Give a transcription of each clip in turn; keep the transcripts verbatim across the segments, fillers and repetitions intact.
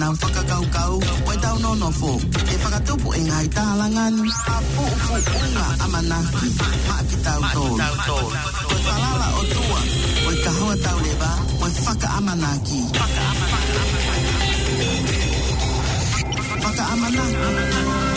ʻetau fakakaukau, ko ʻetau nonofo, ʻe fakatupu ʻe he ngaahi tālanga ni ha puʻupuʻunga ʻamanaki maʻa kitautolu. Ko e falala ʻOtua, ko e kahoa tauleva, ko e fakaʻamanaki. Fakaʻamanaki.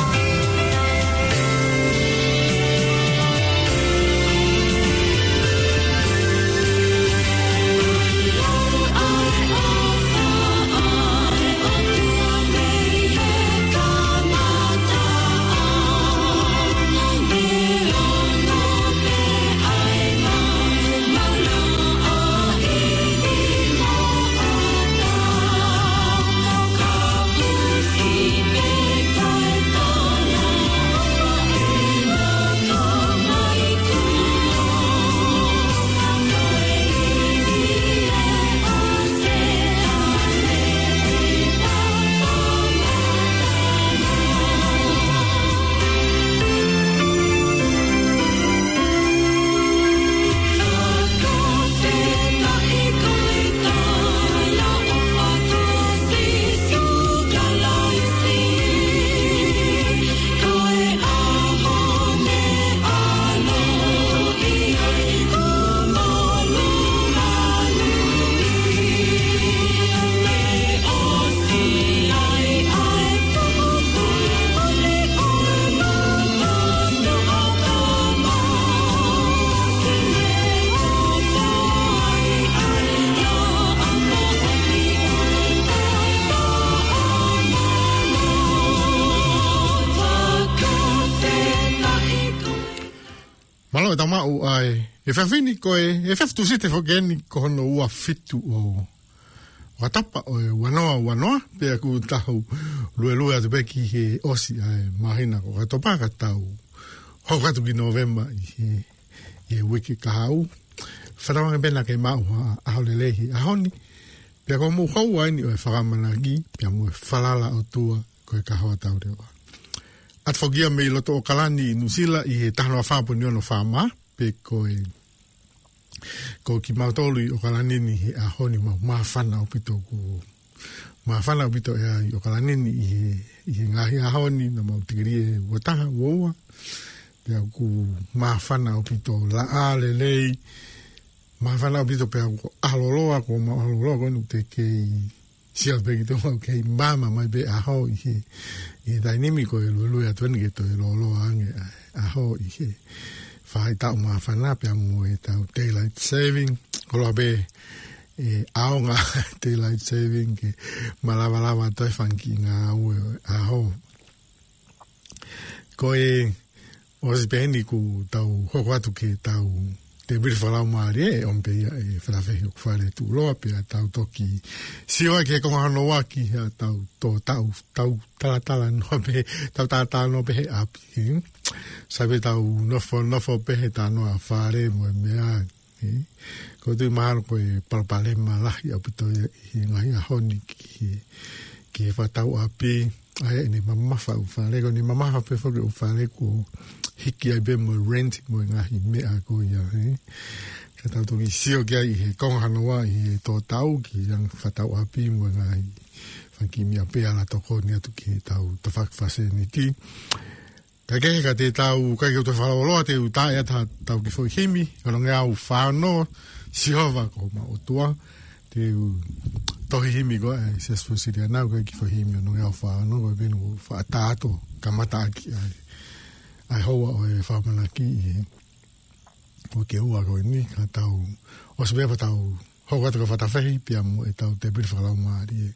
Mālō e tau maʻu ai. ʻE fafini ko e, ʻe faftu site fokeni ko hono ua fitu ʻo, ʻo ʻOkatopa ʻo e ua noa ua noa, pea ʻoku tau luelue atu pē ki he ʻosi ʻa e māhina ko ʻOkatopa ka tau hoko atu ki Nōvema ʻi he, ʻi he uike kahaʻu. Fakatauange pē naʻa ke maʻu ha ʻaho lelei he ʻaho ni. Pea ko hoʻomou houa eni ʻo e fakaʻamanaki, pea mo e falala ʻOtua, ko e kahoa tauleva. ʻAtu foki ia mei loto ʻOkalani ʻi Nuʻusila ʻi he taha noa fā poini ono fā mā, pea ko e, ko kimautolu ʻi ʻOkalani ni he ʻaho ni mau māfana ʻaupito ʻoku, māfana ʻaupito ʻa e ʻi ʻOkalani ni ʻi he, ʻi he ngaahi ʻaho ni naʻa mau tikilī ʻe ua taha, ua ua. Pea ʻoku māfana ʻaupito, laʻā lelei, māfana ʻaupito pea ʻoku ʻaho lōloa, ko ʻemau ʻaho lōloa ko eni ʻoku teʻeki ke sio pē ki tuʻa, ʻoku kei maama mai pē ʻaho ʻi he, ʻi he taimi ni ko e luelue atu eni ke toe lōloa ange ʻa e ʻaho ʻi he faʻahitaʻu māfana pea mo ʻetau daylight saving. Koloa pē ʻe ʻaonga daylight saving ke malavalava atu e fanga kiʻi ngāue ʻo e ʻaho. Ko e ʻosi pē eni kuo tau hoko atu ki heʻetau tēpile fakalaumālie, ʻe ʻomi pē ia ʻe Falafehi ʻOkufale Tuʻuloa pea tau toki sio ai ki he konga hono ua ki heʻetau tō tau, tau talatala noa pē, tau talatala noa pē he ʻapi. Sai pē tau nofo, nofo pē he talanoa fale mo e meʻa. ʻE, ʻoku ou tui mahalo ko e palopalema lahi ʻaupito ia ʻi he ngaahi ʻaho ni ki he, ki he fakatau ʻapi, ʻa ia ʻene mamafa ʻū fale, ko ʻene mamafa pē foki ʻū fale kuo hiki ai pē mo e rent mo e ngaahi meʻa ko ia, ē. Ka tau toki sio ki ai ʻi he konga hono ua ʻi he tō tau ki he anga fakatau ʻapi mo e ngaahi fanga kiʻi meʻa pē ʻa ia naʻa tokoni atu ki heʻetau tafaʻaki fāseniti. Ka kehe ka te tau, ka ke u toe fakalōloa, te u tā ʻe ʻatā ʻetau kiʻi foʻi himi, ono ngeau fā ono, Sihova ko homau ʻOtua, te u tohi himi ko e Siasi Uēsiliana, ko e kiʻi foʻi himi ono ngeau fā ono, ko e penu faʻa tāto, kamata ʻaki ai, ʻa e houa ʻo e fakaʻamanaki ʻi he, ʻo e ke ua ko eni, ka tau, ʻosi pē pea tau, hoko atu ki Fatafehi, pea mo ʻetau tēpile fakalaumālie.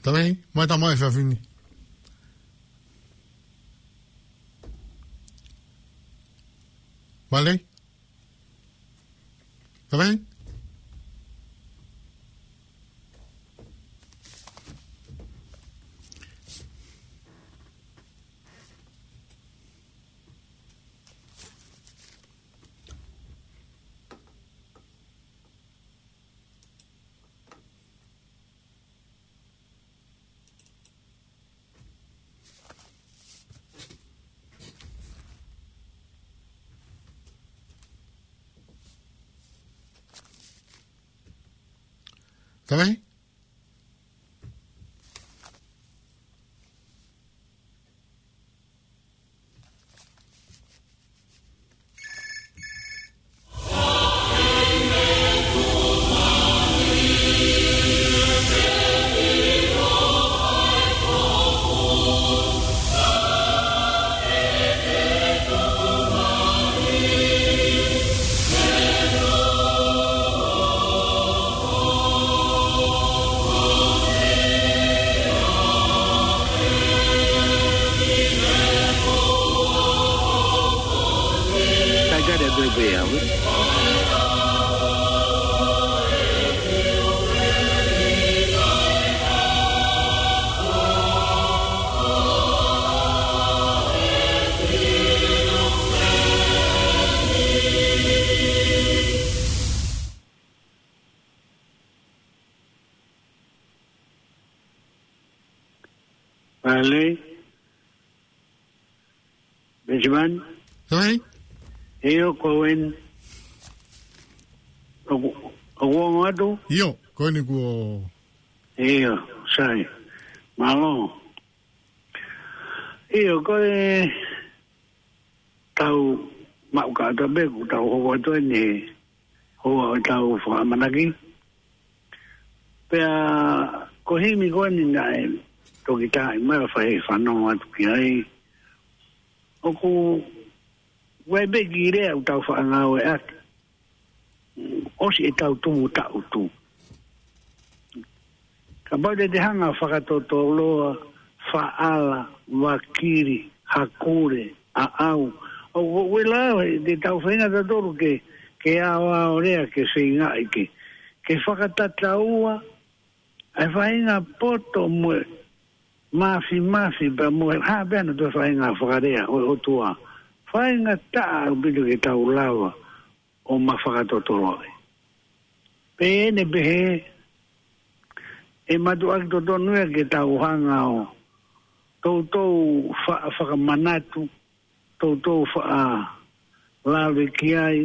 Tamai, mai tamai fafini. Vale? Tamai? Tamai? Taika de bebe awe. Vale. Benjamin. Tamai? ʻIo, ko eni. ʻOku, ʻoku ongo atu? ʻIo, ko eni kuo. ʻIo, sai. Mālō. ʻIo, ko e tau maʻu ka tabe, ko tau hoko atu eni, hoa ʻo tau fakamanaki. Pea ko e himi ko eni naʻe toki tā mai ʻa e fai fanongo atu ki ai. ʻOku ʻi ai pē kiʻi lea ʻoku tau faʻa ngāueʻaki. ʻOsi e tau tumu taʻutu. Kapau te te hanga fakatotoloa, faʻala, vakili, hakule, ʻaʻau. ʻOku, ʻoku ʻi ai e lava, te tau feinga tautolu ke, ke aoao lea ke feingaʻi ke, ke fakatataua, ʻa e faʻahinga poto mo e mafimafi pea mo e hā pē ʻa e toe faʻahinga fakalea ʻo e ʻOtua. Faʻahinga taʻa ʻaupito ke tau lava ʻo ma fakatotoloʻi. Pea ʻi heʻene pehē, ʻe mātuʻaki totonu ia ke tau hanga ʻo toutou fa-, fakamanatu, toutou faʻa lave ki ai,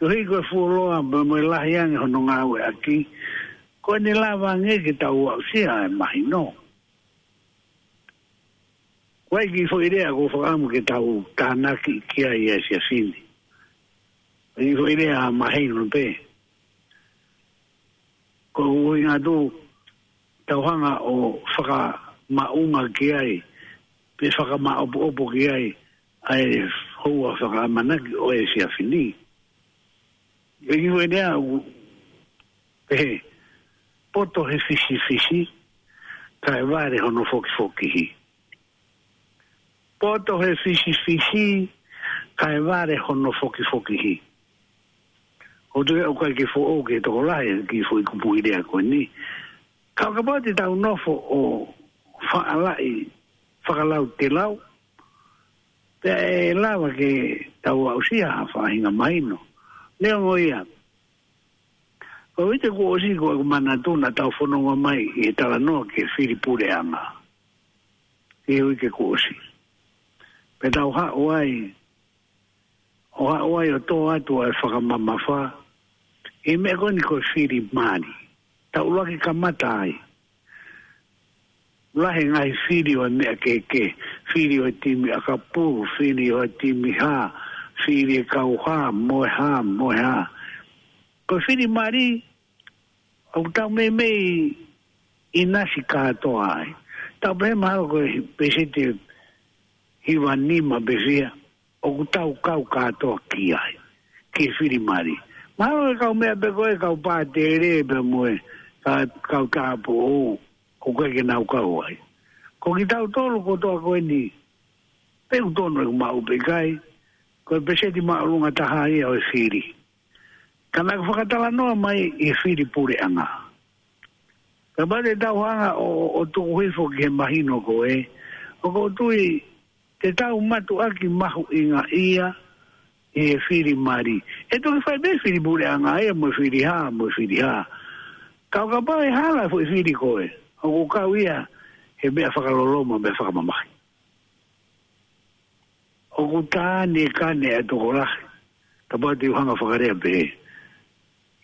koeʻuhi ko e fuoloa pea mo e lahi ange hono ngāueʻaki, ko ʻene lava ange ke tau aʻusia e mahino. Ko e kiʻi foʻi lea ʻoku ou fakaʻamu ke tau tānaki ki ai ʻa e siasi ni. Ko e kiʻi foʻi lea mahino pē. Ko e ʻuhinga atu, tau hanga ʻo fakamaʻunga ki ai, pe fakamaʻopoʻopo ki ai, ʻa e houa fakaʻamanaki ʻo e siasi ni. Ko e kiʻi foʻi lea ʻoku pehē, poto he fisifisi, kae vale hono fokifokihi. Poto he fisifisi, kae vale hono fokifokihi. ʻOku ou tui ʻoku ʻikai ke foʻou ki he tokolahi e kiʻi foʻi kupuʻi lea ko eni. Ka ʻo kapau te tau nofo ʻo faʻalaʻi fakalautelau, pea ʻe lava ke tau aʻusia ha faʻahinga mahino. Neongo ia, ko e uike kuo ʻosi ko ʻeku manatu naʻa tau fononga mai ʻi he talanoa ki he fili puleʻanga. ʻI he uike kuo ʻosi. Pea tau haʻu ai, ʻo haʻu ai ʻo tō atu ʻa e fakamamafa, ʻi he meʻa ko eni ko e fili mali. Tau ʻuluaki kamata ai. Lahi e ngaahi fili ʻo e meʻa kehekehe, fili ʻo e timi ʻakapulu, fili ʻo e timi hā, fili e kau hā, mo e hā, mo e hā. Ko e fili mali, ʻoku tau meimei ʻinasi kātoa ai. Tau pehē mahalo ko e pēseti hiva nima pē fiha, ʻoku tau kau kātoa ki ai, ki he fili mali. Mahalo e kau meʻa pē ko e kau pātele pea mo e ka-, kau tāupoʻou. ʻoku ʻikai ke nau kau ai. Ko kitautolu kotoa ko eni, pe ʻoku tonu ʻeku maʻu pe ʻikai, ko e peseti māʻolunga taha ia ʻo e fili. Ka naʻa ku fakatalanoa mai ʻi he fili puleʻanga. Kapau te tau hanga ʻo, ʻo, ʻo tuku hifo ki he mahino ko ē, ʻoku ou tui te tau mātuʻaki mahuʻinga ia ʻi he fili mali. ʻE toki fai pē fili puleʻanga ia mo e fili hā, mo e fili hā. Ka ʻo kapau ʻe hala e foʻi fili ko ē, ʻoku kau ia he meʻa fakaloloma, meʻa fakamamahi. ʻOku tā ni e kane ʻa e tokolahi, kapau te u hanga fakalea pehē.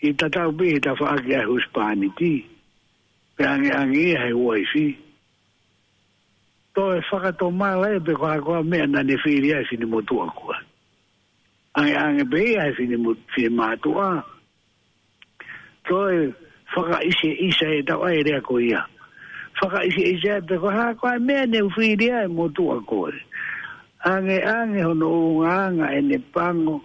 ʻI tatau pē he tafaʻaki ʻa e husepāniti, pe ʻangeʻange ia he uaifi. Toe fakatomala ia pe ko ha ko ha meʻa naʻa ne fili ai e finemotuʻa ko ē. ʻAngeʻange pē ia he fine mo-, finemātuʻa. Toe fakaʻiseʻisa e tau ʻai e lea ko ia. Fakaʻiseʻisa ia pe ko ha ko ha meʻa ne u fili ai e motuʻa ko ē. ʻAngeʻange hono ʻulungaanga ʻene pango.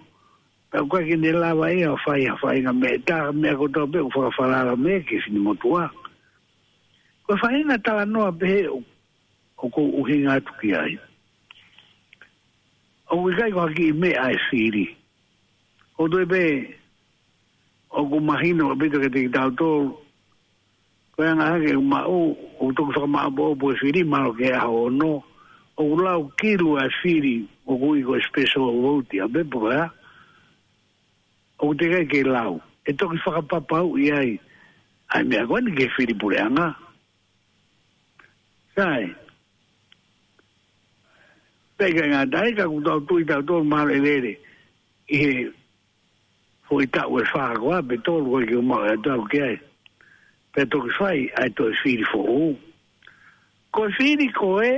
Pea ʻoku ʻikai ke ne lava ia ʻo fai ha faʻahinga meʻa, tā meʻa kotoa pē ʻoku fakafalala mei he finemotuʻa. Ko e faʻahinga talanoa pehē ʻo, ʻoku ou ʻuhinga atu ki ai. ʻOku ʻikai ko ha kiʻi meʻa e fili. ʻOku toe pē, ʻoku mahino ʻaupito kiate kitautolu. Ko e anga hake ʻoku maʻu, ʻoku toki fakamāʻopoʻopo e fili, mahalo ki he ʻaho ono. ʻOku lau kilu e fili, ʻoku ui ko e special vote, ʻa pē pe ko e hā. ʻOku teʻeki ai ke lau. ʻE toki fakapapauʻi ai ʻa e meʻa ko eni ki he fili puleʻanga. Sai. Pea ʻikai ngata ai ka ʻoku tau tui tautolu mahalo ʻe lele ʻi he foʻi taʻu ʻe fā ko ā pe tolu ko ē ke u maʻu ʻe atu au ki ai. Pea toki fai ʻa e toe fili foʻou. Ko e fili ko ē,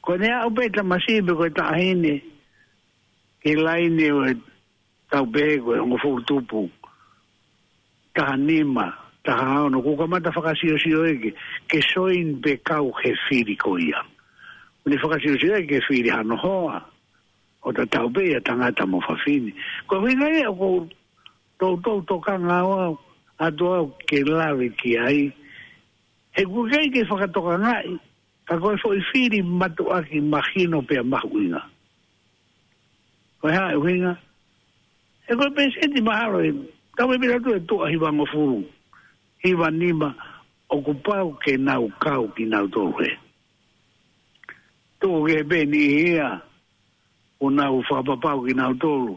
ko ʻene aʻu pē tamasiʻi pe ko e taʻahine ki he laine ʻo e tau pehē ko e hongofulu tupu, taha nima, taha ono, kuo kamata fakasiosio ē ke, ke soini pe kau he fili ko ia. ʻOku ne fakasiosio ē ke fili hano hoa, ʻo tatau pē ia tangata mo fafine. Ko e ʻuhinga ia ʻoku ou toutou tokanga au atu au ke lave ki ai. He ʻoku ʻikai ke fakatokangaʻi, ka ko e foʻi fili mātuʻaki mahino pea mahuʻinga. Ko e hā e ʻuhinga? He ko e peseti mahalo ē, tau pehē pē ʻe tuʻa hivangofulu, hiva nima, ʻoku pau ke nau kau kinautolu ē. Tuku kehe pē niʻihi ia, ʻoku nau fakapapau kinautolu,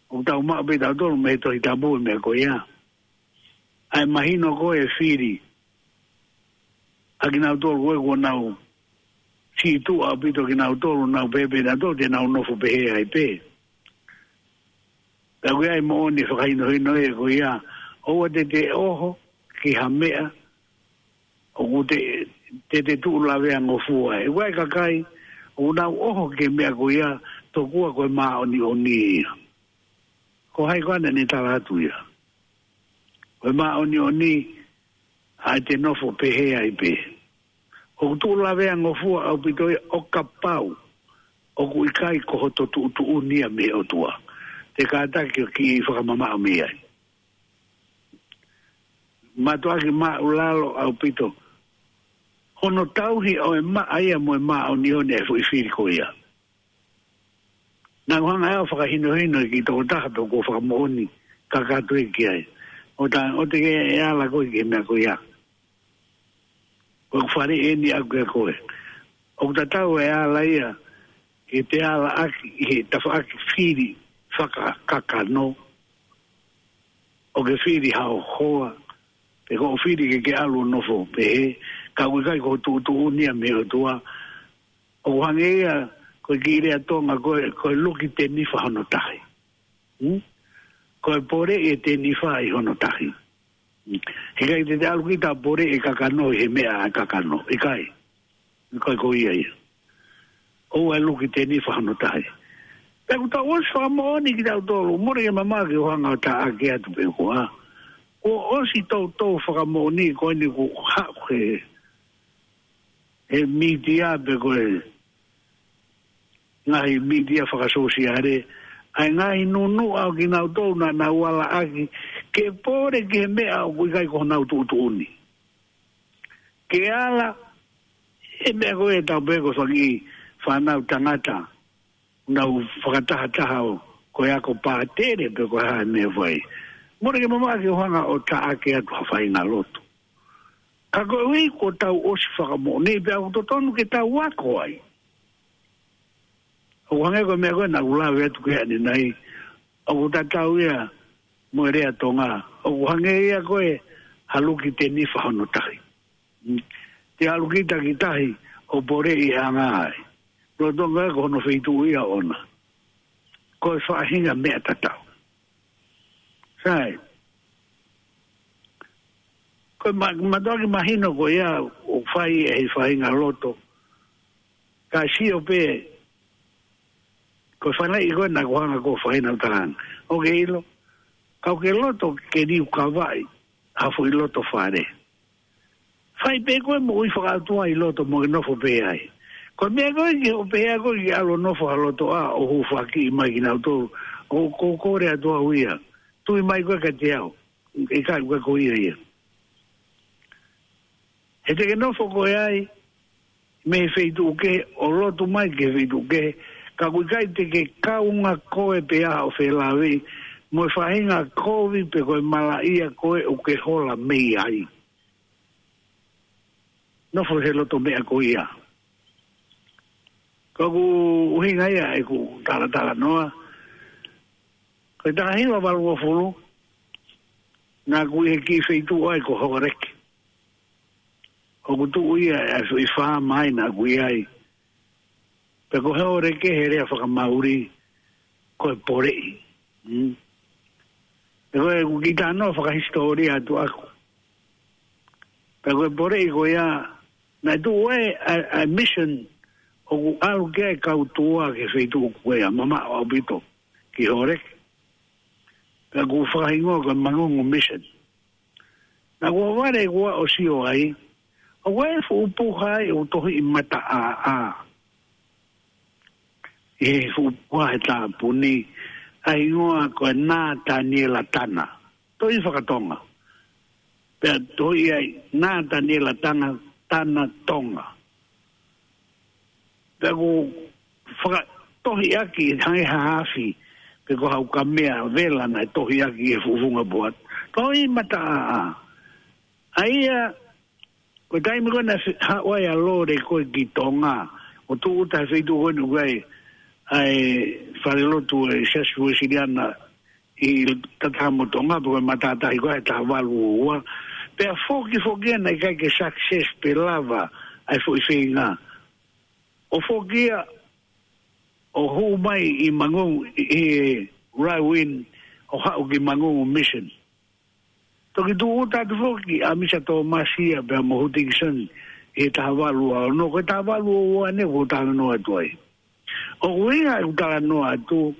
ʻoku tau maʻu pē tautolu mei he Tohi Tapu e meʻa ko ia. ʻA e mahino ko e fili ʻa kinautolu ko ē kuo nau sītuʻa ʻaupito kinautolu, nau pehē pē nautolu te nau nofo pehē ai pē. Pea ʻoku ʻi ai moʻoni fakahinohino ē ko ia, ʻoua te te ʻoho ki ha meʻa ʻoku te, te te tuʻu laveangofua ai. ʻOku ʻi ai e kakai ʻoku nau ʻoho ki he meʻa ko ia, tokua ko e māʻoniʻoni ia. Ko hai koā naʻa ne tala atu ia? Ko e māʻoniʻoni ʻa e te nofo pehē ai pē. ʻOku tuʻu laveangofua ʻaupito ia ʻo kapau ʻoku ʻikai ko hoto tuʻutuʻuni ia mei he ʻOtua. Te kātaki ʻo kiʻi fakamamaʻo mei ai. Mātuʻaki māʻulalo ʻaupito hono tauhi ʻo e maʻa ia mo e māʻoniʻoni e foʻi fili ko ia. Naʻa ku hanga ʻe au ʻo fakahinohino ki he tokotaha pē kuo fakamoʻoni kakato ia ki ai. ʻO tā, ʻoua te ke ala koe ki he meʻa ko ia. Ko e fale eni ʻaʻaku ʻia koe. ʻOku tatau e ala ia ke te ala ʻaki ʻi he tafaʻaki fili fakakakano. ʻO ke fili hao hoa. Pe ko hoʻo fili ke ke ʻalu ʻo nofo pehē. Ka ʻoku ʻikai ko hoʻo tuʻutuʻuni ia mei he ʻOtua. ʻOku hangē ia ko e kiʻi lea Tonga ko e, ko e luki tenifa hono tahi. Hmm? Ko e poleʻi e tenifa ʻi hono tahi. Hmm. He ʻikai te te ʻalu kita ʻo poleʻi e kakano ʻi he meʻa ʻa e kakano. ʻIkai. ʻIkai ko ia ia. ʻOua ʻe luki tenifa hono tahi. Pea ʻoku tau ʻosi fakamoʻoni kitautolu, mole ke mamaʻo ke u hanga ʻo taʻaki atu pe ko e hā. Kuo ʻosi toutou fakamoʻoni ko eni kuo haʻu he he mītia pe ko e ngaahi mītia fakasōsiale, ʻa e ngaahi nunuʻa ʻo kinautolu naʻa nau ala ʻaki ke pole ki he meʻa ʻoku ʻikai ko honau tuʻutuʻuni. Ke ala, e meʻa ko e tau pē ko e fanga kiʻi fānau tangata, nau fakatahataha ʻo, ko e ako pātele pe ko e hā e meʻa fai. Mole ke mamaʻo ke u hanga ʻo taʻaki atu ha faʻahinga lotu. Ka koeʻuhi ko ʻetau ʻosi fakamoʻoni pea ʻoku totonu ke tau ako ai. ʻOku hangē ko e meʻa ko ē naʻa ku lave atu ki ai ʻanenai, ʻoku tatau ia mo e lea Tonga, ʻoku hangē ia ko e haluki tenifa hono tahi. Mm. Te haluki takitahi ʻo poleʻi e anga ai. Lolotonga ko hono feituʻu ia ʻoʻona. Ko e faʻahinga meʻa tatau. Sai. Ko e ma-, mātuʻaki mahino ko ia ʻoku fai ʻe he faʻahinga loto. Ka sio pē, ko e fānau ko ē naʻa ku hanga ko e faʻahinga talanga. ʻOku ke ʻilo, ka ʻoku ke loto ke liukavaʻi ha foʻi loto fale. Fai pē ko e moʻui fakaʻotua ʻi loto mo ke nofo pē ai. Ko e meʻa ko ē ke ʻo pehē ko ē ke ʻalu ʻo nofo ha loto ʻa ʻo hūfaki mai kinautolu. ʻOku ou kole atu au ia. Tui mai ko ē kiate au. ʻIkai ko e ko ia ia. He te ke nofo ko ē ai, mei he feituʻu kehe, ʻo lotu mai ki he feituʻu kehe, ka ʻoku ʻikai te ke kaunga koe pea ʻo felāveʻi, mo e faʻahinga kovi pe ko e malaʻia ko ē ʻoku ke hola mei ai. Nofo he loto meʻa ko ia. Ko ʻeku ʻuhinga ia ʻeku talatalanoa. Ko e taha hiva valungofulu, naʻa ku ʻi he kiʻi feituʻu ai ko Hōleke. ʻOku tuʻu ia ʻa e foʻi faama naʻa ku ʻi ai. Pea ko Hōleke he lea fakaMauli, ko e poleʻi. Mm. Pea ko ʻeku kiʻi talanoa fakahisitōlia atu ʻaku. Pea ko e poleʻi ko ia, naʻe tuʻu ai ʻa e, ʻa e mission ʻoku ʻalu ki ai e kau tua ki he feituʻu ko ia, mamaʻo ʻaupito ki Hōleke. Pea ʻoku fakahingoa ko e Mangungu Mission. Naʻa ku vale ʻeku ʻalu ʻo sio ai, ʻoku ʻi ai e fuʻu puha ai ʻoku tohiʻi Mataʻāʻā. ʻI he fuʻu puha he tāpuni, ʻa e hingoa ko e Nataniela Tana. Tohi fakaTonga. Pea tohi ai, Nataniela Tana, Tana Tonga. Pea ʻoku fakatohiʻaki hangē ha afi, pe ko ha ukamea vela naʻe tohiʻaki he fuʻu funga puha. Tohi Mataʻāʻā. ʻA ia, ko e taimi ko ē naʻe fe-, haʻu ai ʻa Lole ko ē ki Tonga, ʻo tūʻuta he feituʻu ko eni ʻoku ʻi ai ʻa e falelotu ʻo e Siasi Uēsiliana ʻi Tatamo Tonga, pe ko e matātahi ko ē he taha valu ua ua. Pea foki foki ia naʻe ʻikai ke success pe lava ʻa e foʻi feinga. ʻO foki ia ʻo hū mai ʻi Mangungu, ʻi, ʻi Darwin, ʻo haʻu ki Mangungu Mission. Toki tūʻuta atu foki ʻa Misa Tōmasi ia pea mo Hutikisoni ʻi he taha valu ua ono, ko e taha valu ua ua ʻeni ʻoku ou talanoa atu ai. ʻOku ʻuhinga ʻeku talanoa atu,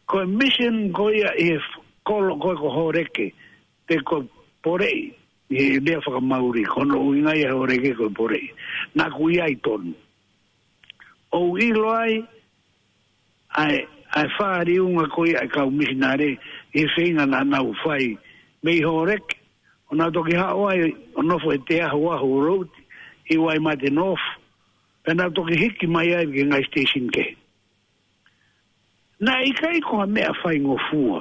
ko e mission ko ia ʻi he f-, kolo ko ē ko Hōleke, pe ko e poleʻi, ʻi he lea fakaMauli, ko hono ʻuhinga ia ʻo Hōleke ko e poleʻi. Naʻa ku ʻi ai tonu. ʻOku ou ʻilo ai, ʻa e, ʻa e fāliunga ko ia ʻa e kau misinale, ʻi he feinga naʻa nau fai mei Hōleke, ʻo nau toki haʻu ai, ʻo nofo he Te Ahuahu Road, ʻi Waimate North, pea nau toki hiki mai ai ki he ngaahi station kehe. Naʻe ʻikai ko ha meʻa faingofua.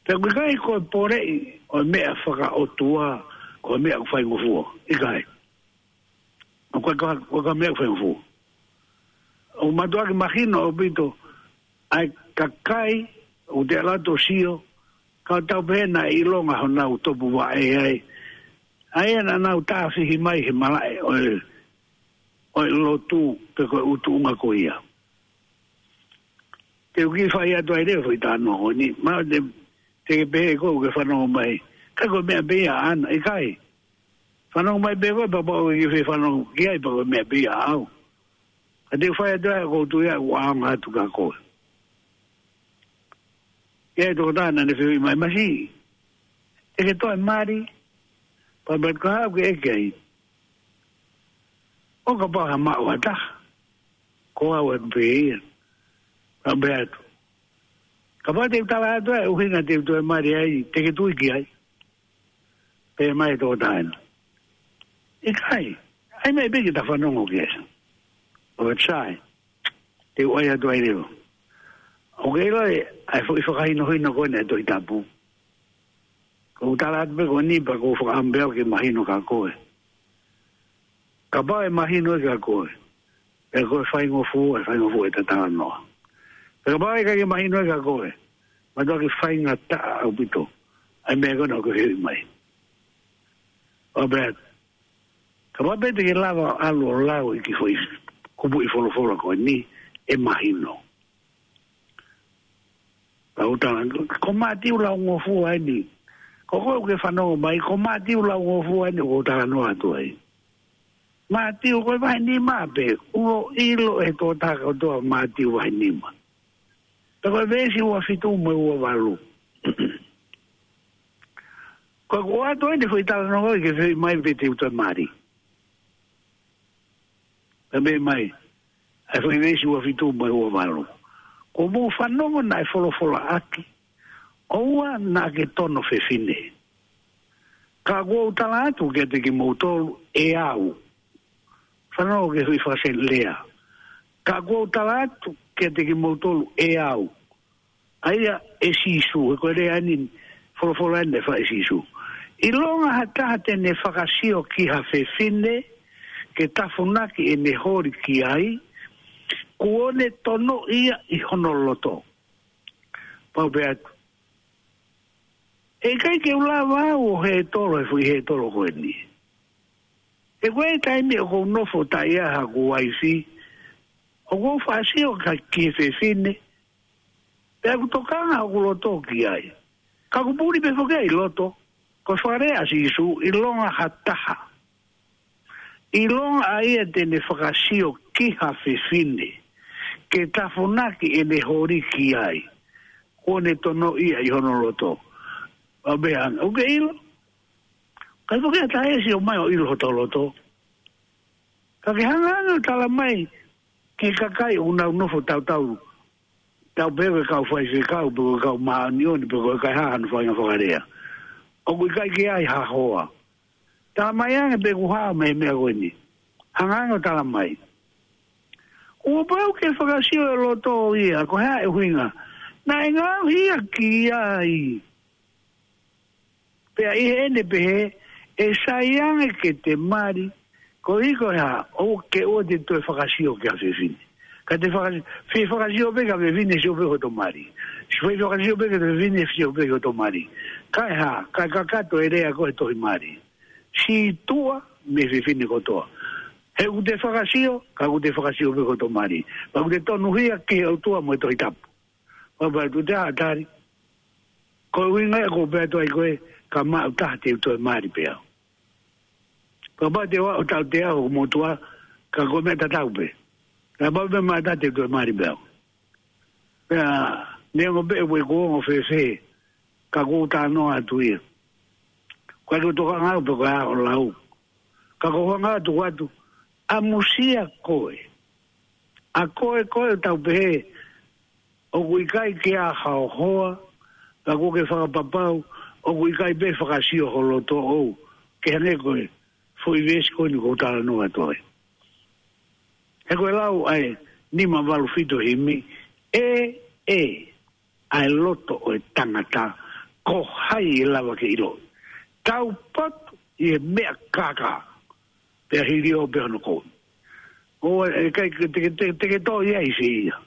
Pea ʻoku ʻikai ko e poleʻi ʻo e meʻa fakaʻotua, ko e meʻa ʻoku faingofua. ʻIkai. ʻOku ʻikai ko ha, ko ha meʻa ʻoku faingofua. ʻOku mātuʻaki mahino ʻaupito, ʻa e kakai, ʻoku te ʻalu atu ʻo sio, ka tau pehē naʻe ʻilonga honau topuvaʻe ai. ʻA ia naʻa nau tāfihi mai he malaʻe ʻo e, ʻo e lotu pe ko e ʻutuʻunga ko ia. Te u kiʻi fai atu ai leva foʻi talanoa ko eni, mahalo te, te ke pehē ʻoku ke fanongo mai. Ka ko e meʻa pē ia ʻaʻana, ʻikai. Fanongo mai pē koe, pea pau ke ke fanongo ki ai, pea ko e meʻa pē ia ʻaʻau. Ka te u fai atu ai, ʻoku ou tui ʻoku ʻaonga atu kia koe. ʻI ai e tokotaha naʻa ne fehuʻi mai, Masiʻi, te ke toe mali? Pea pea ka haʻu ke ʻeke ai. ʻO kapau ha maʻu ha taha, ko au ʻeku pehē ia. Pea pehē atu. Kapau te u tala atu e ʻuhinga te u toe mali ai, te ke tui ki ai? Pehē mai e tokotaha ena. ʻIkai. ʻAi mai pē ke ta fanongo ki ai. ʻO sai. Te u ʻai atu ai leva. ʻOku ke ʻilo ʻa e foʻi fakahinohino ko eni ʻa e Tohi Tapu. ʻOku ou tala atu pē ko eni pea ʻoku ou fakaʻamu pē au ke mahino kia koe. Kapau ʻe mahino ia kia koe, pea ko e faingofua, ʻe faingofua ʻeta talanoa. Pea kapau ʻe ʻikai ke mahino ia kia koe, mātuʻaki faingataʻa ʻaupito ʻa e meʻa ko ena ʻoku ke fehuʻi mai. ʻO pehē, kapau pē te ke lava ʻo ʻalu ʻo lau ʻi he kiʻi foʻi kupuʻi folofola ko eni, ʻe mahino. Pea u tala, ko Mātiu laungofua eni. Ko koe ʻoku ke fanongo mai, ko Mātiu laungofua eni ʻoku ou talanoa atu ai. Mātiu ko e vahe nima pē, ʻoku ʻilo ʻe he tokotaha kotoa Mātiu vahe nima. Pea ko e veesi ua fitu mo e ua valu. Ko ʻeku ʻoatu eni foʻi talanoa ko ē ke fehuʻi mai pe te u toe mali. Pea meʻa mai, ʻa e foʻi veesi ua fitu mo e ua valu. Kuo mou fanongo naʻe folofolaʻaki, ʻoua naʻa ke tono fefine. Ka ʻoku ou tala atu kiate kimoutolu ʻe au. Fanongo ki he foʻi fakaseʻi lea. Ka ʻoku ou tala atu kiate kimoutolu ʻe au. ʻA ia ʻe Sīsū, he ko e lea eni, folofola eni naʻe fai ʻe Sīsū. ʻIlonga ha taha te ne fakasio ki ha fefine, ke tafunaki ʻene holi ki ai, kuo ne tonoʻi ia ʻi hono loto. Pau pē atu. ʻE ʻikai ke u lava au ʻo hētolo he foʻi hētolo ko eni. He ko e taimi ʻoku ou nofo taʻe ʻi ai haku uaifi, ʻoku ou fakasio ki he fefine, pea ʻoku tokanga hoku loto ki ai. Ka ʻoku puli pē foki ia ʻi loto, ko e fakalea ʻa Sīsū, ʻilonga ha taha. ʻIlonga ʻa ia te ne fakasio ki ha fefine, ke tafunaki ʻene holi ki ai, kuo ne tonoʻi ia ʻi hono loto. ʻA pē anga, ʻoku ke ʻilo? Kai foki ʻa taha ʻe sio mai ʻo ʻilo hoto loto. Ka ke hanga ange ʻo tala mai ki he kakai ʻoku nau nofo tautau, tau pehē ko e kau faifekau, pe ko e kau māʻoniʻoni, pe ko e kaihaʻa hano fainga fakalea. ʻOku ʻikai ke ʻi ai ha hoa. Tala mai ange pe ʻoku hao mei he meʻa ko eni. Hanga ange ʻo tala mai. Kuo pau ke fakasio e loto ʻo ia, ko e hā e ʻuhinga. Naʻe ngaohi ia ki ai. Pea ʻi heʻene pehē, ʻe sai ange ke te mali, ko e hā, ʻoua ke ʻoua te toe fakasio ki ha fefine. Ka te fakasio, fie fakasio pē ki ha fefine sio pē hoto mali. Sio pē fakasio pē ki ha fefine sio pē hoto mali. Ka e hā, ka kakato e lea ko e tohi mali. Sītuʻa mei he fefine kotoa. He ʻoku te fakasio, ka ʻoku te fakasio pē hoto mali. Pea ʻoku te tonuhia ki he ʻOtua mo e Tohi Tapu. Pea pau atu te ʻatali. Ko e ʻuhinga ia ʻoku ou pehē atu ai ko ē, ka maʻu taha te u toe mali pē au. Pea pau te u ʻalu ʻo tautea hoku motuʻa, ka ko e meʻa tatau pē. Ka pau pē maʻu taha te u toe mali pē au. Pea, neongo pē ʻe ʻikai ke u ongo fēfē, ka ʻoku ou talanoa atu ia. Ko e ʻikai ke u tokanga au pe ko e hā hoʻo lau. Ka ʻoku ou hanga atu atu, ʻamusia koe. ʻA koe koe ʻoku tau pehē, ʻoku ʻikai ke ʻi ai haʻo hoa, ka ʻoku ke fakapapau, ʻoku ʻikai pē fakasio ho loto ʻoʻou, ke hangē ko e foʻi veesi ko eni ʻoku ou talanoa atu ai. He ko e lau ʻa e nima valu fitu himi, ʻe, ʻe, ʻa e loto ʻo e tangata, ko hai ʻe lava ke ʻiloʻi. Taupotu ʻi he meʻa kākā, pea hili ʻo pea hono kovi. ʻOua, ʻe ʻikai ke te, te, te, te ke toʻo ia ʻi fē ia.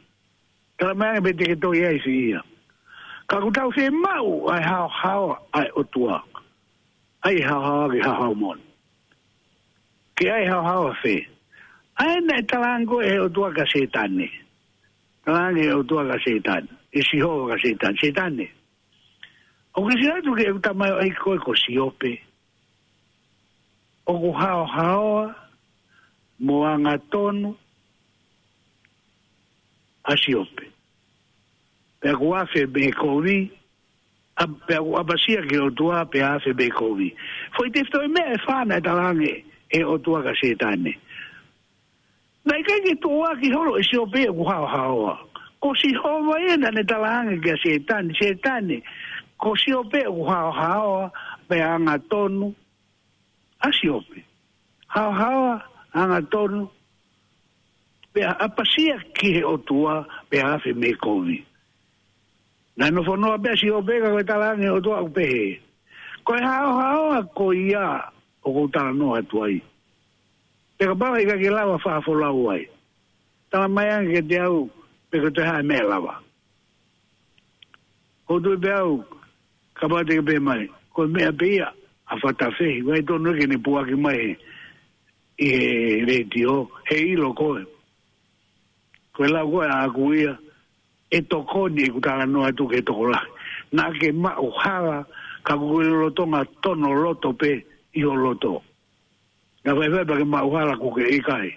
Tala mai ange pe te ke toʻo ia ʻi fē ia. Ka ʻoku tau fiemaʻu ʻa e haohaoa ʻa e ʻOtua. ʻAi haohaoa ki he haohaoa moʻoni. Ke ʻai haohaoa fē. ʻA ē naʻe talaange ko ē ʻe he ʻOtua kia Sētane. Talaange ʻe he ʻOtua kia Sētane. ʻE Sihova kia Sētane. Sētane. ʻOku ke sio atu ki heʻeku tamaioʻeiki ko ē ko Siope. ʻOku haohaoa mo angatonu ʻa Siope. Pea ʻoku afe mei he kovi, ʻa, pea ʻoku ʻapasia ki he ʻOtua pea afe mei he kovi. Foʻi tefitoʻi meʻa ʻe fā naʻe talaange ʻe he ʻOtua kia Sētane. Naʻe ʻikai ke tuʻuaki holo ʻe Siope ʻoku haohaoa. Ko Sihova ia naʻa ne talaange kia Sētane, Sētane, ko Siope ʻoku haohaoa, pea angatonu ʻa Siope. Haohaoa, angatonu, pea ʻapasia ki he ʻOtua, pea afe mei he kovi. Naʻe nofo noa pē ʻa Siope ka ko e talaange ʻe he ʻOtua ʻoku pehē. Ko e haohaoa ko ia ʻoku ou talanoa atu ai. Pea kapau ʻe ʻikai ke lava fakafolau ai, tala mai ange kiate au pe ko e hā e meʻa ʻe lava. ʻOku ou tui pē au, kapau te ke pehē mai, ko e meʻa pē ia ʻa Fatafehi, ʻoku ʻikai tonu ke ne puaki mai he, ʻi he letiō, he ʻilo koe. Ko e lau ko ē ʻaʻaku ia, ʻe tokoni ʻeku talanoa atu ki he tokolahi. Naʻa ke maʻu hala, ka ʻoku ke lolotonga tono loto pē ʻi ho loto. Naʻa faifai pea ke maʻu hala ʻoku ke ʻikai.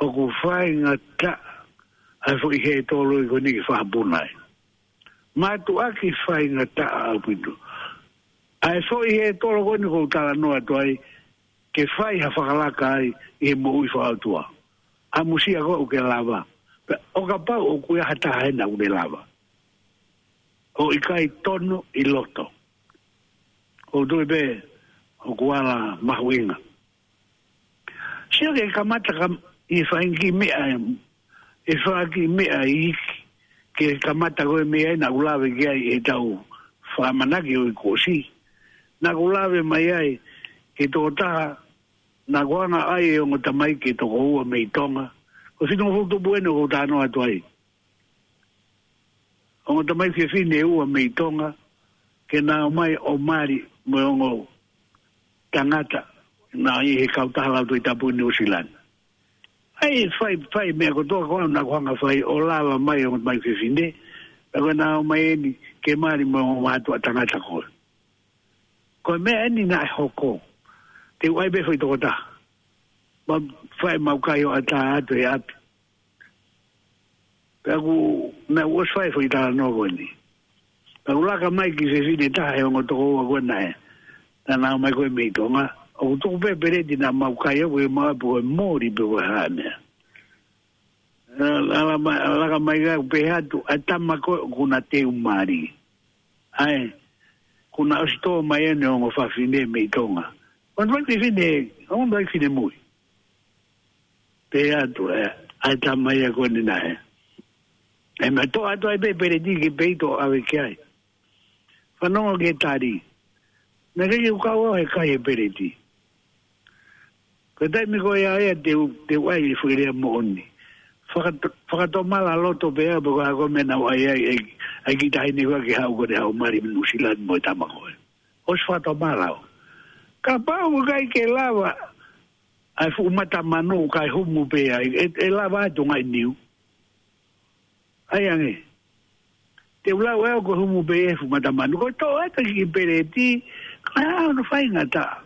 ʻOku faingataʻa ʻa e foʻi hētolo ko eni ke fakapuna ai. Mātuʻaki faingataʻa ʻaupito. ʻA e foʻi hētolo ko eni ʻoku ou talanoa atu ai, ke fai ha fakalaka ai ʻi he moʻui fakaʻotua. ʻAmusia koe ʻoku ke lava. Pea ʻo kapau ʻoku ʻi ai ha taha hena ʻoku ne lava, ʻoku ʻikai tono ʻi loto. ʻOku ou tui pē ʻoku ala mahuʻinga. Sio ki he kamata kam-, ʻi he fanga kiʻi meʻa, ʻi he fanga kiʻi meʻa iiki, ki he kamata ko e meʻa ʻena ʻoku lave ki ai ʻetau fakamanaki ʻo e kuo ʻosi. Naʻa ku lave mai ai ki he tokotaha, naʻa ku hanga ʻo ʻai e ongo tamaiki ʻe toko ua mei Tonga. Ko e fitungofulu tupu ʻeni ʻoku ou talanoa atu ai. Ongo tamaiki fefine ʻe ua mei Tonga, ke na ō mai ʻo mali mo e ongo tangata naʻe ʻi he kautaha Lautohi Tapu ʻi Nuʻusila ni. ʻAi, fai, fai meʻa kotoa ko ē naʻa ku hanga fai ʻo lava mai e ongo tamaiki fefine, pea ko ʻena ō mai ʻeni ke mali mo e ongo mātuʻa tangata ko ē. Ko e meʻa ʻeni naʻe hoko. Te u ʻai pē foʻi tokotaha. Mau fai mau kai ʻo ʻatā atu he ʻapi. Pea ʻoku, naʻe ʻosi fai foʻi talanoa ko eni. Pea ʻoku laka mai kiʻi fefine taha he ongo toko ua ko ena ē. Naʻa na ō mai ko ē mei Tonga. ʻOku tuku pē peleti naʻa mau kai au ko e mau ʻapi ko e moli pe ko e hā e meʻa. Ala mai, laka mai ka u pehē atu, ʻa e tama ko ē ʻoku na teu mali. ʻAi, kuo na ʻosi tō mai ʻeni ongo fefine mei Tonga. Ongo fefine, ongo fefine mui. Pehē atu, ē, ʻa e tama ia ko eni naʻe. ʻE, ma toʻo atu ai pē peleti ki peito ʻave ki ai. Fanongo ki he tali. Naʻe ʻikai ke u kau au he kai e peleti. Ko e taimi ko ia ia te u, te u ʻai e foʻi lea moʻoni. Fakato-, fakatomala loto pē au pe ko e hā ko e meʻa naʻa ku ʻai ai, ʻai, ʻai kiʻi taʻahine ko ē ke haʻu ko ʻene haʻu mali mei Nuʻusila ni mo e tama ko ē. ʻOsi fakatomala au. Kapau ʻoku ʻikai ke lava ʻa e fuʻu mata manu kae humu pē ai, ʻe, ʻe lava ʻa e tungaʻi niu. ʻAi ange. Te u lau ʻe au ko e humu pē e fuʻu mata manu. Ko e toʻo atu e kiʻi peleti, ka ʻoku faingataʻa.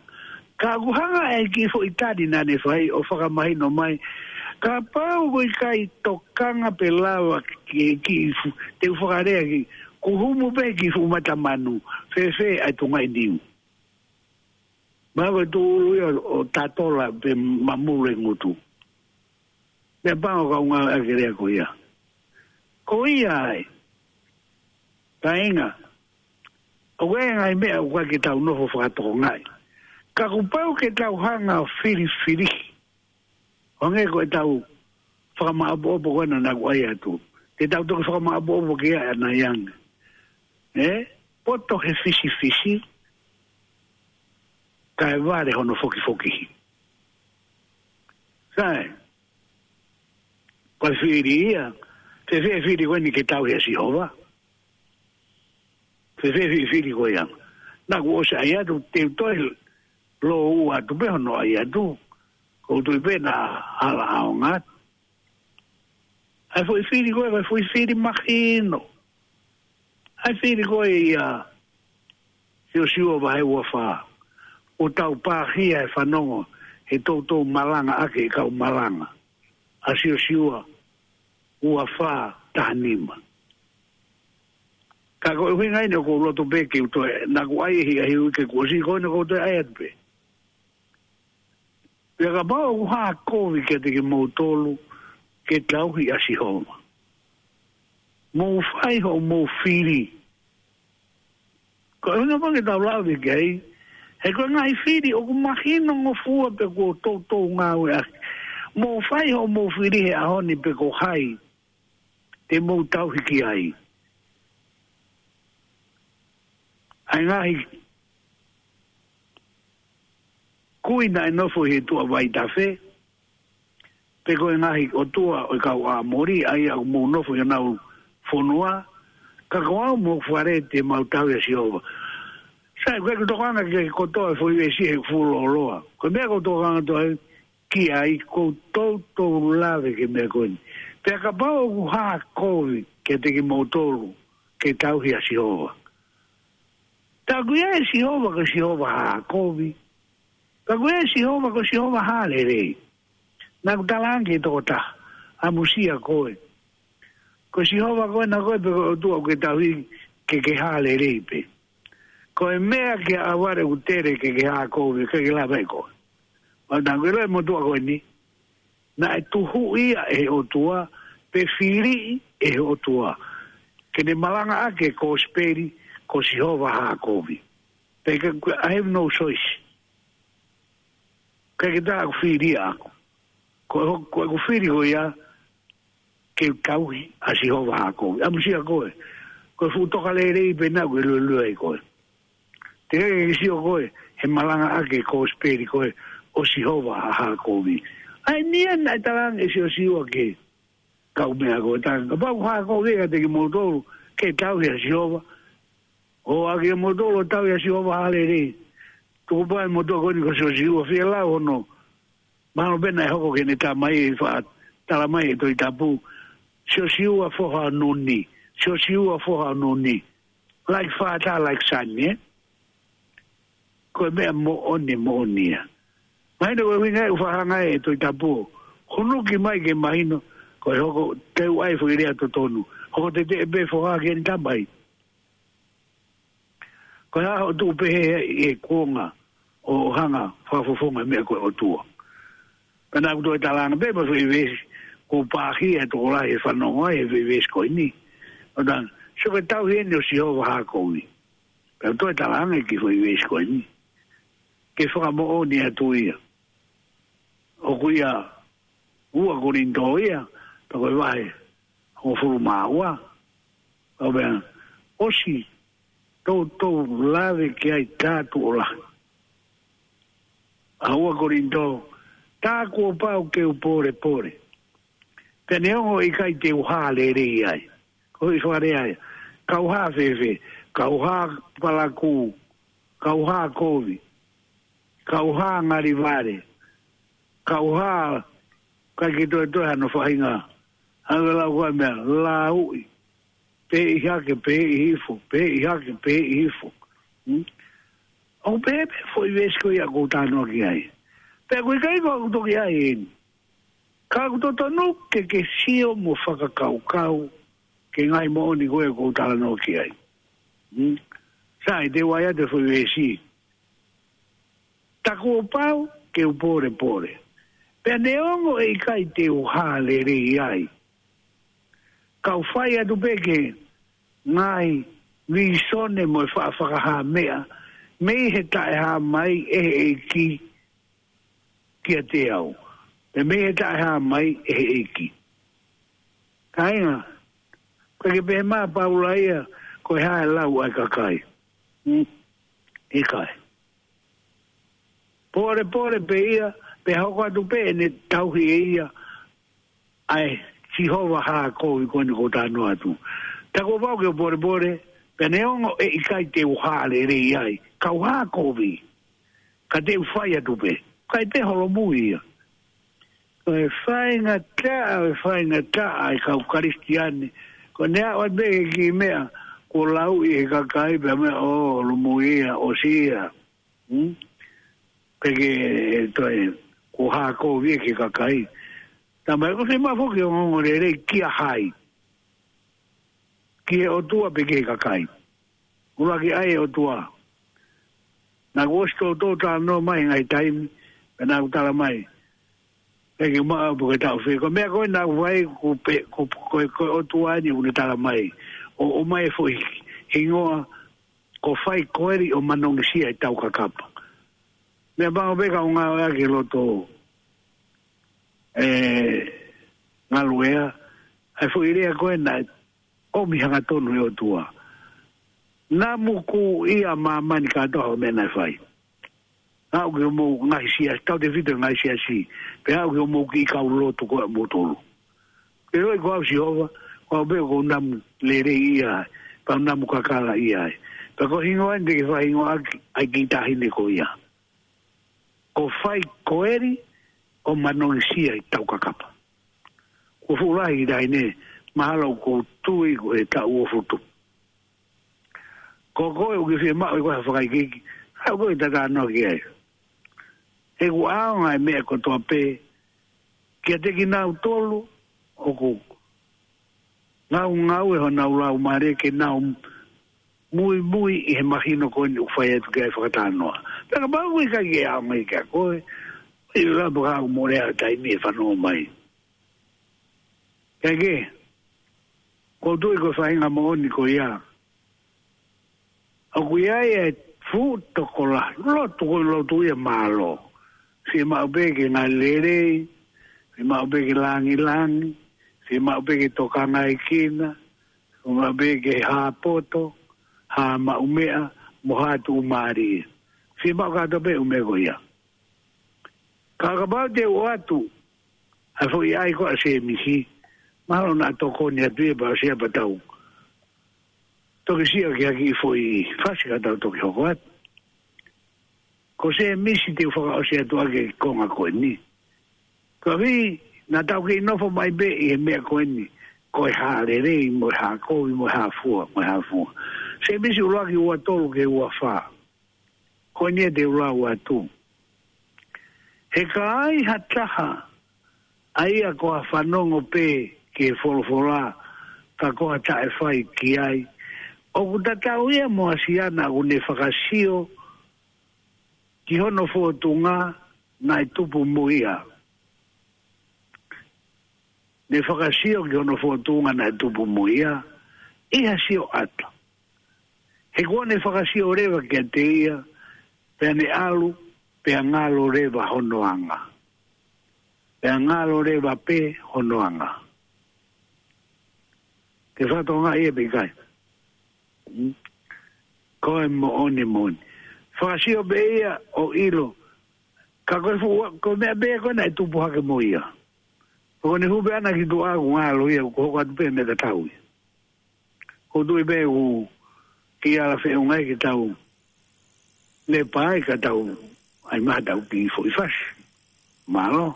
Ka ʻoku hanga ʻe he kiʻi foʻi tali naʻa ne fai ʻo fakamahino mai. Kapau ʻoku ʻikai tokanga pe lava ke kiʻi fu-, te u fakalea ki, ko e humu pē kiʻi fuʻu mata manu, fēfē ʻa e tungaʻi niu. Mahalo ko e tūʻulu ia ʻo tatola pe mamulu e ngutu. Pea pango ka u ngāueʻaki e lea ko ia. Ko ia ai. Kāinga. ʻOku ʻi ai e ngaahi meʻa ʻoku ʻikai ke tau nofo fakatokangaʻi. Ka kuo pau ke tau hanga ʻo filifili. ʻO hangē ko ʻetau fakamaʻopoʻopo ko ena naʻa ku ʻai atu. Te tau toki fakamaʻopoʻopo ki ai ʻanai ange. Ē? Poto he fisifisi. Kae vale hono fokifokihi. Sai. Ko e fili ia, fēfē e fili ko eni ke tauhi ʻa Sihova? Fēfē e fili ko ia? Naʻa ku ʻosi ʻai atu, te u toe lōua atu pē hono ʻai atu. ʻOku ou tui pē naʻa hala ʻaonga atu. ʻA e foʻi fili ko ē, ko e foʻi fili mahino. ʻA e fili ko ē ia Siosiua vahe ua fā. ʻOku tau pāhia e fanongo he toutou malanga ʻaki e kau malanga. ʻA Siosiua ua fā taha nima. Ka ko e ʻuhinga ʻeni ʻoku ou loto pē ke u toe, naʻa ku ʻai e hiʻa hiu ke kuo ʻosi ko ena ʻoku ou toe ʻai atu pē. Pea kapau ʻoku hā kovi kiate kimoutolu ke tauhi ʻa Sihova, mou fai hoʻomou fili. Ko e ʻuhinga pē ke tau lave ki ai, He ko e ngaahi fili ʻoku mahino ngofua pē kuo toutou ngāueʻaki. Mou fai hoʻomou fili he ʻaho ni pe ko hai te mou tauhi ki ai. ʻA e ngaahi kui naʻe nofo ʻi he tuʻa Vaitafe, pe ko e ngaahi ʻotua ʻo e kau ʻĀmoli, ʻa ia ʻoku mou nofo ʻi honau fonua, ka ko au mo hoku fale te mau tauhi ʻa Sihova. Sai, ko e tokanga ke kotoa e foʻi veesi he fuʻu lōloa. Ko e meʻa ʻoku ou tokanga atu ai ki ai, ʻoku ou toutou lave ki he meʻa ko eni. Pea kapau ʻoku hā kovi kiate kimoutolu ke tauhi ʻa Sihova. Tā ko ia ʻa Sihova ko Sihova hā kovi. Ka ko e Sihova ko Sihova hā lelei. Naʻa ku talaange ki he tokotaha, ʻamusia koe. Ko Sihova koe naʻa koe pe ko e ʻOtua ʻoku ke tauhi ke ke hā lelei pē. Ko e meʻa ke ʻavare ʻoku tele ke ke hā kovi, ke ke lava ʻe koe. ʻO naʻa ku ʻilo e motuʻa ko eni, naʻe tuhuʻi ia ʻe he ʻOtua, pe fili ʻe he ʻOtua. Ke ne malangaʻaki e kosipeli, ko Sihova hā kovi. Pea ke, I have no choice. Ka ke tā ʻoku fili ʻaʻaku. Ko e ho-, ko ʻeku fili ko ia, ke tauhi ʻa Sihova hā kovi. ʻAmusia koe. Ko e fuʻu toka lelei pē naʻa ku ʻiloʻilo ai koe. Te ke sio koe, he malangaʻaki e kosipeli koe, ʻo Sihova hā kovi. ʻA ia naʻe talaange ʻe Siosiua ki he kau meʻa ko ē, tā kapau hā kovi kiate kimoutolu, ke tauhi ʻa Sihova. ʻO ʻa kimoutolu ʻo tauhi ʻa Sihova hā lelei. Tuku pē ʻa e motuʻa ko eni ko Siosiua, fie lau hono. Mahalo pē naʻe hoko ki heʻene tamai ʻi he faʻa talamai ʻe he Tohi Tapu. Siosiua foha ʻo Nuni. Siosiua foha ʻo Nuni. Like father, like son, ē? Ko e meʻa moʻoni, moʻoni ia. Mahino ko e ʻuhinga ʻoku fakahanga ʻe he Tohi Tapu. Hunuki mai ke mahino, ko e hoko teu ai foʻi lea totonu. Hoko teteʻe pē foha ki heʻene tamai. Ko e hā hoʻo tuʻu pehē ʻi he kuonga ʻo hanga fakafofonga meʻa ko e ʻOtua. Pea naʻa ku toe talaange pē mo e foʻi veesi, ko e pāhia e tokolahi ʻe fanongo ai he foʻi veesi ko eni. ʻO talaange, so ke tauhi eni ʻo Sihova hā kovi. Pea toe talaange ki he foʻi veesi ko eni. Ke fakamoʻoni atu ia. ʻOku ʻia ua Kolinitō ia, pea ko e vahe hongofulu mā ua. ʻO pea, ʻosi toutou lave ki ai tā tuʻo lahi. ʻA ua Kolinitō, tā kuo pau ke u polepole. Pea neongo ʻikai te u hā lelei ai. Ko e foʻi lea ia. Ka u hā fēfē, ka u hā palakū, ka u hā kovi, ka u hā ngalivale, ka u hā, ʻikai ke toe toe hano faʻahinga. Hanga lau ko e meʻa, lauʻi. Pē ʻi hake, pē ʻi hifo, pē ʻi hake, pē ʻi hifo. Hmm? ʻOku pehē pē foʻi veesi ko ia ʻoku ou talanoa ki ai. Pea ʻoku ʻikai ko ʻeku toki ʻai eni. Ka ʻoku totonu ke ke sio mo fakakaukau ki he ngaahi moʻoni ko ē ʻoku ou talanoa ki ai. Hmm? Sai, te u ʻai atu e foʻi veesi. Tā kuo pau ke u polepole. Pea neongo ʻe ʻikai te u hā lelei ai. Ka u fai atu pē ki he ngaahi vīsone mo e faʻa fakahā meʻa. Mei he taʻehāmai ʻe he ʻEiki kiate au. Pea mei he taʻehāmai ʻe he ʻEiki. Kāinga, ʻikai ke pehē mai ʻa Paula ia, ko e hā e lau ʻa e kakai. Hmm? ʻIkai. Polepole pē ia, pea hoko atu pē ʻene tauhi ʻe ia, ʻa e Sihova hā kovi ko eni ʻoku ou talanoa atu. Tā kuo pau ke u polepole, pea neongo ʻe ʻikai te u hā lelei ai, ka u hā kovi. Ka te u fai atu pē. ʻIkai pē holomui ia. Ko e faingataʻa, ko e faingataʻa ʻa e kau Kalisitiane. Ko ʻene aʻu atu pē ki he meʻa, kuo lauʻi ʻe he kakai pea meʻa, ʻo, holomui ia, ʻosi ia. Hmm? Pea ke toe, kuo hā kovi ia ki he kakai. Tamai, ko e fiemaʻu foki ʻo ongoongolelei kia hai. Ki he ʻOtua pe ki he kakai. ʻUluaki ʻai e ʻOtua. Naʻa ku ʻosi toutou talanoa mai he ngaahi taimi, pea naʻa ku talamai. Pea ke maʻu pē ke taʻofi. Ko e meʻa ko ē naʻa ku fai, ko pe-, ko, ko, ko e ʻOtua eni ʻoku ne talamai. ʻO, ʻomai e foʻi hingoa, ko Faikoeli ʻo Manongisia ʻi Taukakapa. Meʻapango pē ka ʻoku ngāueʻaki e loto, ē, ngaluʻea, ʻa e foʻi lea ko ē naʻe ʻomi hangatonu ʻe he ʻOtua. Namu kuo ʻi ai ʻa māmani kātoa ʻi he meʻa naʻe fai. Aʻu ki hoʻomou ngaahi siasi, tautefito e ngaahi siasi, pea aʻu ki hoʻomou kiʻi kau lotu ko ē ʻamoutolu. Pea ʻiloʻi ko au Sihova, ko au pē ʻoku ou namu lelei ai, pea u namu kakala ai. Pea ko e hingoa eni te ke fakahingoa ʻaki ʻa e kiʻi taʻahine ko ia. Ko Faikoeli ʻo Manongisia ʻi Taukakapa. Ko e fuʻu lahi e kiʻi taʻahine, mahalo ʻoku ou tui ko e taʻu ʻo futu. Ko koe ʻoku ke fiemaʻu ʻe koe ha fakaikiiki, haʻu koe ʻo tatā noa ki ai. He ʻoku ʻaonga e meʻa kotoa pē kiate kinautolu ʻoku ngaungaue honau laumālie ke nau muimui ʻi he mahino ko eni ʻoku fai atu ki ai e fakatalanoa. Pea kapau ʻoku ʻikai ke ʻaonga ia kiate koe, ʻi he lava ka ʻoku mole ʻa e taimi ʻe fanongo mai. Kae kehe, ʻoku ou tui ko e faʻahinga moʻoni ko ia, ʻoku ʻi ai e fuʻu tokolahi, lotu ko e lotu ia mālō. Fiemaʻu pē ke ngali lelei, fiemaʻu pē ke langilangi, fiemaʻu pē ke tokangaekina, fiemaʻu pē ke hā poto, hā maʻumeʻa, mo hā tuʻumālie. Fiemaʻu kātoa pē e ʻū meʻa ko ia. Ka kapau te u ʻoatu ʻa e foʻi ʻai ko ē ʻa Sēmisi, mahalo naʻa tokoni atu ia pea ʻosi ia pea tau toki sio ki ha kiʻi foʻi fasi ka tau toki hoko atu. Ko Sēmisi te u fakaʻosi atu ʻaki e konga ko eni. Koeʻuhi, naʻa tau kei nofo mai pē ʻi he meʻa ko eni, ko e hā lelei, mo e hā kovi, mo e hā fua, mo e hā fua. Sēmisi ʻuluaki ua tolu ki he ua fā. Ko eni ia te u lau atu. He ka ai ha taha ʻa ia ko ha fanongo pē ki he folofola, ka ko ha taʻefai ki ai, ʻoku tatau ia mo ha siana ʻoku ne fakasio ki hono fōtunga naʻe tupu mo ia. Ne fakasio ki hono fōtunga naʻe tupu mo ia, ʻi ha sioʻata. He kuo ne fakasio leva kiate ia, pea ne ʻalu, pea ngalo leva hono anga. Pea ngalo leva pē hono anga. Ke fatongia ia pe ʻikai. Hmm? Ko e moʻoni moʻoni. Fakasio pē ia ʻo ʻilo. Ka ko e fuʻu, ko e meʻa pē ko ē naʻe tupu hake mo ia. Ko ʻene hū pē ʻana ki tuʻa ʻoku ngalo ia, ʻoku hoko atu pē meʻa tatau ia. ʻOku ou tui pē ʻoku kiʻi ala feʻunga ia ke tau lepa ai ka tau ʻai mai ha tau kiʻi foʻi fasi. Mālō.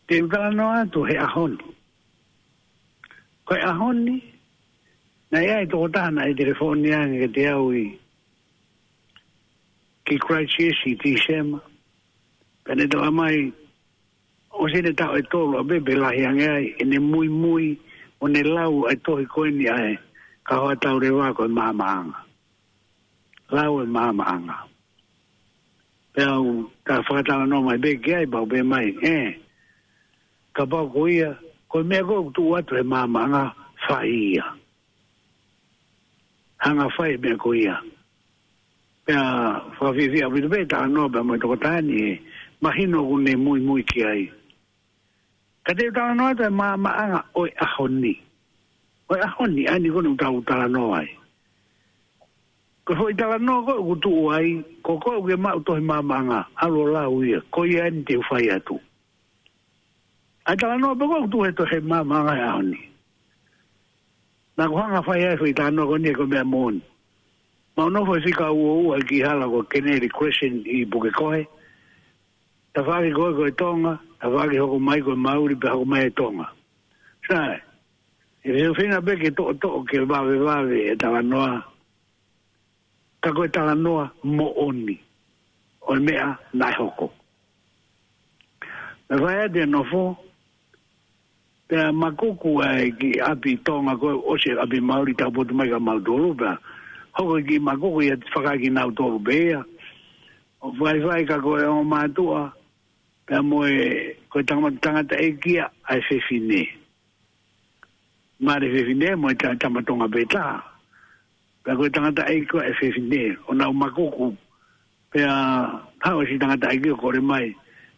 Te u talanoa atu he ʻaho ni. Ko e ʻaho ni, naʻe ʻi ai e tokotaha naʻe telefoni ange kiate au ʻi, ki Christchurch ʻi Tīsema. Pea ne talamai, ʻosi ʻene taʻu ʻe tolu ʻapē pe lahi ange ai, ʻene muimui, ʻo ne lau e tohi ko eni ʻa e Kahoa Tau Leva ko e Maamaʻanga. Lau e Maamaʻanga. Pea u ka fakatalanoa mai pē ki ai, pea u pehē mai, ē, kapau ko ia, ko e meʻa ko ē ʻoku tuʻu atu he Maamaʻanga, fai ia. Hanga fai e meʻa ko ia. Pea fakafiefia ʻaupito pē talanoa pea mo e tokotaha ni, ē, mahino ʻoku ne muimui ki ai. Ka te u talanoa atu e Maamaʻanga ʻo e ʻaho ni. ʻO e ʻaho ni, ʻa eni ko eni ʻoku tau talanoa ai. Ko e foʻi talanoa ko ē ʻoku tuʻu ai, ko koe ʻoku ke maʻu tohi Maamaʻanga, ʻalu ʻo lau ia, ko ia eni te u fai atu. ʻA e talanoa pē ko ē ʻoku tuʻu he tohi Maamaʻanga he ʻaho ni. Naʻa ku hanga fai ai e foʻi talanoa ko eni he ko e meʻa moʻoni. Mau nofo he fika ua ua ki hala ko Kennedy Crescent ʻi Pukekohe. Tafaʻaki ko ē ko e Tonga, tafaʻaki hoko mai ko e Mauli pea hoko mai e Tonga. Sai, ʻe fefine pē ke toʻotoʻo ke vavevave e talanoa. Ka ko e talanoa moʻoni ʻo e meʻa naʻe hoko. Naʻe fai atu e nofo, pea makuku ai ki ʻapi Tonga ko ē ʻosi ʻapi Mauli taupotu mai kia mautolu pea. Hoko ki makuku ia fakaʻaki nautolu pē ia. ʻO faifai ka ko e ongo mātuʻa, pea mo e, ko e tangata, tangataʻeiki ia ʻa e fefine. Mare fefine mo e ta-, tama Tonga pē taha. Pea ko e tangataʻeiki ko ē ʻa e fefine, ʻo nau makuku. Pea haʻu e siʻi tangataʻeiki ʻo kole mai.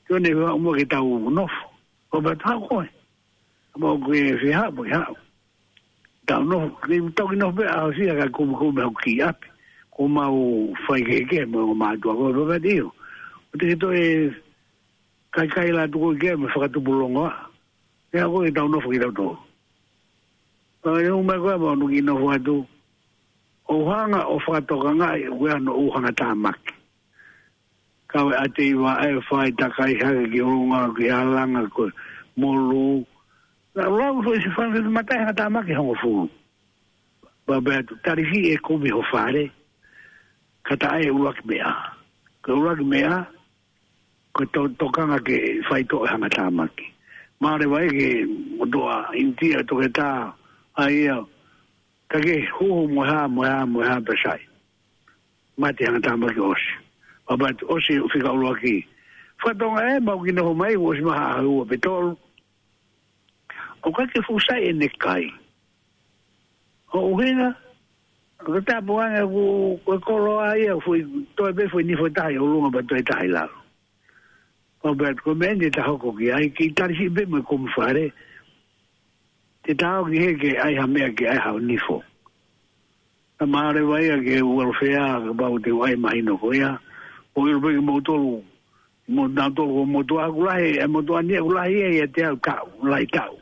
Te u ʻoua ʻe haʻu mo ke tau nofo. Ko pea tau koe. Mo ke fie haʻu, mo ke haʻu. Tau nofo, ke tau ki nofo pē ʻaho ʻosi ia ka kumikumi hoku kiʻi ʻapi. Ko mau fai kehekehe mo e ongo mātuʻa ko ē pea pati io. ʻO te ke toe kaikai la tuku ke mo fakatupu longoaʻa. Pea ko e tau nofo kitautolu. Pea ne ʻomai ko ē mau nuki nofo atu. ʻO hanga ʻo fakatokangaʻi ʻoku ʻi ai hono ʻū hangatāmaki. Kau e ʻateiva ʻa e fai takai hake ki ʻolunga ki ʻalanga ko e molu. Naʻa lau foʻi siʻi fanga mata e hangatāmaki hongofulu. Pea pehē atu, talihi e kumi ho fale. Ka taʻe ʻuluaki meʻa. Ko e ʻuluaki meʻa, ko e to-, tokanga ke faitoʻo e hangatāmaki. Mālō e vai ke motuʻa ʻInitia toketā ʻa ia, ka ke huhu mo e hā, mo e hā, mo e hā pea sai. Mate hangatāmaki ʻosi. Pea pehē atu ʻosi fika ʻuluaki. Fakatonga ē, mau ki nofo mai, ʻosi maha ʻaho ua pe tolu. ʻOku ʻikai ke fuʻu sai ʻene kai. ʻO ʻuhinga, ko e tapu ange ʻoku, ko e koloa ia, foʻi, toe pē foʻi nifo tahi ʻolunga pea toe tahi lalo. Pea pehē atu ko e meʻa eni te ta hoko ki ai, ke talihi pē mo e kumi fale. Te ta ō ki hē ke ʻai ha meʻa ke ʻai ha nifo. Naʻa mālō e vai ia ke uelofea, kapau te u ʻai mahino ko ia. ʻO ʻilo pē ke moutolu, mo nautolu ko e motuʻa ʻoku lahi, e motuʻa ni ʻoku lahi ia ʻiate au taʻu, lahi taʻu.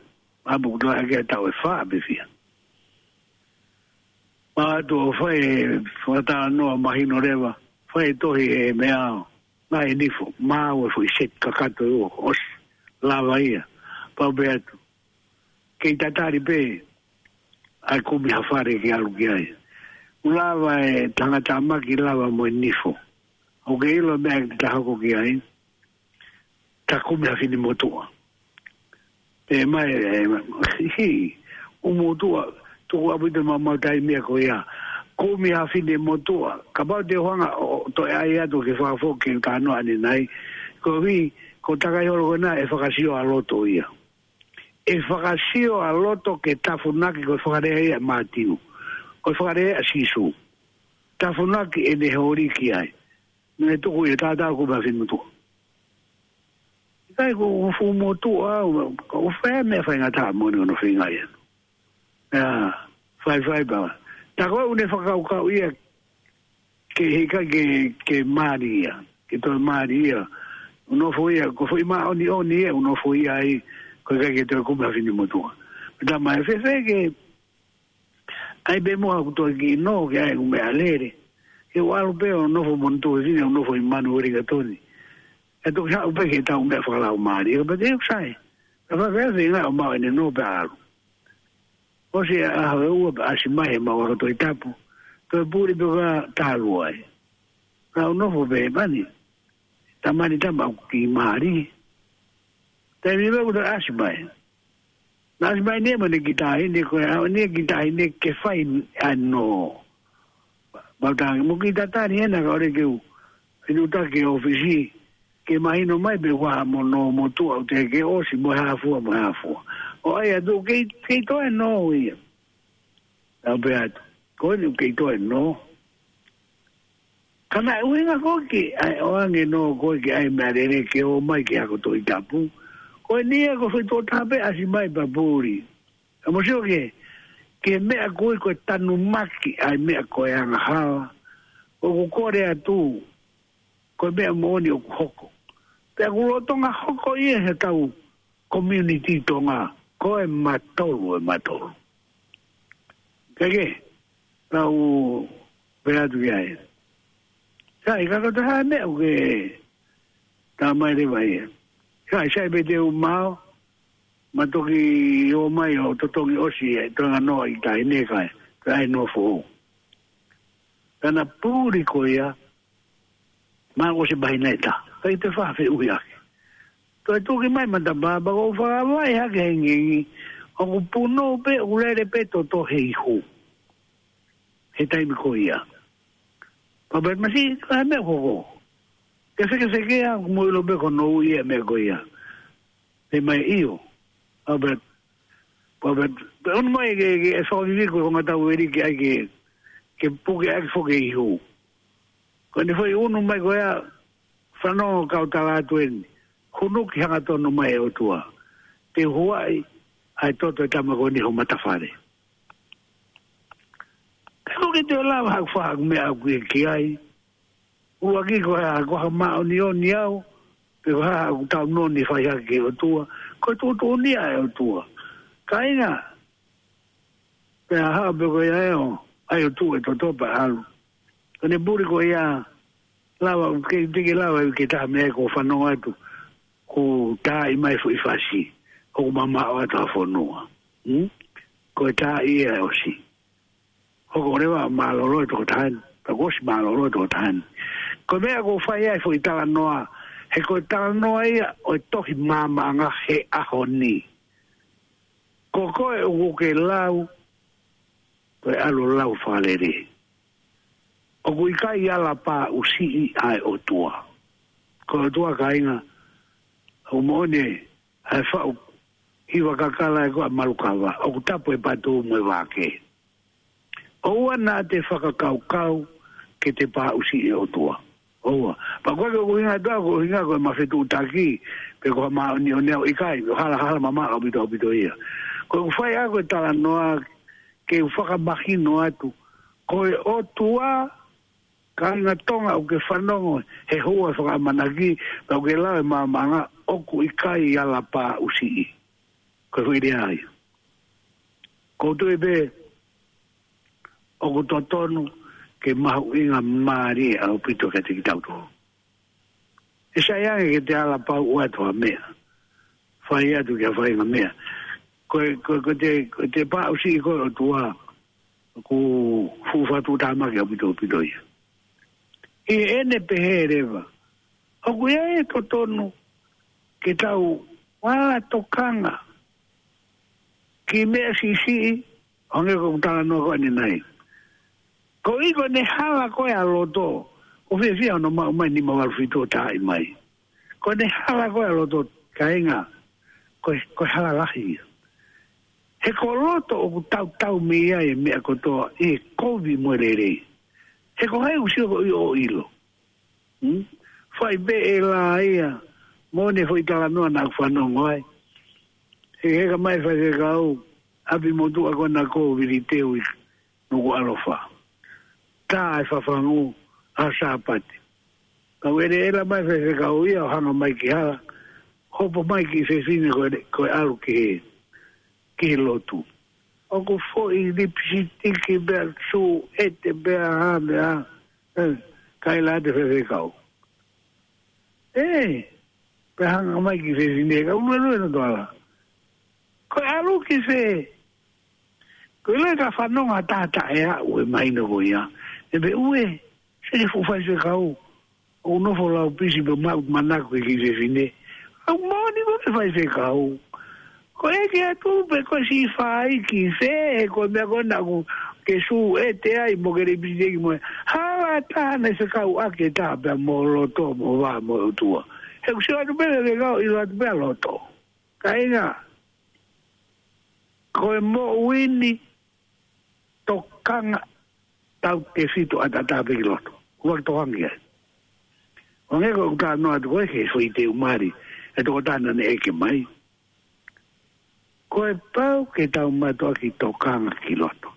ʻApu ʻoku lahi ke taʻu ʻe fā pe fiha. Pea ʻoatu ʻo fai e fakatalanoa mahino leva, fai e tohi e meʻa ʻo, ngaahi nifo, maau e foʻi seti kakato ʻe ua, ʻosi, lava ia, pea pehē atu. Kei tatali pē, ʻa e kumi ha fale ke ʻalu ki ai. ʻOku lava e hangatāmaki lava mo e nifo. ʻOku ke ʻilo e meʻa te ta hoko ki ai. Ta kumi ha fine motuʻa. Pehē mai, ē, hi, ʻū motuʻa, tuku ʻaupito maumau taimi ko ia. Kumi ha fine motuʻa. Kapau te u hanga ʻo, toe ʻai atu ke fakafoki ke u talanoa ʻanenai. Ko e ʻuhi, ko e takai holo ko ena ʻe fakasio ʻa loto ia. ʻE fakasio ʻa loto ke tafunaki ko e fakalea ia ʻa Mātiu. Ko e fakalea ia ʻa Sīsū. Tafunaki ʻene holi ki ai. Naʻe tuku ia tātā ko e kumi ha fine motuʻa. ʻIkai ko e fuʻu motuʻa, ko e fē meʻa faingataʻa moʻoni ʻoku ne feinga ia. ʻIa, faifai pē. Tā ko ē ʻoku ne fakakaukau ia ke hika ke, ke mali ia. Ke toe mali ia. ʻOku nofo ia, ko e foʻi māʻoniʻoni ia, ʻoku nofo ia ai, ko e ʻikai ke toe kumi ha fine motuʻa. Pea tā mai fēfē ke ʻai pē mo ʻeku toe kiʻi nō ke ʻai ʻeku meʻalele. Ke u ʻalu pē ʻo nofo mo hono tuofefine ʻoku nofo ʻi Manueli Katoni. ʻE toki haʻu pē ke tau meʻa fakalaumālie. Ka pehē ʻoku sai. Ka fai fēfē ʻa e ngaahi ʻomai ʻene nō pea ʻalu. ʻOsi ʻa e ʻaho ʻe ua pea ʻasi mai ʻemau ako Tohi Tapu. Toe puli pē ka talu ai. Ka u nofo pē mani. Tamani tama ʻoku kiʻi mali. Taimi pē ʻoku toe ʻasi mai. Naʻe ʻasi mai ʻene mo ʻene kiʻi taʻahine ko e ʻaho ʻene kiʻi taʻahine ke fai ʻa e nō. Mau tangi mo kiʻi tatali ʻena ka ʻoua ke u. Inu taki ʻōfisi. Ke mahino mai pē ʻoku ʻi ai mo nō motuʻa ʻoku teʻeki ʻosi mo e hā fua mo e hā fua. ʻO ʻai atu kei, kei toe nō ia. Tau pē atu. Ko eni kei toe nō. Ka naʻe ʻuhinga ko ē ke ʻai ʻoange nō ko ē ke ʻai meʻalele ke ō mai ke ako Tohi Tapu. Ko eni ia ko e foʻi tokotaha pē ʻasi mai pea puli. Ka mou sio ki he, ki he meʻa ko ē ko e tanumaki ʻa e meʻa ko e angahala. ʻOku kole atu, ko e meʻa moʻoni ʻoku hoko. Pea ʻoku lolotonga hoko ia he tau community Tonga, ko e matolu, e matolu. Keke, tau pē atu ki ai. Sai, ka ko te hā meʻa ʻoku ke tā mai leva ia. Sai, sai pē te u mao, ma toki ō mai ʻo totongi ʻosi e toenga nō ʻa e kiʻi taʻahine ka e, ka e nofo. Ka naʻe puli ko ia, ma ʻosi mahina ʻe taha. Kai te fā feʻuhi ake. Toe tuki mai matapā, pea ko u fakavai hake hengengi, ʻoku punou pē, ʻoku lele pē toto he ihu. He taimi ko ia. Pea pea masi, ka he meʻa ko ko. Ke fekefekea, ʻoku mou ʻilo pē ko hono ui e meʻa ko ia. Pea mai ʻio. Pea pea, pea pea, pea ʻunu mai ke, ke e fakavivi ko e konga tau eri ke ʻai ke, ke puke ʻaki foki e ihu. Ko ʻene foʻi ʻunu mai ko ia, fanongo kau tala atu eni. Hunuki hangatonu mai e ʻOtua. Te u huaʻi, ʻa e toto e tama ko eni ho matafale. Ka ko ke te lava haku faha meʻa ʻoku ʻi ai. ʻUluaki ko e hā, ko ha māʻoniʻoni au, pe ko e hā ʻoku tau noni fai hake ki he ʻOtua, ko e tuʻutuʻuni ia ʻa e ʻOtua. Kāinga, pea hā pē ko ia ʻe ō, ʻai ʻo tuʻu e toto pea ʻalu. Ko ʻene puli ko ia, lava, ke, te ke lava, ke taha meʻa ko e fanongo atu, ko e taaʻi mai foʻi fasi, ʻoku mamaʻo atu ʻa e fonua. Hmm? Ko e taaʻi ia ʻosi. Hoko leva mālōlō e tokotaha ni, pea kuo ʻosi mālōlō e tokotaha ni. Ko e meʻa ʻoku ou fai ai foʻi talanoa, he ko e talanoa ia ʻo e tohi maamaʻanga he ʻaho ni. Ko koe ʻoku ke lau, ko e ʻalu lau fakalele. ʻOku ʻikai ala pāʻusiʻi ʻa e ʻOtua. Ko e ʻOtua kāinga, ʻoku moʻoni ʻa e faʻu hiva kakala ʻe ko e malukava, ʻoku tapu e patu mo e vake. ʻOua naʻa te fakakaukau ke te pāʻusiʻi e ʻOtua. ʻOua. Pea ko e ʻuhinga ʻa e ʻOtua, ko e ʻuhinga ko e mafetuʻutaki, pe ko ha māʻoniʻoni au ʻikai, ko e halahala mamaʻo ʻaupito ʻaupito ia. Ko ʻeku fai ʻa e ko e talanoa, ke u fakamahino atu, ko e ʻOtua, kāinga Tonga ʻoku ke fanongo, he hua fakaʻamanaki, pea ʻoku ke lau e maamaʻanga ʻoku ʻikai ala pāʻusiʻi. Ko e foʻi lea ia. Ko u tui pē, ʻoku totonu ke mahuʻinga mālie ʻaupito kiate kitautolu. ʻE sai ange ke te ala pau atu ha meʻa. Fai atu ki ha faʻahinga meʻa. Ko e, ko e, ko e te, ko e te pāʻusiʻi ko e ʻOtua. ʻOku fuʻu fatu tamaki ʻaupito ʻaupito ia. ʻI heʻene pehē leva. ʻOku ʻi ai e totonu ke tau ala tokanga ki he meʻa siʻisiʻi, ʻo hangē ko ʻeku talanoa ko eni nai. Ko e ʻi ko ʻene hala ko ē ʻa loto, ʻoku fiefia hono maʻu mai nima valu fitu ʻo taaʻi mai. Ko ʻene hala ko ē ʻa loto kāinga, ko e, ko e hala lahi ia. He ko loto ʻoku tautau mei ai e meʻa kotoa ʻi he kovi mo e lelei. He ko hai ʻoku sio ko ʻi ʻo ʻilo. Hmm? Fai pē ʻe lā ia, mo ʻene foʻi talanoa naʻa ku fanongo ai. He heka mai faifekau, ʻapi motuʻa ko ena ko Viliteu ʻi Nukuʻalofa. Tā e fafangu, ʻa Sāpate. Ka uele ela mai faifekau ia, ʻo hanga mai ki hala, hopo mai ki fefine ko e, ko e ʻalu ki he, ki he lotu. ʻOku foʻi lipisitiki pea sū ʻete pea hā pea. ʻE, kaila te faifekau. ʻE, pea hanga mai ki fefine ka uluelu e no toala. Ko e ʻalu ki fē? Ko e lele ka fanongo ʻa e taʻataʻa ʻe aʻu e mahino ko ia. ʻE pehē ʻe, seke fuʻu faifekau ʻoku nofo lau pisi pē maʻu manako ki he fefine. ʻOku moʻoni ko e faifekau. Ko e ʻeke atu pē ko e siʻi fai ki fē, ko e meʻa ko ena ʻoku ke sū ʻete ai mo ke lei pisi ki mo. Hala taha naʻe fekauʻaki ʻe taha pē mo loto mo vā mo e ʻOtua. He ʻoku sio atu pē faifekau ʻilo atu pē ʻa loto. Kāinga, ko e moʻui ni tokanga tautefito ʻataʻatā pē ki loto. ʻOua ke tokanga ki ai. ʻO hangē ko ʻeku talanoa atu ko ē ki he foʻi teu mali ʻa e tokotaha naʻe ʻeke mai. Ko e pau ke tau mātuʻaki tokanga ki loto.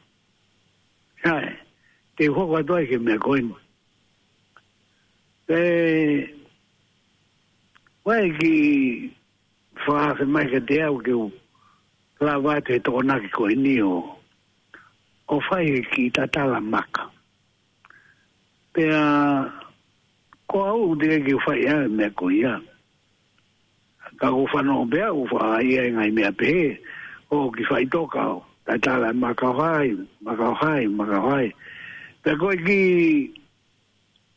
Sai, te u hoko atu ai ki he meʻa ko eni. Pea ʻoku ʻi ai e kiʻi fakaafe mai kiate au ke u lava atu he Tokonaki ko eni ʻo, ʻo fai e kiʻi tatala maka. Pea ko au ʻoku teʻeki ke u fai ʻa e meʻa ko ia. Ka ʻoku ou fanongo pē au ʻoku fai ai e ngaahi meʻa pehē, ʻo kiʻi faʻitoka ʻo tatala e maka ʻo hai, maka ʻo hai, maka ʻo hai. Pea ko e kiʻi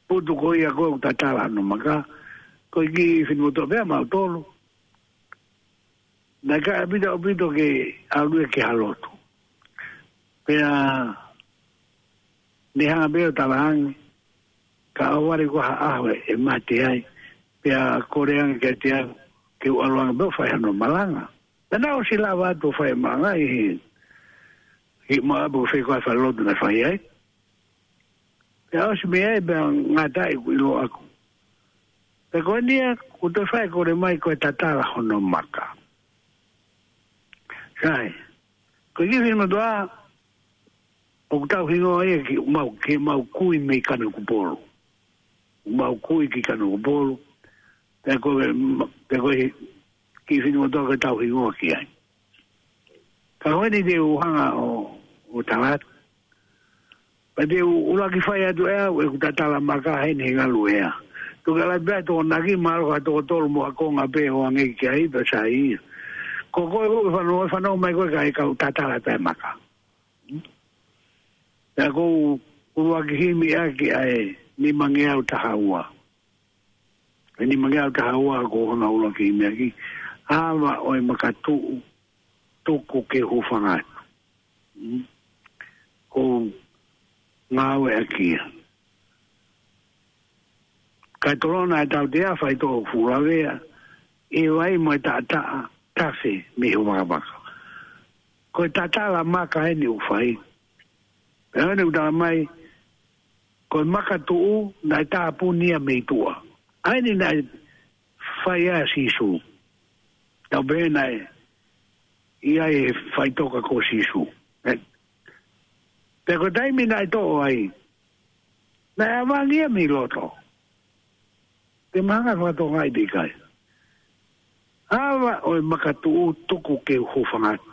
putu ko ia ko ē ʻoku tatala hono maka, ko e kiʻi finemotuʻa pē ʻamautolu. Naʻe ʻikai ʻaupito ʻaupito ke ʻalu ia ki ha lotu. Pea ne hanga pē ʻo talaange, ka ʻohovale ko ha ʻaho ʻe mate ai, pea kole ange kiate au ke u ʻalu ange pē ʻo fai hano malanga. Pea naʻe ʻosi lava atu ʻo fai e malanga ʻi he, ʻi he maʻapu ko fē ko ē ʻa e falelotu naʻe fai ai. Pea ʻosi mei ai pea ngata ai ʻeku ʻilo ʻaku. Pea ko eni ia, kuo toe fai e kole mai ko e tatala hono maka. Sai, ko e kiʻi finemotuʻa, ʻoku tau hingoa ia ki mau, ki mau kui mei Kanokupolu. Mau kui ki Kanokupolu. Pea ko e, pea ko e kiʻi finemotuʻa ko ē tau hingoa ki ai. Ka ko eni te u hanga ʻo, ʻo tala atu. Pea te u ʻuluaki fai atu ʻe au ʻeku tatala maka heni he ngalu ea. Tuku ke ʻalu pē ʻa e Tokonaki, mahalo ko ha toko tolu mo ha konga pē ʻo hangē ki ai pea sai ia. Ko koe ʻoku fanongo, fanongo mai koe kae kau tatala pē maka. Pea ʻoku ou ʻuluaki himi ʻaki ʻa e nimangeau taha ua. E nimangeau taha ua ʻoku ou hanga ʻuluaki himi ʻaki. Ava ʻo e makatuʻu tuku ke hūfanga atu. Mm. ʻOku ou ngāueʻaki ia. Kae tolona e tautea, faitoʻo fuʻu lavea, ʻi he vai mo e taʻataʻa, tafe mei he vakamaka. Ko e tatala maka eni ʻoku fai. Pea ʻoku ne u tala mai, ko e makatuʻu naʻe tāpuni ia mei tuʻa. ʻA eni naʻe fai ai ʻa Sīsū. Tau pehē naʻe ʻi ai e faʻitoka ko Sīsū. Ē? Pea ko e taimi naʻe toʻo ai, naʻe ʻavangi ia mei loto. Te mahanga fakatokangaʻi pe ʻikai. Ava ʻo e makatuʻu tuku ke hūfanga atu.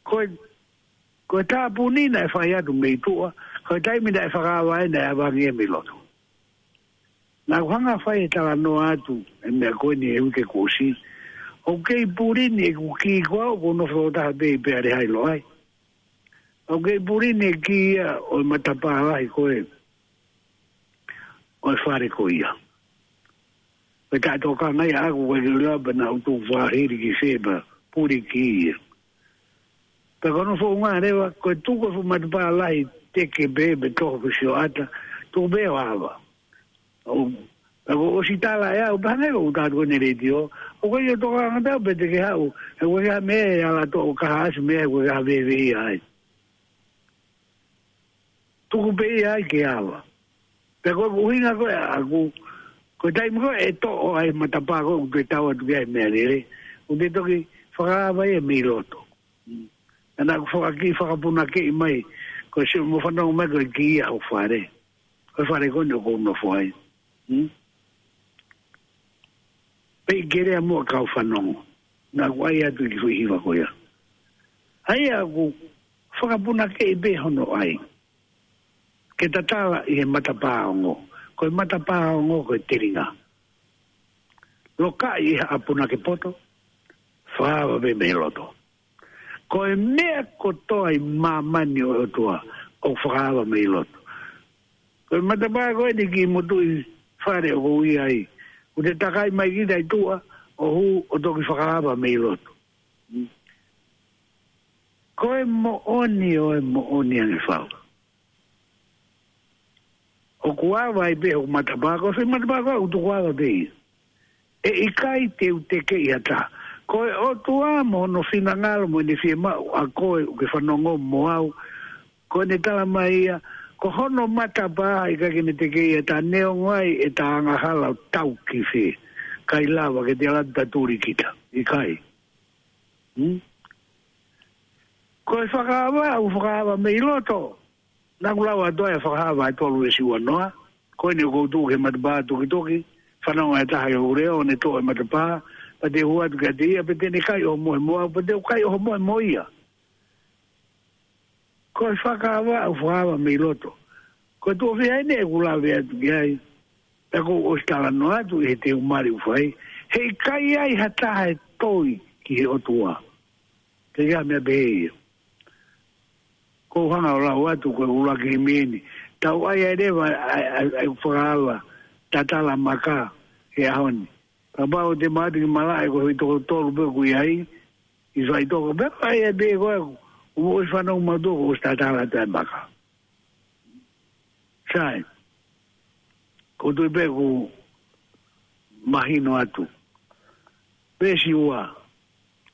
Ko e, ko e tāpuni naʻe fai atu mei tuʻa, ko e taimi naʻe fakaava ai naʻe ʻavangi ia mei loto. Naʻa ku hanga fai e talanoa atu e meʻa ko eni he uike kuo ʻosi. ʻOku kei puli ni ʻeku kī, ko au ʻoku ou nofo ʻo taha pē ʻi Peale Hai, Loʻai. ʻOku kei puli ni e kī ia ʻo e matapā lahi ko ē ʻo e fale ko ia. Pea taʻetokanga ia ʻaʻaku, ko e kiʻi lava pē naʻa ku tuʻu fakahili ki fē pea puli kī ia. Pea ko hono founga leva, ko e tuku e fuʻu matapā lahi teke pē, pe toho pe sioʻata, tuku pē ʻo ava. ʻO, pea kuo ʻosi tala ʻe au, pea hangē ko ʻeku tala atu ko eni he letiō, ʻoku ʻikai ke u tokanga pē au pe te ke haʻu, he ʻoku ʻikai ha meʻa ʻe ala toʻo kahaʻasi mei ai, ʻoku ʻikai ha vēveia ai. Tuku pē ia ai ke ava. Pea ko ʻeku ʻuhinga ko ē ʻaʻaku, ko e taimi ko ē ʻe toʻo ai e matapā ko ē ʻoku te tau atu ki ai e meʻalele, ʻoku te toki fakaava ia mei loto. Mm. Naʻa ku fakakiʻi fakapunakeʻi mai, ko e sio mo fanongo mai ko e kī ia ʻo e fale. Ko e fale ko eni ʻoku ou nofo ai. Mm. Pea ʻi he lea mo e kau fanongo. Naʻa ku ʻai atu e kiʻi foʻi hiva ko ia. ʻA ia ʻoku fakapunakeʻi pē hono ʻai. Ke tatala ʻi he matapā ongo. Ko e matapā ongo ko e telinga. Lokaʻi ʻi he ʻapunake poto. fakaava pē mei loto. Ko e meʻa kotoa ʻi māmani ʻo e ʻOtua ʻoku fakaava mei loto. Ko e matapā ko eni ki motuʻi fale ʻoku ou ʻi ai, ʻoku te takai mai kita ʻi tuʻa ʻo hū ʻo toki fakaava mei loto. Ko e moʻoni ʻo e moʻoni ange fau. ʻOku ava ai pē hoku matapā, ko e foʻi matapā ko ē ʻoku tuku ava pē ia. ʻE ʻikai te u tekeʻi ha taha. Ko e ʻOtua mo hono finangalo mo ʻene fiemaʻu ʻa koe ʻoku ke fanongo mo au. Ko ʻene tala mai ia, ko hono matapā ʻikai ke ne tekeʻi ha taha, neongo ai ʻeta angahala ʻo tau ki fē. ʻIkai lava ke te ala tatuli kita. ʻIkai. Hmm? Ko e fakaava, ʻoku fakaava mei loto. Naʻa ku lau atu ai ʻa Fakahā vahe tolu veesi uanoa. Ko eni ʻoku ou tuʻu ki he matapā tukituki, fanongo ʻe ha taha ki hoku leʻo, ʻo ne toʻo ʻa e matapā, pea te u hū atu kiate ia, pea te ne kai ʻohomohe mo au, pea te u kai ʻohomohe mo ia. Ko e fakaava, ʻoku fakaava mei loto. Ko e tuʻo fiha eni ʻeku lave atu ki ai, pea ʻoku ou ʻosi talanoa atu ʻi he teu mali ʻoku fai, he ʻikai ai ha taha ʻe toi ki he ʻOtua. Ke ia meʻa pehē ia. Ko u hanga ʻo lau atu ko e ʻuluaki himi eni. Tau ʻai ai leva ʻa e, ʻa e, ʻa e fakaava tatala maka he ʻaho ni. Kapau te mate ki malaʻe ko e toko tolu pē ʻoku ʻi ai, ʻi fai toko pē, ʻai ai pē ko e, ʻoku mou ʻosi fanongo mautolu ʻoku ʻosi tatala atu ʻa e maka. Sai. Ko tui pē ʻoku mahino atu. Veesi ua.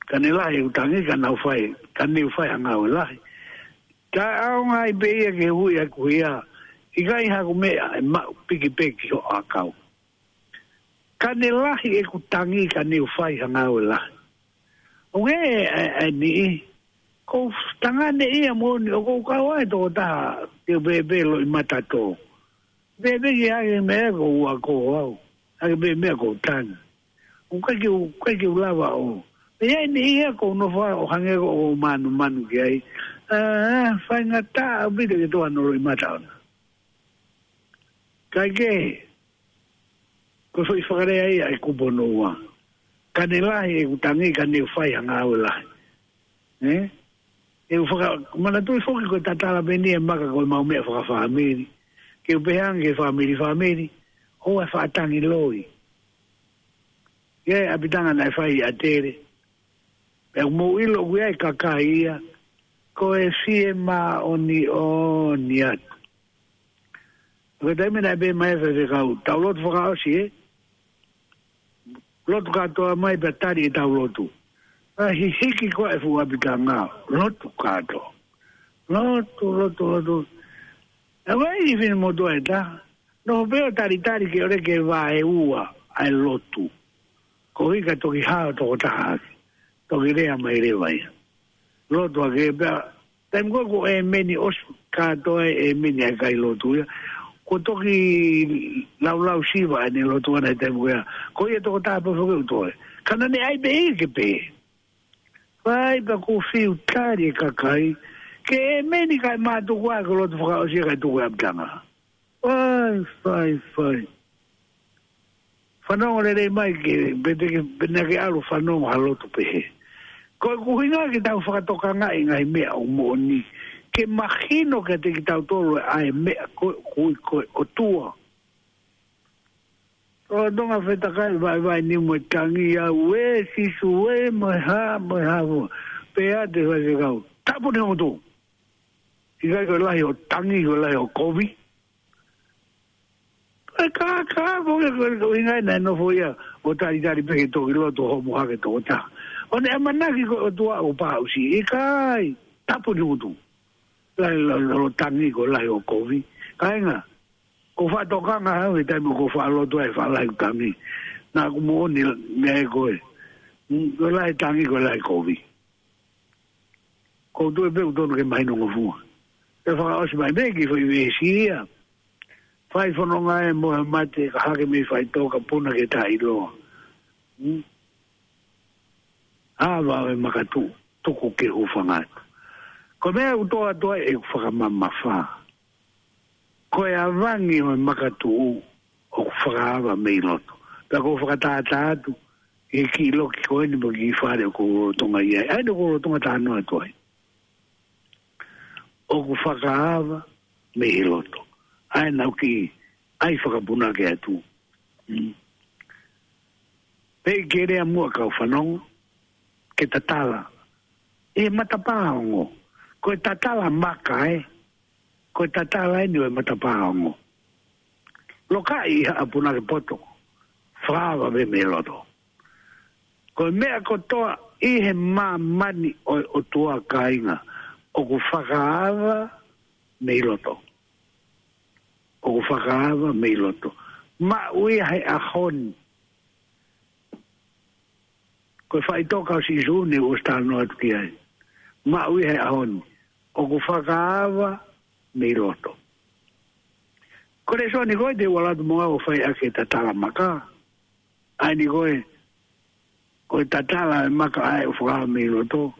Ka ne lahi ʻeku tangi, ka ne u fai, ka ne u fai ha ngāue lahi. Taʻeʻaonga ai pē ia ke hui ʻaku ia. ʻIkai haku meʻa ʻe maʻu, piki pē ki hoʻo ʻakau. Ka ne lahi ʻeku tangi, ka ne u fai ha ngāue lahi. ʻOku ʻi ai e, e, e niʻihi. Ko e tangata ia moʻoni ʻoku ou kau ai tokotaha ke u pehē pē loʻimata tō. Pehē pē ki ai e meʻa ko ua ko au. ʻAi pē meʻa ko tangi. ʻOku ʻikai ke u, ʻikai ke u lava ʻo. Pea ʻi ai e niʻihi ia ʻoku ou nofo ai ʻo hangē ʻoku ou manumanu ki ai. ʻĀ, faingataʻa ʻaupito ke tō hano loʻimata ʻona. Kae kehe, ko e foʻi fakalea ia ʻa e kupu hono ua. Ka ne lahi ʻeku tangi, ka ne u fai ha ngāue lahi. Ē? ʻE u faka-, manatuʻi foki ko e tatala pē eni ʻa e maka ko e maʻu meʻa fakafāmili. Ke u pehē ange ki he fāmili, fāmili, ʻoua ʻe faʻa tangi loi. ʻI ai e ʻapitanga naʻe fai ʻi ʻAtele. Pea mou ʻilo ʻoku ʻi ai e kakai ia, ko e fiemāʻoniʻoni atu. Ko e taimi naʻe pehē mai e faifekau, tau lotu fakaʻosi ē. Lotu kātoa mai pea tali ʻetau lotu. ʻA hihiki ko ē e fuʻu ʻapitanga, lotu kātoa. Lotu, lotu, lotu. ʻA ē ʻi he finemotuʻa ʻe taha. Nofo pē ʻo talitali ke ʻoleva ke vaeua ʻa e lotu. Koeʻuhi ka toki hao tokotaha ake. Toki lea mai leva ia. Lotu ake pea. Taimi ko ē ko e ʻēmeni ʻosi kātoa e ʻēmeni ʻa e kai lotu ia. Ko e toki laulau siva ʻene lotu ʻana he taimi ko ia. Ko ia tokotaha pē foki ʻoku toe. Ka naʻa ne ʻai pē ia ke pē. Fai pea kuo fiu tali e kakai. Ke ʻēmeni kae mātuku ʻa e ko e lotu fakaʻosi ia kae tuku e ʻapitanga. Fai, fai, fai. Fanongo lelei mai ke, pe te ke, pe naʻa ke ʻalu fanongo ha lotu pehē. Ko e ʻuhinga ke tau fakatokangaʻi e ngaahi meʻa ʻoku moʻoni. Ke mahino kiate kitautolu ʻa e meʻa ko ē ʻoku ui ko e ʻOtua. ʻOtonga fetakai vaivai ni mo e tangi au ē Sīsū ē mo e hā, mo e hā mo. Pea te faifekau. Tapu ni hotu. ʻIkai ko e lahi ʻo tangi, ko e lahi ʻo kovi. E kākā, ko e, ko e, ko e ʻuhinga ia naʻe nofo ia, ʻo talitali pē ke toki lotu homo hake tokotaha. ʻO ne ʻamanaki ko e ʻOtua ʻoku pāʻusi, ʻikai, tapu ni hotu. Lahi lo, lo, lo tangi ko e lahi ʻo kovi. Kāinga, ko e faʻa tokanga hau he taimi ko e faʻa lotu ai faʻa lahi ʻo tangi. Naʻa ku moʻoni meʻa ē ko ē. Mm, ko e lahi tangi ko e lahi kovi. Ko u tui pē ʻoku tonu ke mahino ngofua. Ke fakaʻosi mai pē ki he foʻi veesi ia. Fai fononga ē mo e mate ka hake mei faʻitoka puna ke taʻiloa. Hmm? Ava ʻo e makatuʻu, tuku ke hūfanga atu. Ko e meʻa ʻoku toʻa toʻa ʻeku fakamamafa. Ko e avangi ʻo e makatuʻu ʻoku fakaava mei loto. Pea ʻoku ou fakatātā atu, ʻi he kiʻi loki ko eni mo e kiʻi fale ʻoku ou lolotonga ʻi ai. ʻA ia ʻoku ou lolotonga talanoa atu ai. ʻOku fakaava mei loto. ʻA ia naʻa ku kiʻi ʻai fakapunake atu. Mm. Pea ke lea muʻa kau fanongo, ke tatala. ʻI he matapā ongo. Ko e tatala maka ē. Ko e tatala eni ʻo e matapā ongo. Lokaʻi ʻi haʻa punake poto. Fakaava mei loto. Ko e meʻa kotoa ʻi he māmani ʻo e ʻOtua kāinga. ʻOku fakaava mei loto. ʻOku fakaava mei loto. Maʻu ia he ʻaho ni. Ko e faʻitoka ʻo Sīsū ne u ʻosi talanoa atu ki ai. Maʻu ia he ʻaho ni. ʻOku fakaava mei loto. Ko e lēsoni ko ē te u ʻalu atu mo au ʻo fai ʻaki e tatala maka. ʻA eni ko e, ko e tatala e maka ʻa ia ʻoku fakaava mei loto.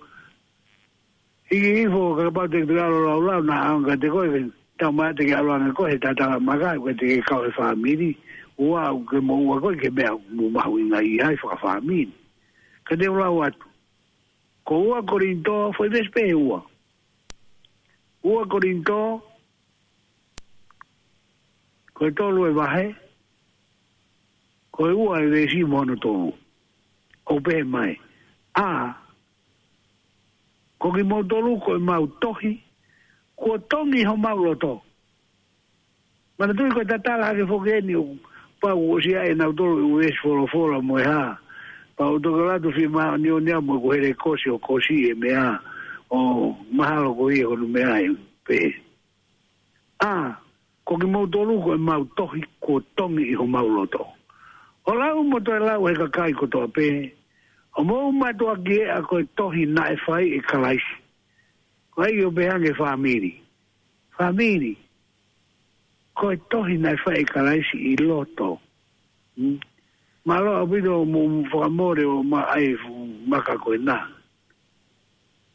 ʻIki ifo, kapau te ke ʻalu ʻo laulau, naʻa ʻaonga kiate koe, tau mai te ke ʻalu ange koe he tatala maka, ko e te ke kau he fāmili, ʻoua ʻe ke moʻua koe ki he meʻa ʻoku mahuʻinga ʻi ai fakafāmili. Ka te u lau atu. Ko ua Kolinitō, foʻi veesi pē ua. Ua Kolinitō, ko e tolu e vahe, ko e ua e veesi mo hono tolu. ʻOku pehē mai. ʻA, ko kimoutolu ko ʻemau tohi, kuo tongi ʻi homau loto. Manatuʻi ko e tatala hake foki eni ʻoku pau ʻosi ʻa ʻenau tolu e veesi folofola mo e hā. Pau toki ʻalu atu fima ni o ni a mo ʻeku hele kosi ʻo kosi e meʻa. ʻO mahalo ko ia hono meʻa ʻe pehē. ʻA, ko kimoutolu ko ʻemau tohi kuo tongi ʻi homau loto. ʻO lau mo toe lau ʻe he kakai kotoa pē. ʻO mou mātuʻaki ʻea ko e tohi naʻe fai ʻe Kalaisi. Ko ai ʻo pehē ange fāmili. Fāmili. Ko e tohi naʻe fai ʻe Kalaisi ʻi loto. Hmm? Mālō ʻaupito mo fakamole ʻo ma ai fu-, maka ko ena.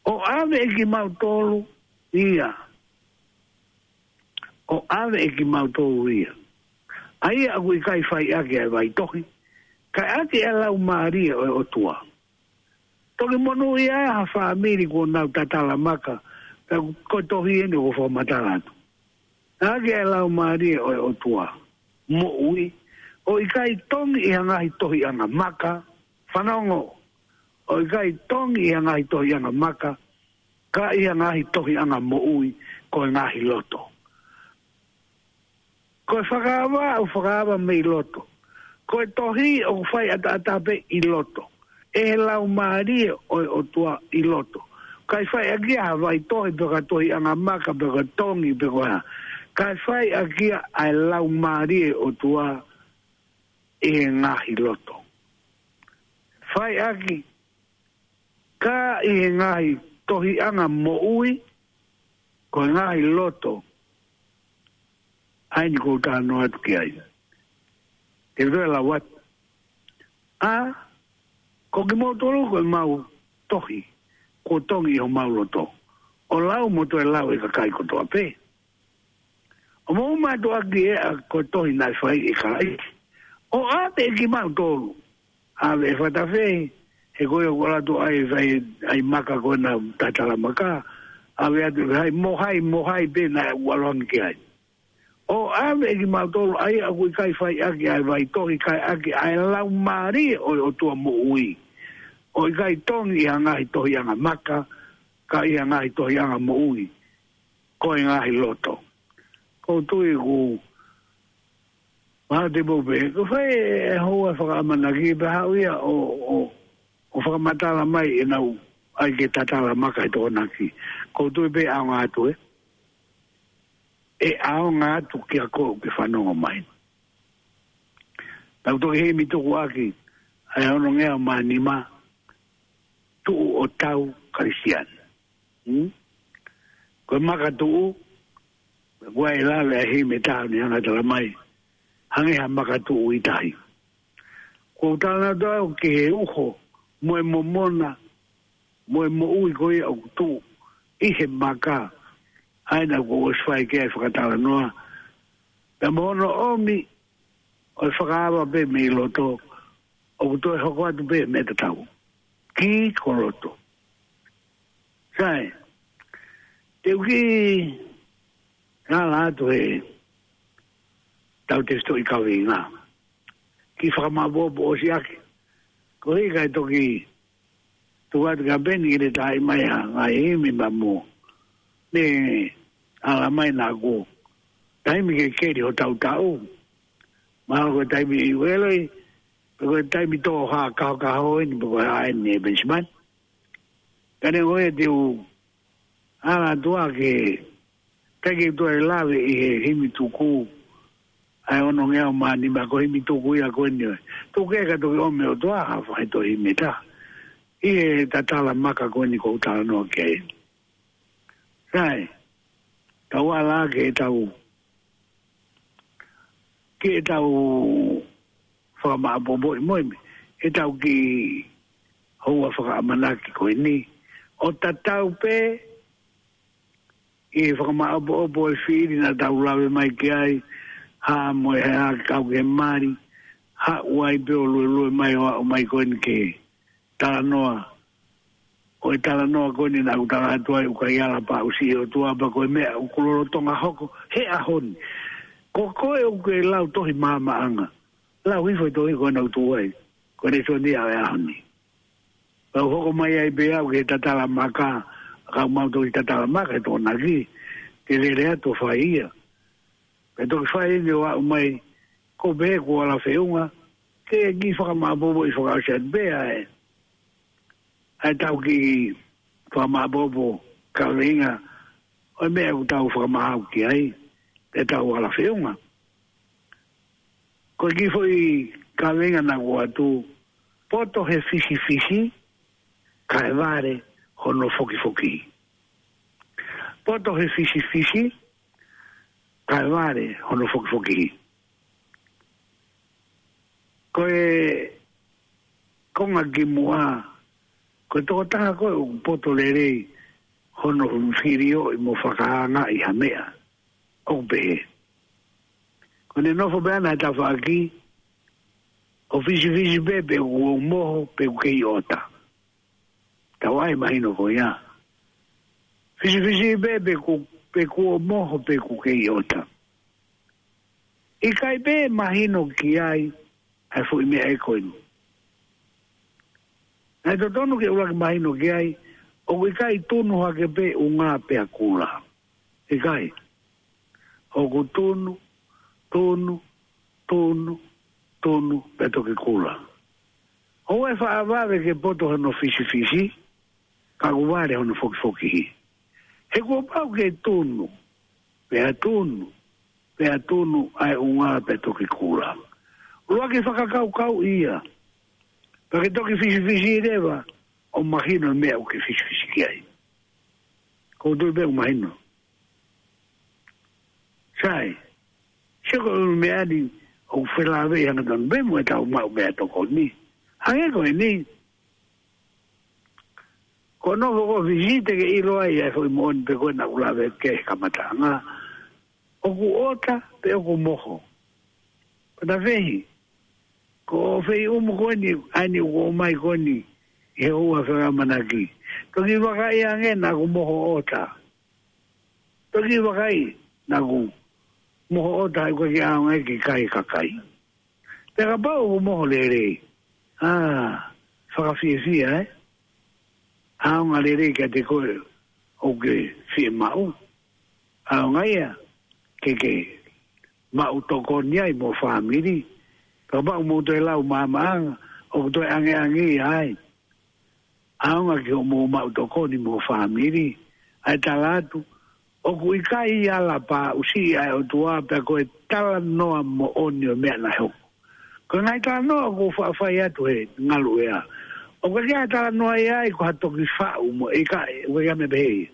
ʻO ʻave ʻe kimautolu ia. ʻO ʻave ʻe kimautolu ia. ʻA ia ʻoku ʻikai fai ʻaki ʻa e vaitohi. Kae ʻaki ʻa e laumālie ʻo e ʻOtua. Toki monūʻia ai ha fāmili kuo nau tatala maka. Ka ko e tohi eni ʻoku fakamatala atu. ʻAki ʻa e laumālie ʻo e ʻOtua. Moʻui. ʻO ʻikai tongi ʻi ha ngaahi tohiʻanga maka. Fanongo. ʻO ʻikai tongi ʻi ha ngaahi tohiʻanga maka. Ka ʻi ha ngaahi tohiʻanga moʻui. Ko e ngaahi loto. Ko e fakaava, ʻoku fakaava mei loto. Ko e tohi, ʻoku fai ʻataʻatā pē ʻi loto. ʻE he laumālie ʻo e ʻOtua ʻi loto. ʻIkai fai ʻaki ia ha vaitohi pe ko ha tohiʻanga maka pe ko ha tongi pe ko ha. ʻIkai fai ʻaki ia ʻa e laumālie ʻo e ʻOtua ʻi he ngaahi loto. Fai ʻaki ka ʻi he ngaahi tohiʻanga moʻui, ko e ngaahi loto, ʻa eni ʻoku ou talanoa atu ki ai. Te u toe lau atu. ʻA, ko kimoutolu ko ʻemau tohi, kuo tongi ʻi homau loto. ʻO lau mo toe lau ʻe he kakai kotoa pē. ʻO mou mātuʻaki ʻea ko e tohi naʻe fai ʻe Kalaisi. ʻO ʻave ʻe kimautolu. ʻAve ʻe fakatafehi, he ko ia ʻoku ʻalu atu ai fai ai maka ko ena tatala maka. ʻAve atu ʻe hai, mo hai, mo hai pē naʻe ʻalu ange ki ai. ʻO ʻave ʻe kimautolu ʻa ia ʻoku ʻikai fai ʻaki ʻa e vaitohi kae ʻaki ʻa e laumālie ʻo e ʻOtua moʻui. ʻO ʻikai tongi ʻi ha ngaahi tohiʻanga maka, ka ʻi ha ngaahi tohiʻanga moʻui. Ko e ngaahi loto. ʻOku ou tui ʻoku mahalo te mou pehē, ko e fai e houa fakaʻamanaki pea haʻu ia ʻo, ʻo, ʻo fakamatala mai ʻenau ʻai ke tatala maka he Tokonaki. ʻOku ou tui pē ʻaonga atu ē. ʻE ʻaonga atu kia koe ʻoku ke fanongo mai. Tau toki himi tuku ʻaki, ʻa e onongeau mā nima, tuʻu ʻo tau Kalisitiane. Hmm? Ko e maka tuʻu, ko e lave ʻa e himi ʻe taha ʻoku ne hanga ʻo tala mai. Hangē ha maka tuʻu ʻi tahi. ʻOku ou talanoa atu au ki he uho, mo e momona, mo e moʻui ko ia ʻoku tuʻu, ʻi he maka, ʻa ena ʻoku ou ʻosi fai ki ai fakatalanoa. Pea mo hono ʻomi, ʻo e fakaava pē mei loto, ʻoku toe hoko atu pē meʻa tatau. Ki koloto. Sai, te u kiʻi ala atu he tau tefitoʻi kaveinga. Kiʻi fakamaʻopoʻopo ʻo siʻaki. Ko e hā ʻikai toki tuku atu kia Peni ke ne taʻi mai ha ngaahi himi ma mo. Ne ala mai naʻa ko e taimi ke keli hotau taʻu. Mahalo ko e taimi ʻi Ueloi, pe ko e taimi tō ha kahokaho eni, pe ko e hā eni ʻe Penisimani. Ka ne ʻoku ou tui ʻoku ala atu ā ke, ʻikai ke toe lave ʻi he himi tuku, ʻa e onongeau mā nima ko e himi tuku ia ko eni ʻo e. Tuku ke ka toki ʻomi ʻOtua ha faʻahinga himi ʻe taha. ʻI he tatala maka ko eni ʻoku ou talanoa ki ai. Sai, tau ala ke tau, ke tau fakamaʻopoʻopo ʻi moimi, ʻe tau kiʻi houa fakaʻamanaki ko eni. ʻO tatau pē, ʻi he fakamaʻopoʻopo ʻo e fili naʻa tau lave mai ki ai, hā mo e hā kau ke mali, haʻu ai pē ʻo luelue mai ʻo aʻu mai ko eni ke talanoa. Ko e talanoa ko eni naʻa ku tala atu ai ʻoku ʻikai ala pāʻusiʻi ʻOtua pea ko e meʻa ʻoku lolotonga hoko he ʻaho ni. Ko koe ʻoku ke lau tohi maamaʻanga. Lau hifo e tohi ko ena ʻoku tuʻu ai. Ko e lēsoni ʻa e ʻaho ni. Pea u hoko mai ai pē au ki he tatala maka, ka mau toki tatala maka he Tokonaki, ke lele atu ʻo fai ia. Pea toki fai eni ʻo aʻu mai, ko pē kuo ala feʻunga, ke kiʻi fakamaʻopoʻopo ʻi fakaʻosi atu pē ʻa e, ʻa e tau kiʻi fakamaʻopoʻopo kaveinga, ʻo e meʻa ʻoku tau fakamaau ki ai, pea tau ala feʻunga. Ko e kiʻi foʻi kaveinga naʻa ku ʻoatu, poto he fisifisi, kae vale hono fokifoki. Poto he fisifisi, kae vale hono fokifoki. Ko e konga kimuʻa, ko e tokotaha ko ē ʻoku poto lelei hono filioʻi mo fakaangaʻi ha meʻa. ʻOku pehē. Ko ʻene nofo pē ʻana he tafaʻaki, ʻo fisifisi pē pe kuo moho pe kuo kei ʻota. Tau ʻai mahino ko ia. Fisifisi pē pe ku, pe kuo moho pe kuo kei ʻota. ʻIkai pē mahino ki ai, ʻa e foʻi meʻa ʻe ko eni. Naʻe totonu ke ʻuluaki mahino ki ai, ʻoku ʻikai tunu hake pē ʻunga pea kula. ʻIkai. ʻOku tunu, tunu, tunu, tunu, pea toki kula. ʻOua ʻe faʻa vave ke poto hono fisifisi, ka ʻoku vale hono fokifoki. He kuo pau ke tunu, pea tunu, pea tunu ʻa e ʻunga pea toki kula. ʻUluaki fakakaukau ia, pea ke toki fisifisi leva, ʻo mahino meʻa ʻoku ke fisifisi ki ai. Ko u tui pē ʻoku mahino. Sai, sio ko e meʻa ni ʻoku felāveʻi hangatonu pē mo e tau maʻu meʻatokoni ni. Hangē ko eni. Ko hono foʻi fisifisi te ke ʻilo ai ʻa e foʻi moʻoni pe ko e naʻa ku lave ki he kamataʻanga. ʻOku ʻota pe ʻoku moho. Ko ta fehi. Ko e feʻunga ko eni, ʻa eni ʻoku ʻomai ko eni, ʻi he houa fakaʻamanaki. Toki vakai ange naʻa ku moho ʻota. Toki vakai, naʻa ku moho ʻota ʻoku ʻikai ke ʻaonga ki he kakai. Pea kapau ʻoku moho lelei. ʻA, fakafiefia, ē? ʻAonga lelei kiate koe ʻoku ke fiemaʻu. ʻAonga ia, ke ke maʻu tokoni ai mo e fāmili. Kapau ʻoku mou toe lau maamaʻanga, ʻoku toe angeange ia ai. ʻAonga ke mou maʻu tokoni mo e fāmili. ʻA e tala atu, ʻoku ʻikai ala pāʻusiʻi ʻa e ʻOtua pea ko e talanoa moʻoni ʻo e meʻa naʻe hoko. Ko e ngaahi talanoa ʻoku ou faʻa fai atu he ngaluʻea. ʻOku ʻikai ke talanoa ia ai ko ha toki faʻu mo e ʻikai, ʻoku ʻikai meʻa pehē ia.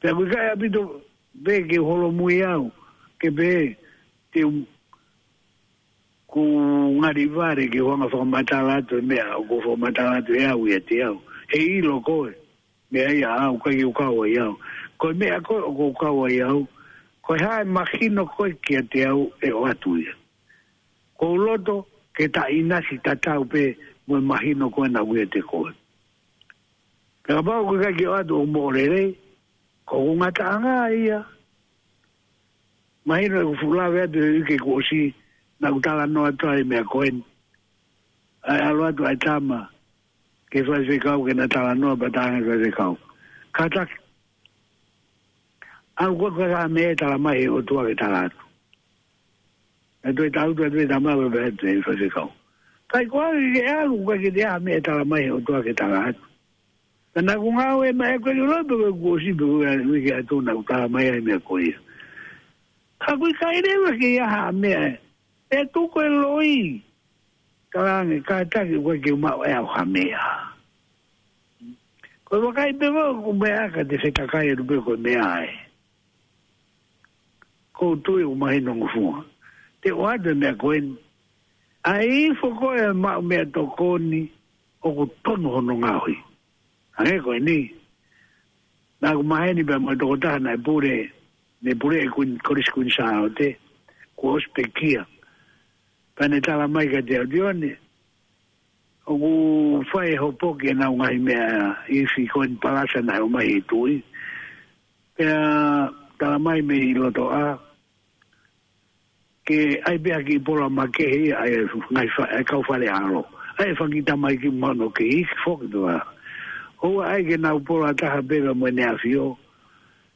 Pea ʻoku ʻikai ʻaupito pē ke u holomui au, ke pehē, te u, ʻoku ngali vale ke u hanga fakamatala atu e meʻa, ʻoku fakamatala atu ʻe au ʻiate au. He ʻilo koe, meʻa ia ʻaʻau, ʻikai ke u kau ai au. Ko e meʻa ko ē ʻoku ou kau ai au, ko e hā ʻe mahino ko ē kiate au ʻe ʻoatu ia. Ko u loto, ke taʻinasi tatau pē mo e mahino ko ē naʻe ʻiate koe. Pea kapau ʻoku ʻikai ke ʻoatu ʻo moʻo lelei, ko hoku ngataʻanga ia. Mahino ʻeku fuʻu lave atu he uike kuo ʻosi, naʻa ku talanoa atu ai e meʻa ko eni. ʻAi ʻalu atu ʻa e tama ki he faifekau ke na talanoa pea talaange ʻe he faifekau, kātaki, ʻalu koe, ko e hā e meʻa ʻe tala mai ʻe he ʻOtua ke tala atu? Naʻe toe tala atu ʻe he tama pea pehē atu ʻe he faifekau, ʻikai, ko au ke ʻalu, ʻikai ke toe ʻi ai ha meʻa ʻe tala mai ʻe he ʻOtua ke tala atu. Ka naʻa ku ngāue mai, ʻikai ke u ʻilo pe ko e kuo ʻosi pe ko e uike ʻe ua naʻa ku tala mai ai e meʻa ko ia. Ka ʻoku ʻikai leva ke ʻi ai ha meʻa. ʻE tuku e loi. Talaange, kātaki, ʻoku ʻikai ke u maʻu ʻe au ha meʻa. Ko e vakai pē ko ē ʻoku meʻa ka te fetakai atu pē ko e meʻa ē. Ko u tui ʻoku mahino ngofua. Te u ʻoatu e meʻa ko eni. ʻAi ifo ko ē e maʻu meʻatokoni ʻoku tonu hono ngaohi. Hangē ko eni. Naʻa ku maheni pea mo e tokotaha naʻe pule, ne pule ʻi Kuini, Kolisi Kuini Sālote, kuo ʻosi pekia. Pea ne tala mai kiate au, Tione, ʻoku fai e hopoki ʻenau ngaahi meʻa ifi ko eni palasa naʻe ʻomai ʻe he tuʻi. Pea tala mai mei loto ʻa, ke ʻai pē ha kiʻi pola makehe ia ʻa e ngaahi fa-, ʻa e kau Fale ʻAlo. ʻAi e fanga kiʻi tamaiki mahino ke iiki foki pē ʻa. ʻOua ʻai ke nau pola taha pē pea mo ʻEne ʻAfio.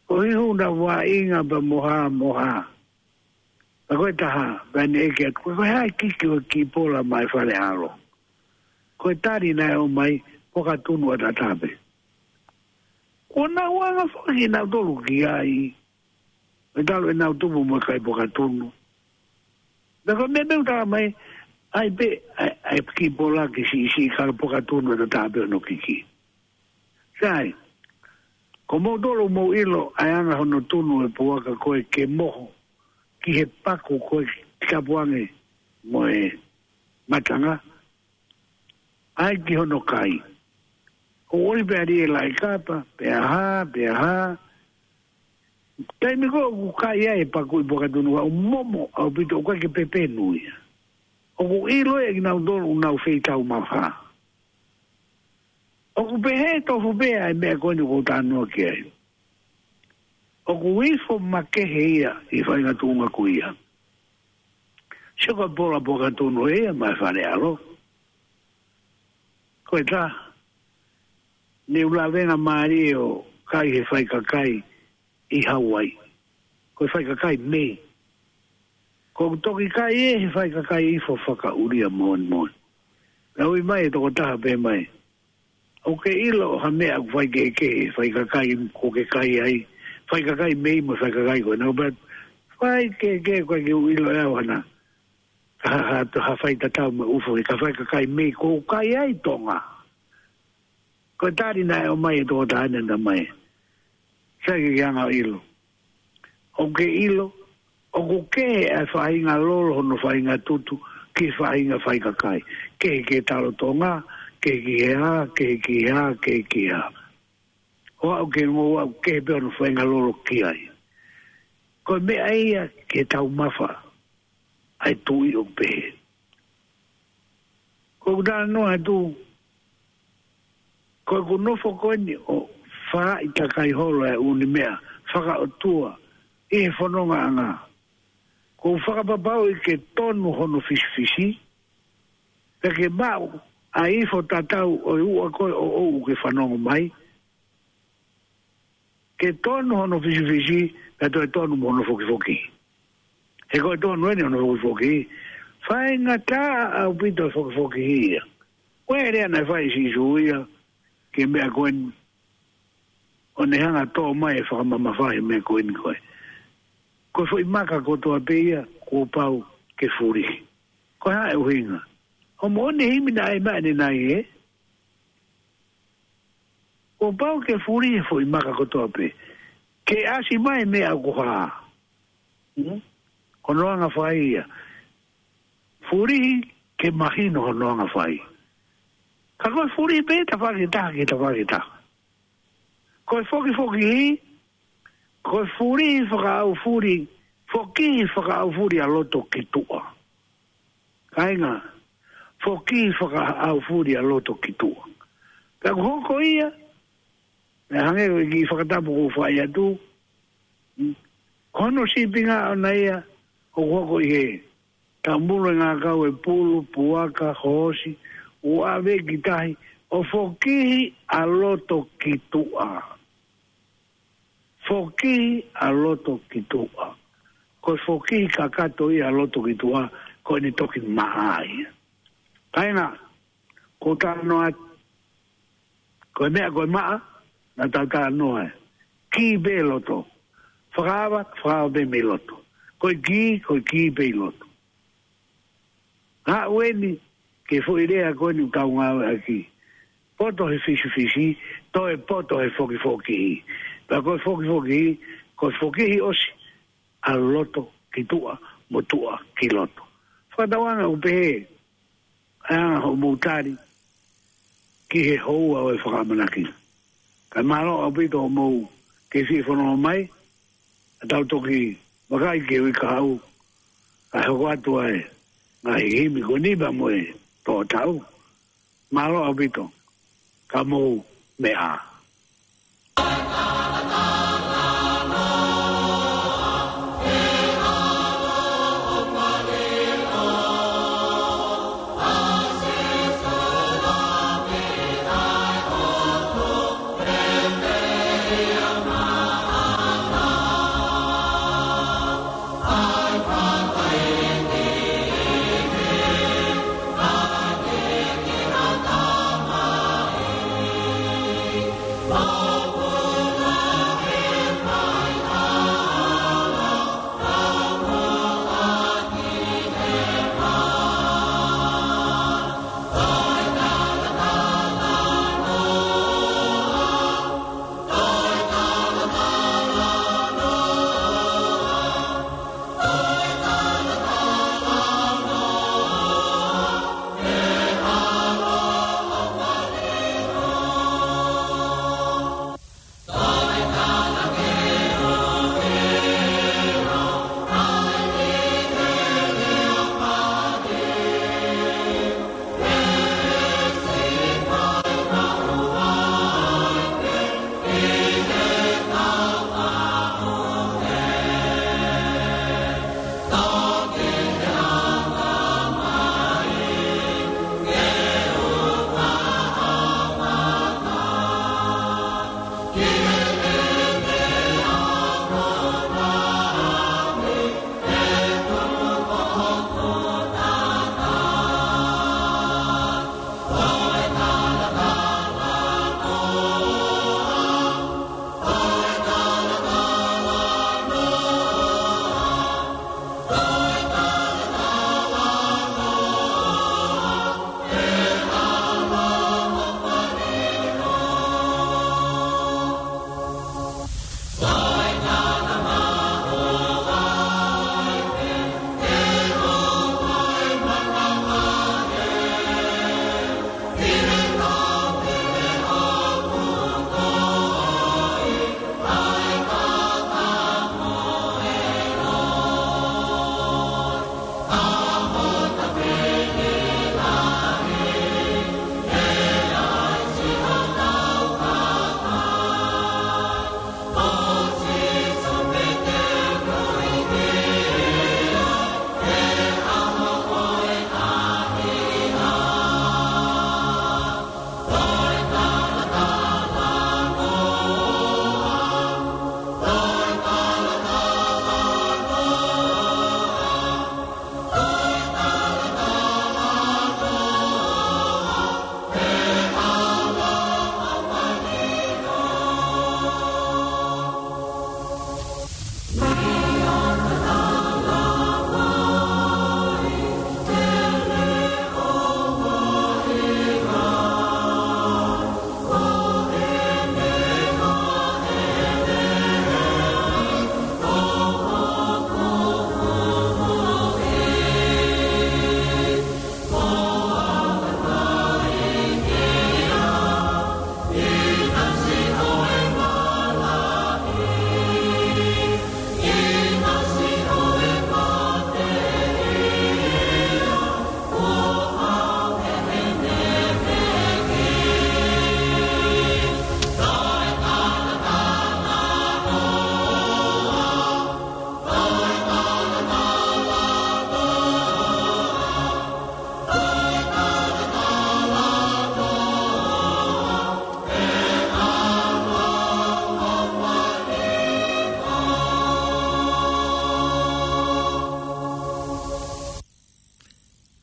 Ko e hū na vaʻinga pea mo hā, mo hā. Pea ko e taha, pea ne ʻeke atu, ko e hā e kiki ʻo e kiʻi pola maʻa e Fale ʻAlo? Ko e tali naʻe ʻomai, Pokatunu ʻAtataape. Kuo nau anga foki nautolu ki ai. ʻE talu ʻenau tupu mo e kai Pokatunu. Pea ko e meʻa pē ʻoku tala mai, ʻai pē, ʻai, ʻai kiʻi pola ke siʻisiʻi ka Pokatunu ʻAtataape hono kiki. Sai, ko moutolu mou ʻilo ʻa e anga hono tunu e puaka ko ē ke moho ki he paku ko ē ki tapuange mo e matanga. ʻAi ki hono kai. ʻO ʻoli pē ʻa e laʻi kapa, pea hā, pea hā. Taimi ko ē ʻoku kai ai e paku ʻi Pokatunu ʻoku momo ʻaupito, ʻoku ʻikai ke pepenu ia. ʻOku ʻilo ʻe kinautolu ʻoku nau feitau mafa. ʻOku pehē tofu pē ʻa e meʻa ko eni ʻoku ou talanoa ki ai. ʻOku ifo makehe ia ʻi he faʻahinga tuʻunga ko ia. Sio ko e pola Pokatunu ia maʻa e Fale ʻAlo. Ko e taha, ne u lavengamālie ʻo kai he faikakai ʻi Hauaiʻi. Ko e faikakai mei. Ko u toki kai ʻe he faikakai ifo fakaʻulia moʻoni moʻoni. Naʻe ui mai e tokotaha pehē mai, ʻoku ke ʻilo ʻa e meʻa ʻoku faikehekehe, faikakai ʻoku ke kai ai, faikakai mei mo e faikakai ko ena? Pea faikehekehe, ʻoku ʻikai ke u ʻilo ʻe au hana. Ha, ha, ha faitatau mo e ʻufu, he ko e faikakai mei ʻoku kai ai Tonga. Ko e tali naʻe ʻomai e tokotaha ni, tala mai, sai ke ke anga ʻilo. ʻOku ke ʻilo, ʻoku kehe ʻa e faʻahinga lolo hono faʻahinga tutu ki he faʻahinga faikakai. Kehe ki he talo Tonga, kehe ki he hā, kehe ki he hā, kehe ki he hā. ʻO aʻu ki he ngoue ʻoku kehe pē hono faʻahinga lolo ki ai. Ko e meʻa ia ke taumafa ʻa e tuʻi ʻoku pehē. Ko ʻeku talanoa atu, ko ʻeku nofo ko eni ʻo fāʻi takai holo ʻa e ʻū meʻa fakaʻotua ʻi he fonongaʻanga. Ko u fakapapauʻi ke tonu hono fisifisi, pea ke maʻu ʻa e ifo tatau ʻo e ua ko ē ʻoʻou ke fanongo mai. Ke tonu hono fisifisi, pea toe tonu mo hono fokifoki. He ko e tonu eni hono fokifoki, faingataʻa ʻaupito e fokifoki ia. Ko e lea naʻe fai ʻe Sīsū ia ki he meʻa ko eni, ʻo ne hanga ʻo tō mai e fakamamafa he meʻa ko eni ko ē. Ko e foʻi maka kotoa pē ia, kuo pau ke fulihi. Ko e hā e ʻuhinga? ʻO moʻoni e himi naʻe ʻai mai ʻanenai ē. Kuo pau ke fulihi e foʻi maka kotoa pē. Ke ʻasi mai e meʻa ʻoku hā. Hmm? Ko hono anga fai ia. Fulihi ke mahino hono anga fai. Ka ko e fulihi pē tafaʻaki ʻe taha ki he tafaʻaki ʻe taha. Ko e fokifoki, ko e fulihi fakaʻaufuli, fokihi fakaʻaufuli ʻa loto ki tuʻa. Kāinga, Foki fakaʻaufuli ʻa loto ki tuʻa. Ka ko e hoko ia, naʻe hangē ko e kiʻi fakatapu ʻoku fai atu, mm, ko hono sīpinga ʻona ia, ʻoku hoko ʻi he taumulu e ngākau e pulu, puaka, hoosi, ʻo ʻave ki tahi, ʻo fokihi ʻa loto ki tuʻa. Fokihi ʻa loto ki tuʻa. Ko e fokihi kakato ia ʻa loto ki tuʻa, ko ʻene toki maʻa ia. Kāinga, ko e talanoa, ko e meʻa ko e maʻa, naʻa tau talanoa ē. Kī pē loto. Fakaava, fakaava pē mei loto. Ko e kī, ko e kī pē ʻi loto. Haʻu eni, ki he foʻi lea ko eni ʻoku tau ngāueʻaki. Poto he fisifisi, toe poto he fokifoki. Pea ko e fokifoki, ko e fokihi ʻosi, ʻa loto ki tuʻa, mo tuʻa ki loto. Fakatauange ʻoku pehē, ʻa e anga hoʻomou tali, ki he houa ʻo e fakaʻamanaki. Kae mālō ʻaupito hoʻomou kei fie fanongo mai, ʻa tau toki vakai ki he uike kahaʻu, kae hoko atu ai, ngaahi himi ko eni pea mo e toʻo tau. Mālō ʻaupito, ka mou meʻa.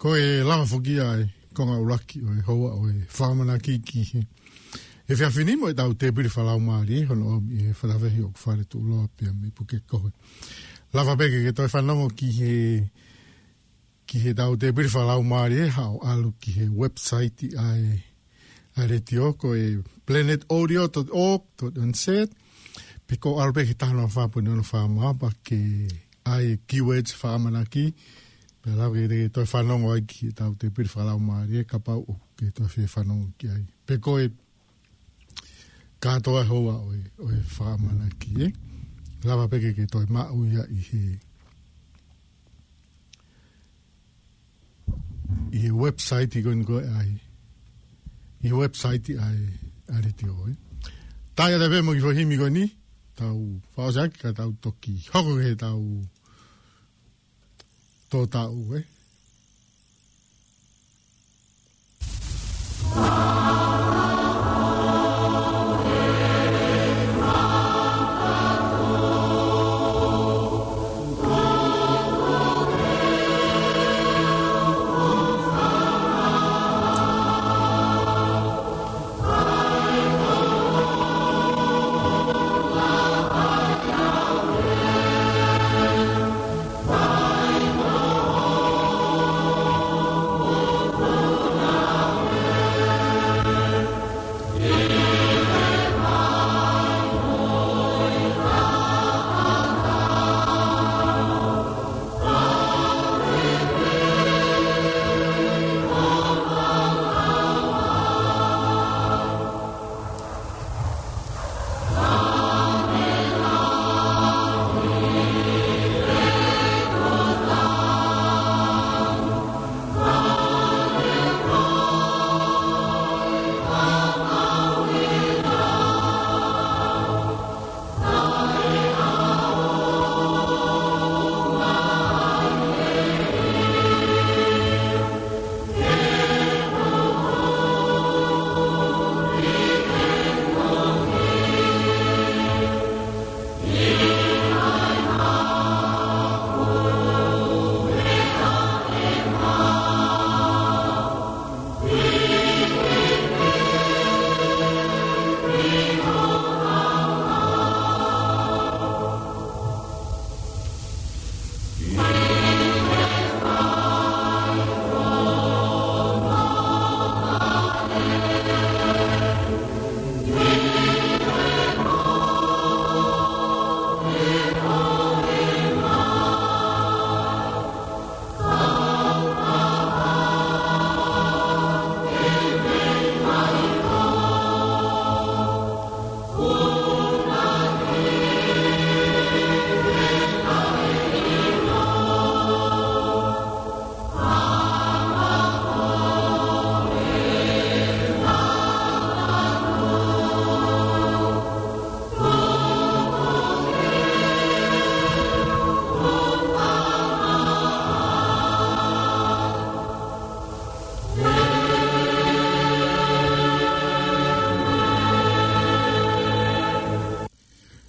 Ko e lava foki ia e konga ʻuluaki ʻo e houa ʻo e fakaʻamanaki ki he efiafi ni mo ʻetau tēpile fakalaumālie, hono ʻomi ʻe he Faleafehi ʻOkufale Tuʻuloa pea mei Pukekohe. Lava pē ke ke toe fanongo ki he, ki heʻetau tēpile fakalaumālie, haʻu ʻo ʻalu ki he website ʻa e, ʻa e letiō, ko e planet audio dot org dot N Z, pe ko e ʻalu pē ki he taha noa fā poini ono fā mā, pea ke ʻai e keywords fakaʻamanaki, pea lava ke te toe fanongo ai ki heʻetau tēpile fakalaumālie, kapau ʻoku ke toe fie fanongo ki ai. Pe ko e kātoa houa ʻo e, ʻo e fakaʻamanaki, ē? Lava pē ke ke toe maʻu ia ʻi he, ʻi he website ko eni ko e ʻai. ʻI he website ʻa e, ʻa e letiō, ē? Tau ʻai atu pē mo e kiʻi foʻi himi ko eni, tau fakaʻosi ʻaki ka tau toki hoko ki heʻetau tō taʻu, ē?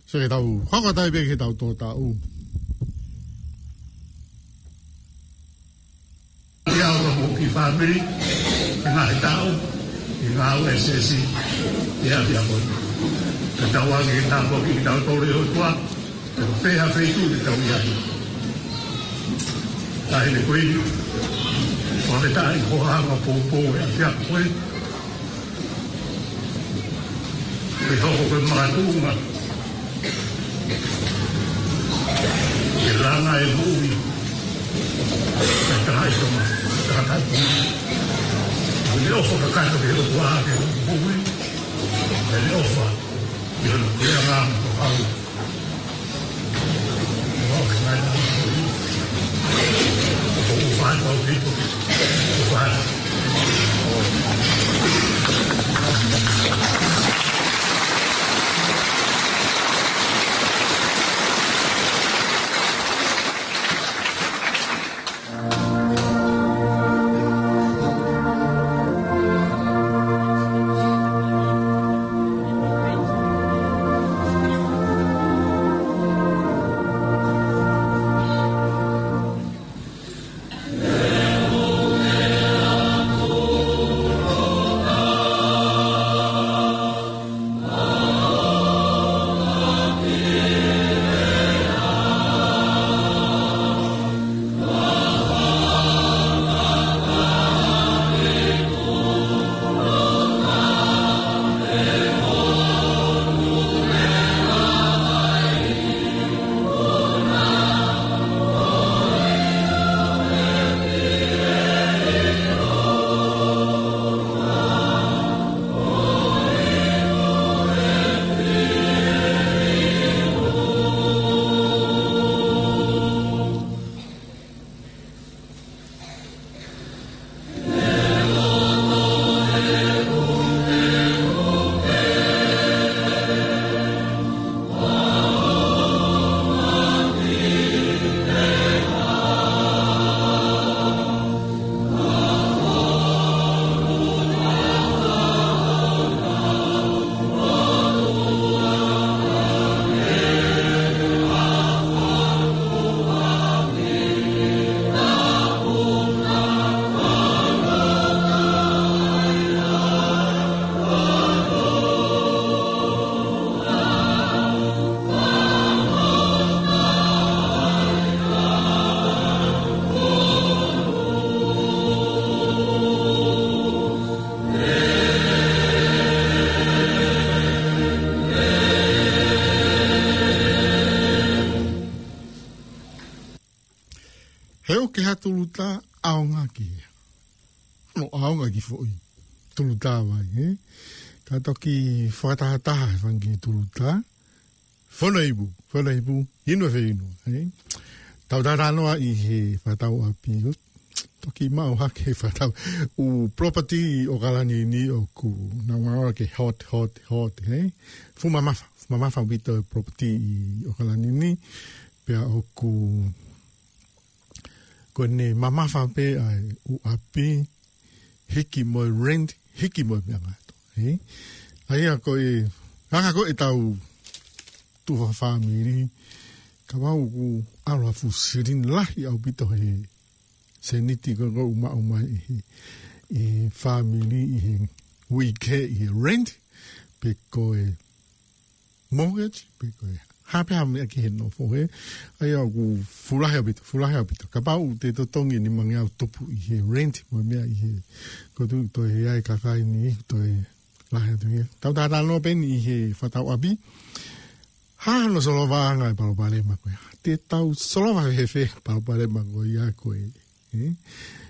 So ke tau hoko atu pē ki heʻetau tō taʻu. Ia ʻo ka mo ki fāmili, ʻi he ngaahi taʻu, ʻi he ngāue ʻa e siasi, ʻi he ʻapiako ni. Ka tau ʻai ke tāpuakiʻi kitautolu ʻe he ʻOtua, ʻi ha feituʻu te tau ʻi ai. Taʻahine Kuini, fakafetaʻi hoʻo hanga ʻo poupou e ʻapiako ko eni. Ke hoko ko e makatuʻunga ke langa e moʻui ʻa e tangataʻeiki Tonga, tangataʻeiki Tonga. Ke ne ʻofa kakato ki he ʻOtua ʻaki e moʻui, ke ne ʻofa ki hono puleʻanga mo e kau. He ʻoku ʻi ai ha tulutā ʻaonga ki hea. No ʻaonga ki foʻi tulutā vai, ē? Ka toki fakatahataha he fanga kiʻi tulutā. Fonaipu, fonaipu, inu e feinu, ē? Tau talanoa ʻi he fakatau ʻapi, ʻo toki maʻu hake he fakatau. ʻŪ property ʻi ʻOkalani ni ʻoku nau ʻalu ke hot, hot, hot, ē? Fuʻu mamafa, fuʻu mamafa ʻaupito e property ʻi ʻOkalani ni, pea ʻoku ko ʻene mamafa pē ʻa e ʻū ʻapi, hiki mo e rent, hiki mo e meʻa ngaahi ʻato, ē? ʻA ia ko e, anga ko ē ʻetau tufa fāmili, kapau ʻoku ʻalu ha fuʻu silini lahi ʻaupito he sēniti ko ē ʻoku maʻu mai ʻe he, ʻe he fāmili ʻi he uike ʻi he rent, pe ko e mortgage, pe ko e hā pē ha meʻa ki he nofo, ē? ʻA ia ʻoku fuʻu lahi ʻaupito, fuʻu lahi ʻaupito. Kapau te totongi ʻe nimangeau tupu ʻi he rent, mo e meʻa ʻi he, ko tu toe ʻi ai e kakai ni, toe lahi atu ia. Tau talanoa pē eni ʻi he fakatau ʻapi. Hā hono solovaʻanga e palopalema ko ia. Te tau solova fēfē e palopalema ko ia ko ē, ē?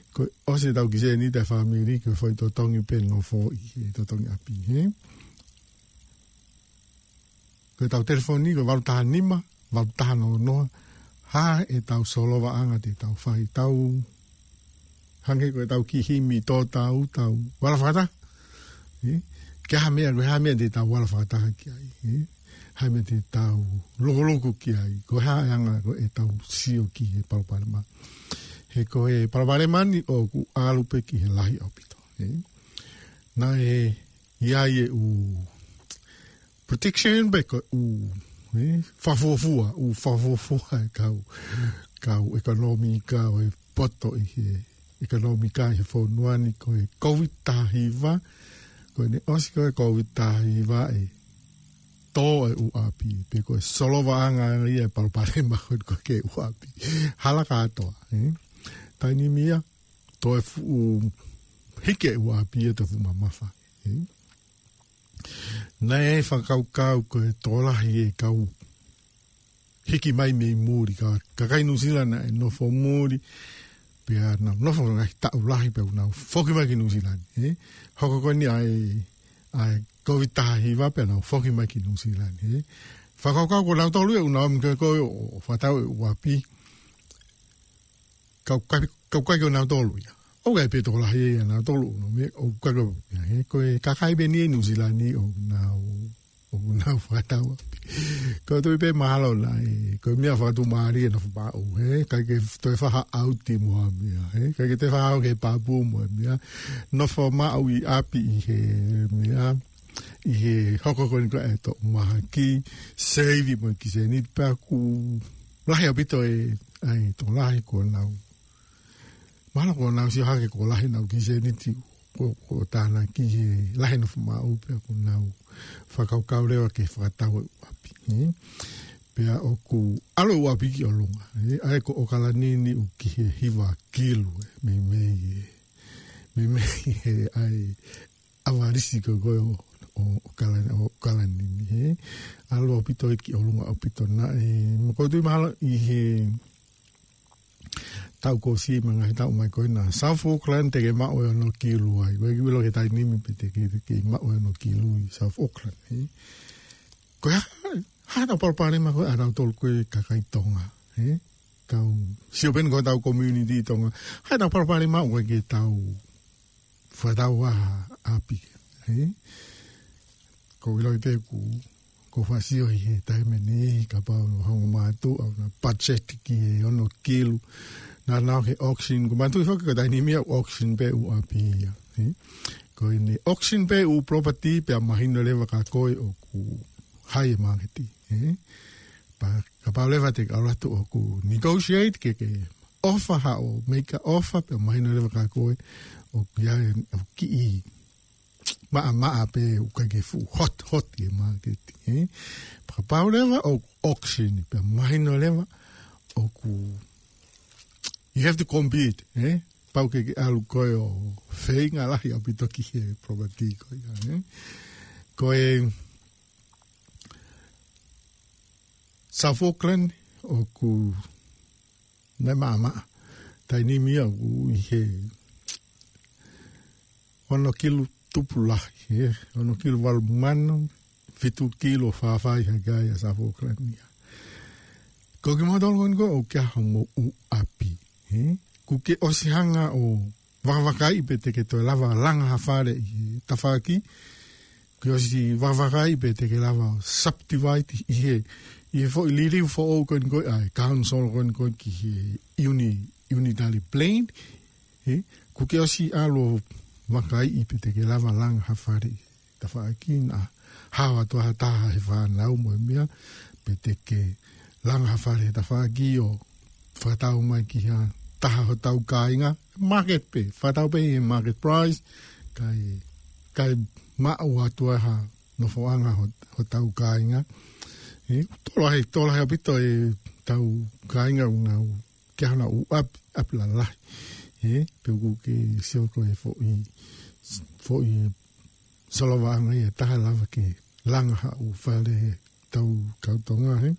Ko e ʻosi ʻetau kiʻi sēniti ʻa e fāmili, ko e foʻi totongi pē nofo ʻi he totongi ʻapi, ē? Ko ʻetau telefoni, ko e valu taha nima, valu taha noa noa, hā ʻetau solovaʻanga te tau fai, tau hangē ko ʻetau kiʻi himi tō tau, tau vala fakataha. Ē? Ke hā meʻa, ko e hā meʻa te tau vala fakataha ki ai, ē? Hā meʻa te tau lokoloko ki ai, ko e hā e anga ko ē ʻetau sio ki he palopalema. He ko e palopalema ni ʻoku ʻalu pē ki he lahi ʻaupito, ē? Naʻe ʻi ai e ʻū protection pe ko e ʻū, ē, fakafuofua, ʻū fakafuofua e kau, kau ʻekonōmika ʻo e poto ʻi he ʻekonōmika ʻi he fonua ni ko e Covid taha hiva, ko ʻene ʻosi ko e Covid taha hiva ʻe tō e ʻū ʻapi, pe ko e solovaʻanga ia e palopalema ko ē ko ē ki he ʻū ʻapi. Hala kātoa, ē? Taimi ni ia, toe fuʻu hiki e ʻū ʻapi ia toe fuʻu mamafa, ē? Naʻe fakakaukau ko e tokolahi e kau hiki mai mei muli, ka, kakai Nuʻusila naʻe nofo muli, pea nau nofo ngaahi taʻu lahi pea nau foki mai ki Nuʻusila ni, ē? Hoko ko eni ʻa e, ʻa e Covid taha hiva pea nau foki mai ki Nuʻusila ni, ē? Fakakaukau ko nautolu ia ʻoku nau ō mai ko ē ʻo, ʻo fakatau e ʻū ʻapi. Kau kai, kau kai ko nautolu ia. ʻOku ʻi ai pē tokolahi ia nautolu, no me, ʻoku kai ko ia, ē, ko e kakai pē eni ʻi Nuʻusila ni ʻoku nau, ʻoku nau fakatau ʻapi. Ko e toe pē mahalo naʻe, ko e meʻa fakatumālie nofo maʻu, ē, ʻikai ke toe faʻa ʻauti mo ha meʻa, ē, ʻikai ke toe faʻa ō ki he pāpū mo e meʻa. Nofo maʻu ʻi ʻapi ʻi he meʻa, ʻi he hoko ko eni ko e toʻu mahaki, save mo e kiʻi sēniti pea ʻoku lahi ʻaupito e, ʻa e tokolahi ko ʻenau. Mahalo ko ʻenau sio hake ko e lahi ʻenau kiʻi sēniti ko, ko tānaki he lahi e nofo maʻu pea ʻoku nau fakakaukau leva ke fakatau e ʻū ʻapi, ē? Pea ʻoku ʻalu e ʻū ʻapi ki ʻolunga, ē? ʻA ia ko ʻOkalani ni ʻoku ki he hiva kilu, ē? Meimei ē. Meimei ē ʻa e ʻavalisi ko ē ko ē ʻo, ʻo, ʻo ʻOkalani, ʻo ʻOkalani ni, ē? ʻAlu ʻaupito ia ki ʻolunga ʻaupito naʻe, mo ko tu mahalo ʻi he taʻu kuo ʻosi mo e ngaahi taʻu mai ko ē naʻa South Auckland te ke maʻu e ono kilu ai. Ko e kiʻi ʻilo ki he taimi ni pe te ke, te ke maʻu e ono kilu ʻi South Auckland, ē? Ko e hā, hā ʻetau palopalema ko ē ʻa nautolu ko ē kakai Tonga, ē? Kau, sio pē eni ko ʻetau community Tonga. Hā ʻetau palopalema ʻoku ʻikai ke tau fakatau ha ʻapi, ē? Ko e ʻilo pē ʻoku, ʻoku ou faʻa sio ʻi he taimi ni, kapau ʻoku ou hanga ʻo mātuʻa ʻo na budget ki he ono kilu. Naʻa nau ki he auction, ʻoku mātuʻa foki ko e taimi ni ʻoku auction pē ʻū ʻapi ia, ē? Ko ʻene auction pē ʻū property pea mahino leva kia koe ʻoku high e māketi, ē? Pea kapau leva te ke ʻalu atu ʻoku negotiate ke, ke offer haʻo, make a offer, pea mahino leva kia koe ʻoku ʻi ai ʻa e kiʻi maʻamaʻa pē ʻoku ʻikai ke fuʻu hot, hot e māketi, ē? Pea kapau leva ʻoku auction, pea mahino leva ʻoku, you have to compete, ē? Pau ke ke ʻalu koe ʻo feinga lahi ʻaupito ki he property ko ia, ē? Ko e South Auckland ʻoku naʻe maʻamaʻa. taimi ni ʻoku ʻi he ono kilu tupu lahi, ē, ono kilu valu mano, fitu kilu fāfai hake ai ʻa Sāfo Kalania. Ko kimoutolu ko eni ʻoku ʻi ai homou ʻapi, ē? Kuo ke ʻosi hanga ʻo vakavakaiʻi pe te ke toe lava langa ha fale ʻi he tafaʻaki, kuo ke ʻosi vakavakaiʻi pe te ke lava subdivide ʻi he, ʻi he foʻi liliu foʻou ko eni ko ē ʻa e council ko eni ko ē ki he uni-, unitary plan, ē? Kuo ke ʻosi ʻalu ʻo vakaiʻi pe te ke lava langa ha fale ʻi he tafaʻaki, naʻa hao atu ha taha he fānau mo e meʻa, pe te ke langa ha fale he tafaʻaki ʻo fakatau mai ki ha taha hotau kāinga, market pē, fakatau pē he market price, kae, kae maʻu atu ai ha nofoʻanga ho-, hotau kāinga. Ē, tō lahi, tō lahi ʻaupito ʻetau kāinga ʻoku nau ʻi ai hona ʻū ʻapi, ʻapi lalahi. Ē, pea ʻoku ke sio ko e foʻi, foʻi solovaʻanga ia ʻe taha lava ke langa ha ʻū fale he tau kau Tonga, ē.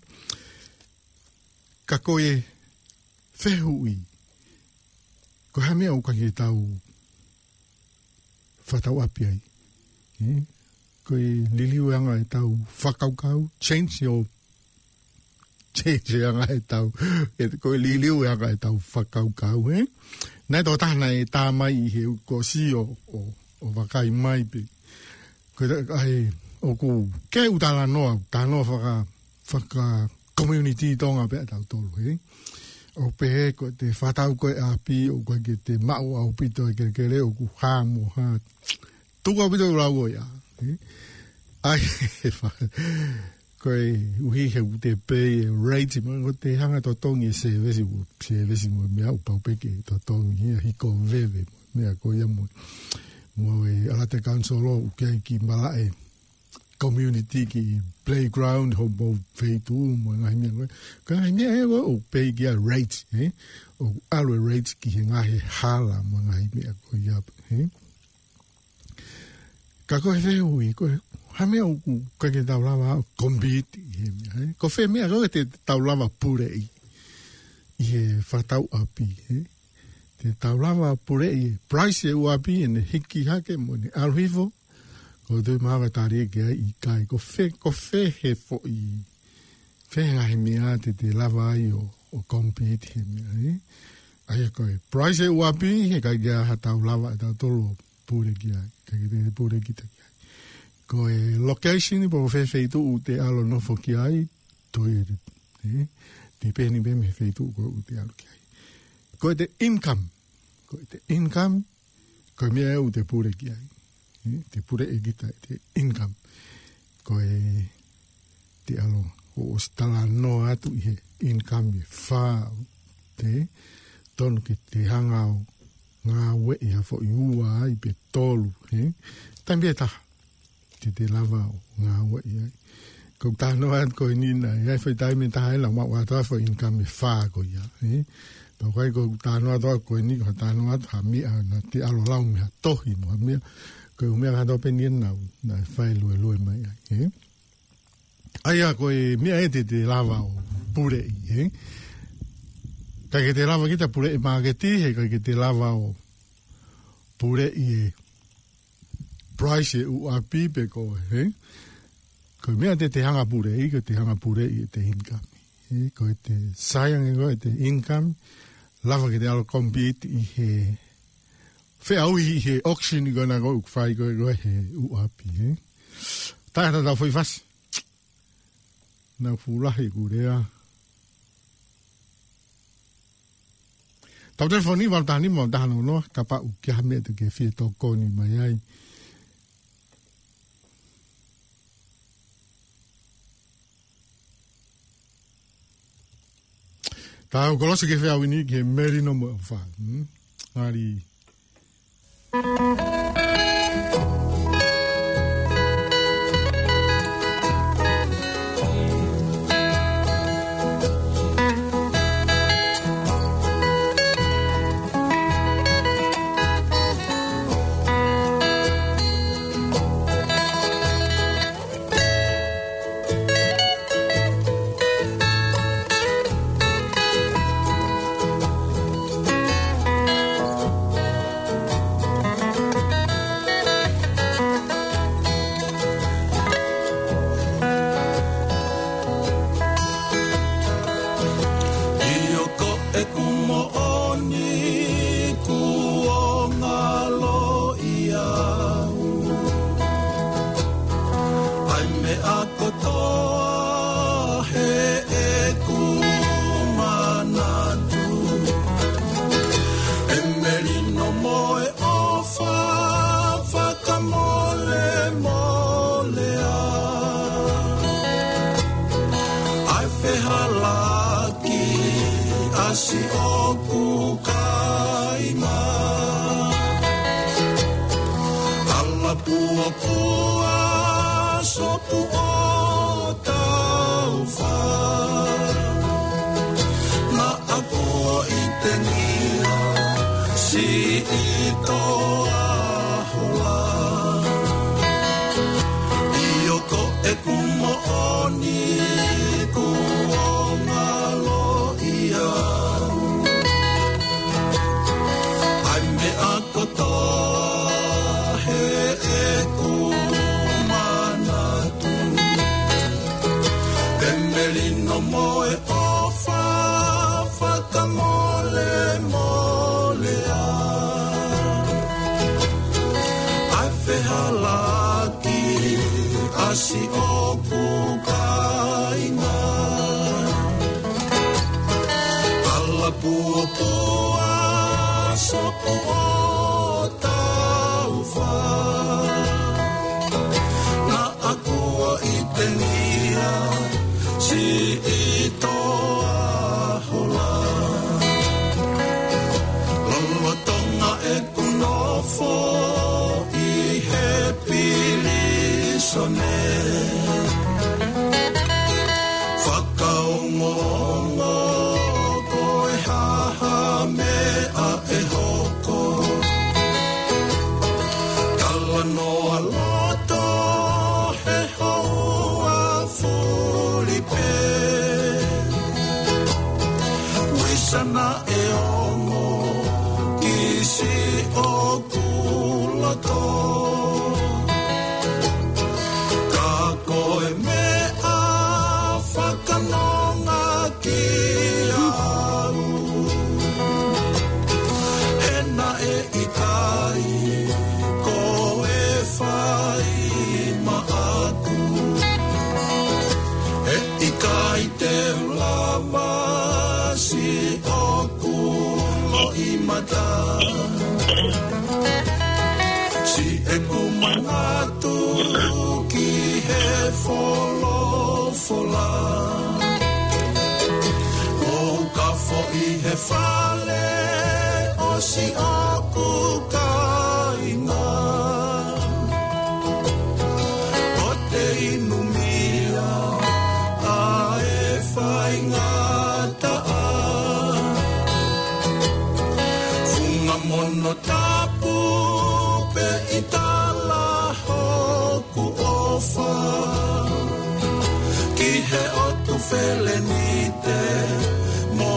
Ka ko e fehuʻi, ko e hā e meʻa ʻoku ʻikai ke tau fakatauʻapi ai? Ē? Ko e liliu ʻa e anga ʻetau fakakaukau, change your, change ʻa e anga ʻetau, ē, ko e liliu ʻa e anga ʻetau fakakaukau, ē? Naʻe tō taha naʻe tā mai ʻi he kuo ʻosi ʻo, ʻo, ʻo vakai mai pē. Ko e, ʻa e, ʻoku ke u talanoa, talanoa faka-, faka-community Tonga pē ʻa tautolu, ē? ʻO pehē ko e te fakatau ko e ʻapi, ʻoku ʻikai ke te maʻu ʻaupito e kelekele, ʻoku hā mo hā. Tuku ʻaupito ʻeku lau ko ia, ē? ʻAi, fa-, koeʻuhi he ʻoku te pay e rate, mo ʻoku te hanga totongi e service, ʻo service mo e meʻa, ʻoku pau pē ke totongi ia, hiko veve, meʻa ko ia mo, mo e ʻAlata Council ʻoku ʻi ai ki malaʻe community ki playground, homou feituʻu, mo e ngaahi meʻa ko ē. Ko e ngaahi meʻa ē ʻoku pay ki ai rate, ē? ʻOku ʻalu e rate ki he ngaahi hala, mo e ngaahi meʻa ko ia, ē? Ka ko e fehuʻi, ko e hā e meʻa ʻoku ʻikai ke tau lava ʻo compete ʻi he meʻa, ē? Ko fē meʻa ʻoku ʻikai ke tau lava puleʻi ʻi he fakatauʻapi, ē? Te tau lava puleʻi e price e ʻū ʻapi ʻene hiki hake mo ʻene ʻalu hifo, ko e tui mahalo tali ke ai ʻikai. Ko fē, ko fē he foʻi, fē he ngaahi meʻa te te lava ai ʻo, ʻo compete he meʻa, ē? ʻA ia ko e price e ʻū ʻapi, he ʻikai ke ʻi ai ha tau lava ʻe tautolu ʻo pule ki ai, ʻikai ke te pule kita ki ai. Ko e location, pe ko fē feituʻu te ʻalu ʻo nofo ki ai, toe, ē? Depend pē mei he feituʻu ko ē ʻoku te ʻalu ki ai. Ko e te income, ko e te income, ko e meʻa ʻoku te pule ki ai. Ē, te puleʻi kita e te income. Ko e te ʻalu ʻo ʻosi talanoa atu ʻi he income ʻe fā, ē? Tonu ke te hanga ʻo ngāueʻi ha foʻi ua ai pe tolu, ē? Taimi ʻe taha te te lava ʻo ngāueʻi ai. Ko e talanoa atu ko eni naʻe ʻi ai e foʻi taimi ʻe taha ʻe lava maʻu atu ai e foʻi income ʻe fā ko ia, ē? Pea ko e, ko e talanoa atu ko eni, ko e talanoa atu ha meʻa naʻa te ʻalu ʻo lau mei ha tohi mo ha meʻa, ko e ʻū meʻa kātoa pē eni naʻa, naʻe fai luelue mai ai, ē? ʻA ia ko e meʻa ē te te lava ʻo puleʻi, ē? ʻIkai ke te lava kita puleʻi māketi, he ʻikai ke te lava ʻo puleʻi e price e ʻū ʻapi pe ko e, ē? Ko e meʻa te te hanga puleʻi, ko e te hanga puleʻi e te income. Ē, ko e te sai ange ko e te income, lava ke te ʻalu compete ʻi he feʻauhi ʻi he auction ko ena ʻoku fai ko ē, ko ē he ʻū ʻapi, ē? Tae atu ʻetau foʻi fasi. Naʻe fuʻu lahi ʻeku lea. Tau telefoni, valu taha nima, valu taha noa noa, kapau ʻoku ʻi ai ha meʻa te ke fie tokoni mai ai. Tau kolosi ki he feʻauhi ni ki he Melino mo e ʻOfa. Hmm? Ari. ʻE hala ki ʻasi ʻoku kāinga. ʻAla puapua sopu ʻo taufa. Naʻa ku ʻi te ngia siʻi toa hola. ʻIo ko ʻeku moʻoni kuo ngalo ia. ʻAi meʻa kotoa heʻeku manatu. Pea melino mo e ʻofa fakamolemolea. ʻAi fehala ki ʻasi ʻoku kāinga. ʻAla puapua sopu ʻo taufa. Naʻa ku ʻi te ngia siʻi toa hola. Lolotonga ʻeku nofo ʻi he pilīsone. Fakaongoongo ko e hā ha meʻa ʻe hoko. Talanoa loto he houa fuli pē. Uisa naʻe ongo ki siʻoku loto. Ka ko e meʻa fakanonga kiate au. He naʻe ʻikai ko e fai maʻaku. He ʻikai te u lava siʻoku loʻimata. Siʻeku manatu ki he folofola. ʻOku ou kafo ʻi he fale ʻo siʻoku kāinga. ʻO te inu mia ʻa e faingataʻa. Funga mono tapu pē ʻi tala hoku ʻofa. Ki he ʻOtu Felenite mo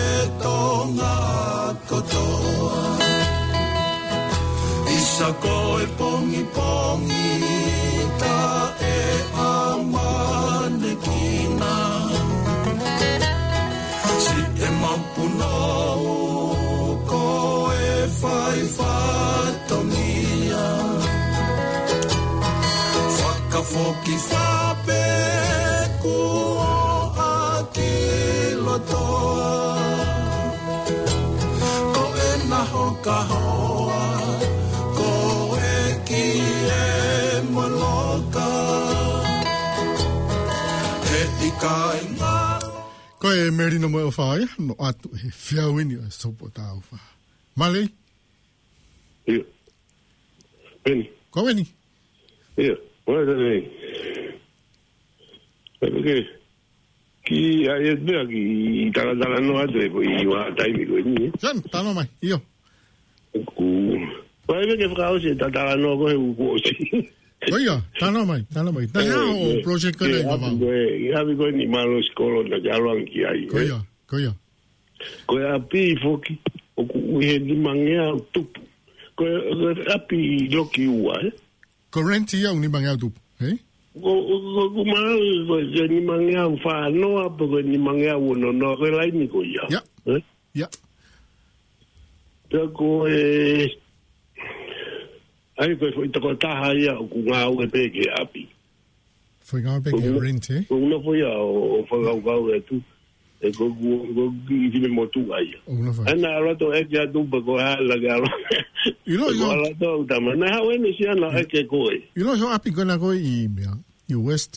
e Tonga kotoa. ʻIsa ko e pongipongi taʻeʻamanekina. Siʻemau punou ko e fai fatongia. Fakafoki fape kuo ʻaki lotoa. Ko ena hoka hoa, ko e ki e moloka. He ʻikai ngalo. Ko e melino mo e ʻofa ia, no atu he feau ni ʻa e sopu ʻo taufa. Mālō. ʻIo. Peni. Ko Peni. ʻIo. Ko e tani. Peni ke. Ki ai e pea ki talatala no atu e ko i wa taimi ko ni. Jan, tano mai. ʻIo. Ku. Ko e ke fakaʻosi e talatala no ko he u kuo ʻosi. Ko ia, tano mai, tano mai. Tano mai. Project ko e, ʻi ʻapi ko e, ʻi ʻapi ko e ni malo sikolo na ke ʻalu ange ki ai. Ko ia, ko ia. Ko e ʻapi foki, ʻoku ui he nimangeau tupu. Ko e, ko e ʻapi loki ua, ē? Ko rent ia ʻoku nimangeau tupu, ē? Ko, ko, ko, ko maau, ko e nimangeau fānoa, pe ko e nimangeau ono noa, ko e laini ko ia. Ia. Ē? Ia. Pea ko e, ʻai ko e foʻi tokotaha ia ʻoku ngāue pē ki he ʻapi. Foʻi ngāue pē ki he rent, ē? Ko e nofo ia ʻo, ʻo fakakaukau e tu. E ko, ko, ko ki fine motuʻa ia. ʻO nofo. ʻAi naʻa ʻalu atu ʻeke atu pe ko e hā naʻa ke ʻalu. ʻIlo, ʻilo. Ko ʻalu atu ʻo tama. Naʻe haʻu ʻene siana ʻeke ko ē. ʻIlo, ʻio ʻapi ko ena ko ē ʻi meʻa, ʻi West.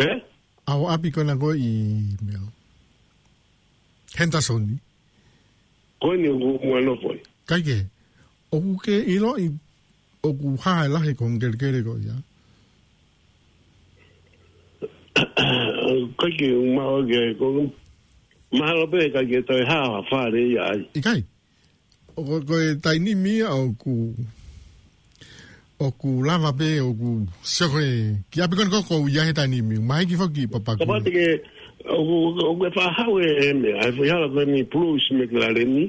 Ē? ʻAho ʻapi ko ena ko ē ʻi meʻa, Henderson. Ko eni ʻoku, ʻoku nofo ai. Kae kehe, ʻoku ke ʻiloʻi ʻoku hā e lahi e kongelekele ko ia? Kae kehe, ʻoku ou maʻu ke, ko, mahalo pē kae kehe toe hā ha fale ia ai. ʻIkai. ʻOku, ko e taimi ni ia ʻoku, ʻoku lava pē, ʻoku sio ko ē ki ʻapi ko eni ko ē ʻoku ʻi ai he taimi ni. Mahiki foki ʻi Papakura. Kapau te ke, ʻoku, ʻoku ke fakahā e, e meʻa, ʻa e foʻi hala ko eni Bruce McLaren ni.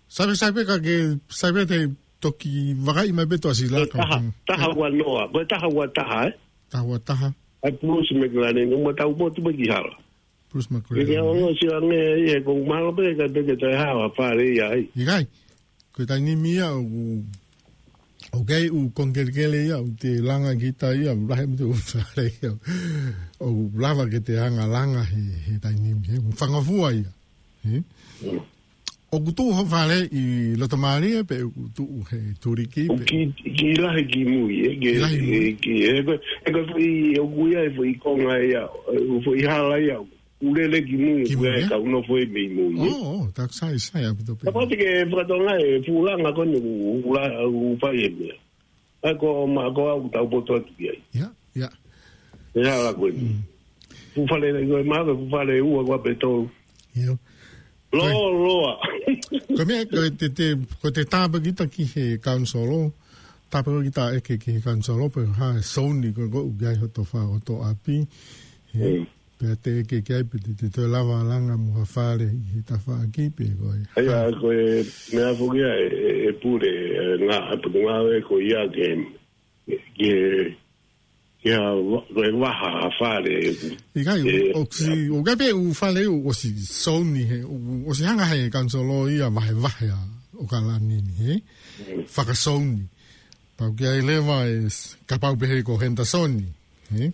Sai pē, sai pē ka ke, sai pē te toki vakai mai pē Tuʻasila. Ko e ka taha, taha ua noa, ko e taha ua taha, ē? Taha ua taha. ʻA e Bruce McLaren, ʻoku ma tau potu pē ki hala. Bruce McLaren. Ke ke ono si ange ia, ʻoku mahalo pē kae pē ke toe hā ha fale ia ai. ʻIkai. Ko e taimi ni ia ʻoku, ʻoku ʻi ai e kongelekele ia, ʻoku te langa kita ia, ʻoku lahi ʻaupito e fale ia. ʻOku lava ke te hanga ʻo langa he, he taimi ni, he, ʻoku fangofua ia. He? Mm. ʻOku tuʻu hoʻo fale ʻi loto mālie pe ʻoku tuʻu he tuliki pe? Ki, ki lahi ki mui, ē, ki, ki lahi mui. Ki, ē, ko, ē, ko, foʻi, ʻoku ʻi ai e foʻi konga ia, ē, foʻi hala ia, ʻoku lele ki mui, ki mui, ē? Kau nofo ai mei mui, ē? ʻŌ, ʻō, tā sai, sai ʻaupito pē. Kapau te ke fakatonga e fuʻu langa ko eni ʻoku, ʻoku la-, ʻoku fai e meʻa. ʻAi ko ma ko au tau poto atu ki ai. Ia, ia. E hala ko eni. Mm. Fuʻu fale, ko e maha ko e fuʻu fale ua ko ē pe tolu. Ia. Loa, ko e, loa. Ko e meʻa, ko e te, te, ko e te tāpuekina kita ki he kaunisolo, tāpuekina kita ʻeke ki he kaunisolo, pe hā e souni ko ē ʻoku ʻi ai hoto fa-, hoto ʻapi. He, mm. Pea te ʻeke ki ai pe te, te toe lava langa mo ha fale ʻi he tafaʻaki pe ko e. ʻAi, ʻa, ko e meʻa foki ia e, e, e pule, e, ngā, e putu ngā e ko ia ke, ke, ke ha va-, ko e vaha ha fale. ʻIkai, e, ʻoku si, ʻoku ʻi ai pē ʻū fale ʻoku ʻosi souni he, ʻoku ʻosi hanga he kaunisolo ia vahevahe ʻa ʻAokalani ni, he? Mm. Fakasouni. Pau ke ʻi ai leva e s-, kapau pehē ko Henderson, he?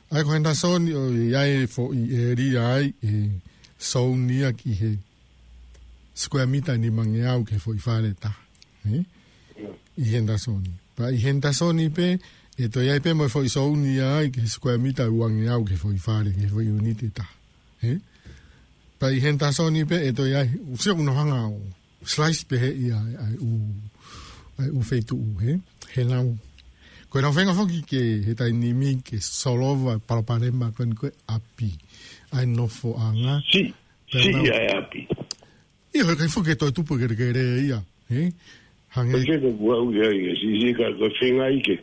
ʻAi ko Henderson ʻoku ʻi ai e foʻi ʻēlia ai ʻe souni ia ki he sikuea mita ʻe nimangeau ki he foʻi fale ʻe taha, he? ʻI Henderson. Pea ʻi Henderson pē, ʻe toe ʻi ai pē mo e foʻi souni ia ai ki he sikuea mita ʻe uangeau ki he foʻi fale, ki he foʻi ʻiuniti ʻe taha, he? Pea ʻi Henderson pē, ʻe toe ʻi ai, ʻoku sio ʻoku nau hanga ʻo slice pehē ia ʻa e, ʻa e ʻū, ʻa e ʻū feituʻu, he? He nau, ko ʻenau feinga foki ke, he taimi ni ke solova e palopalema ko eni ko ē ʻapi. ʻA e nofoʻanga. Si, pea si nau ʻa e ʻapi. ʻIo, he ʻikai foki ke toe tupu e kelekele ia, he? Hangē. Ko e ke ko ʻoku ʻi ai, si, si ka, ko e feinga ʻi ke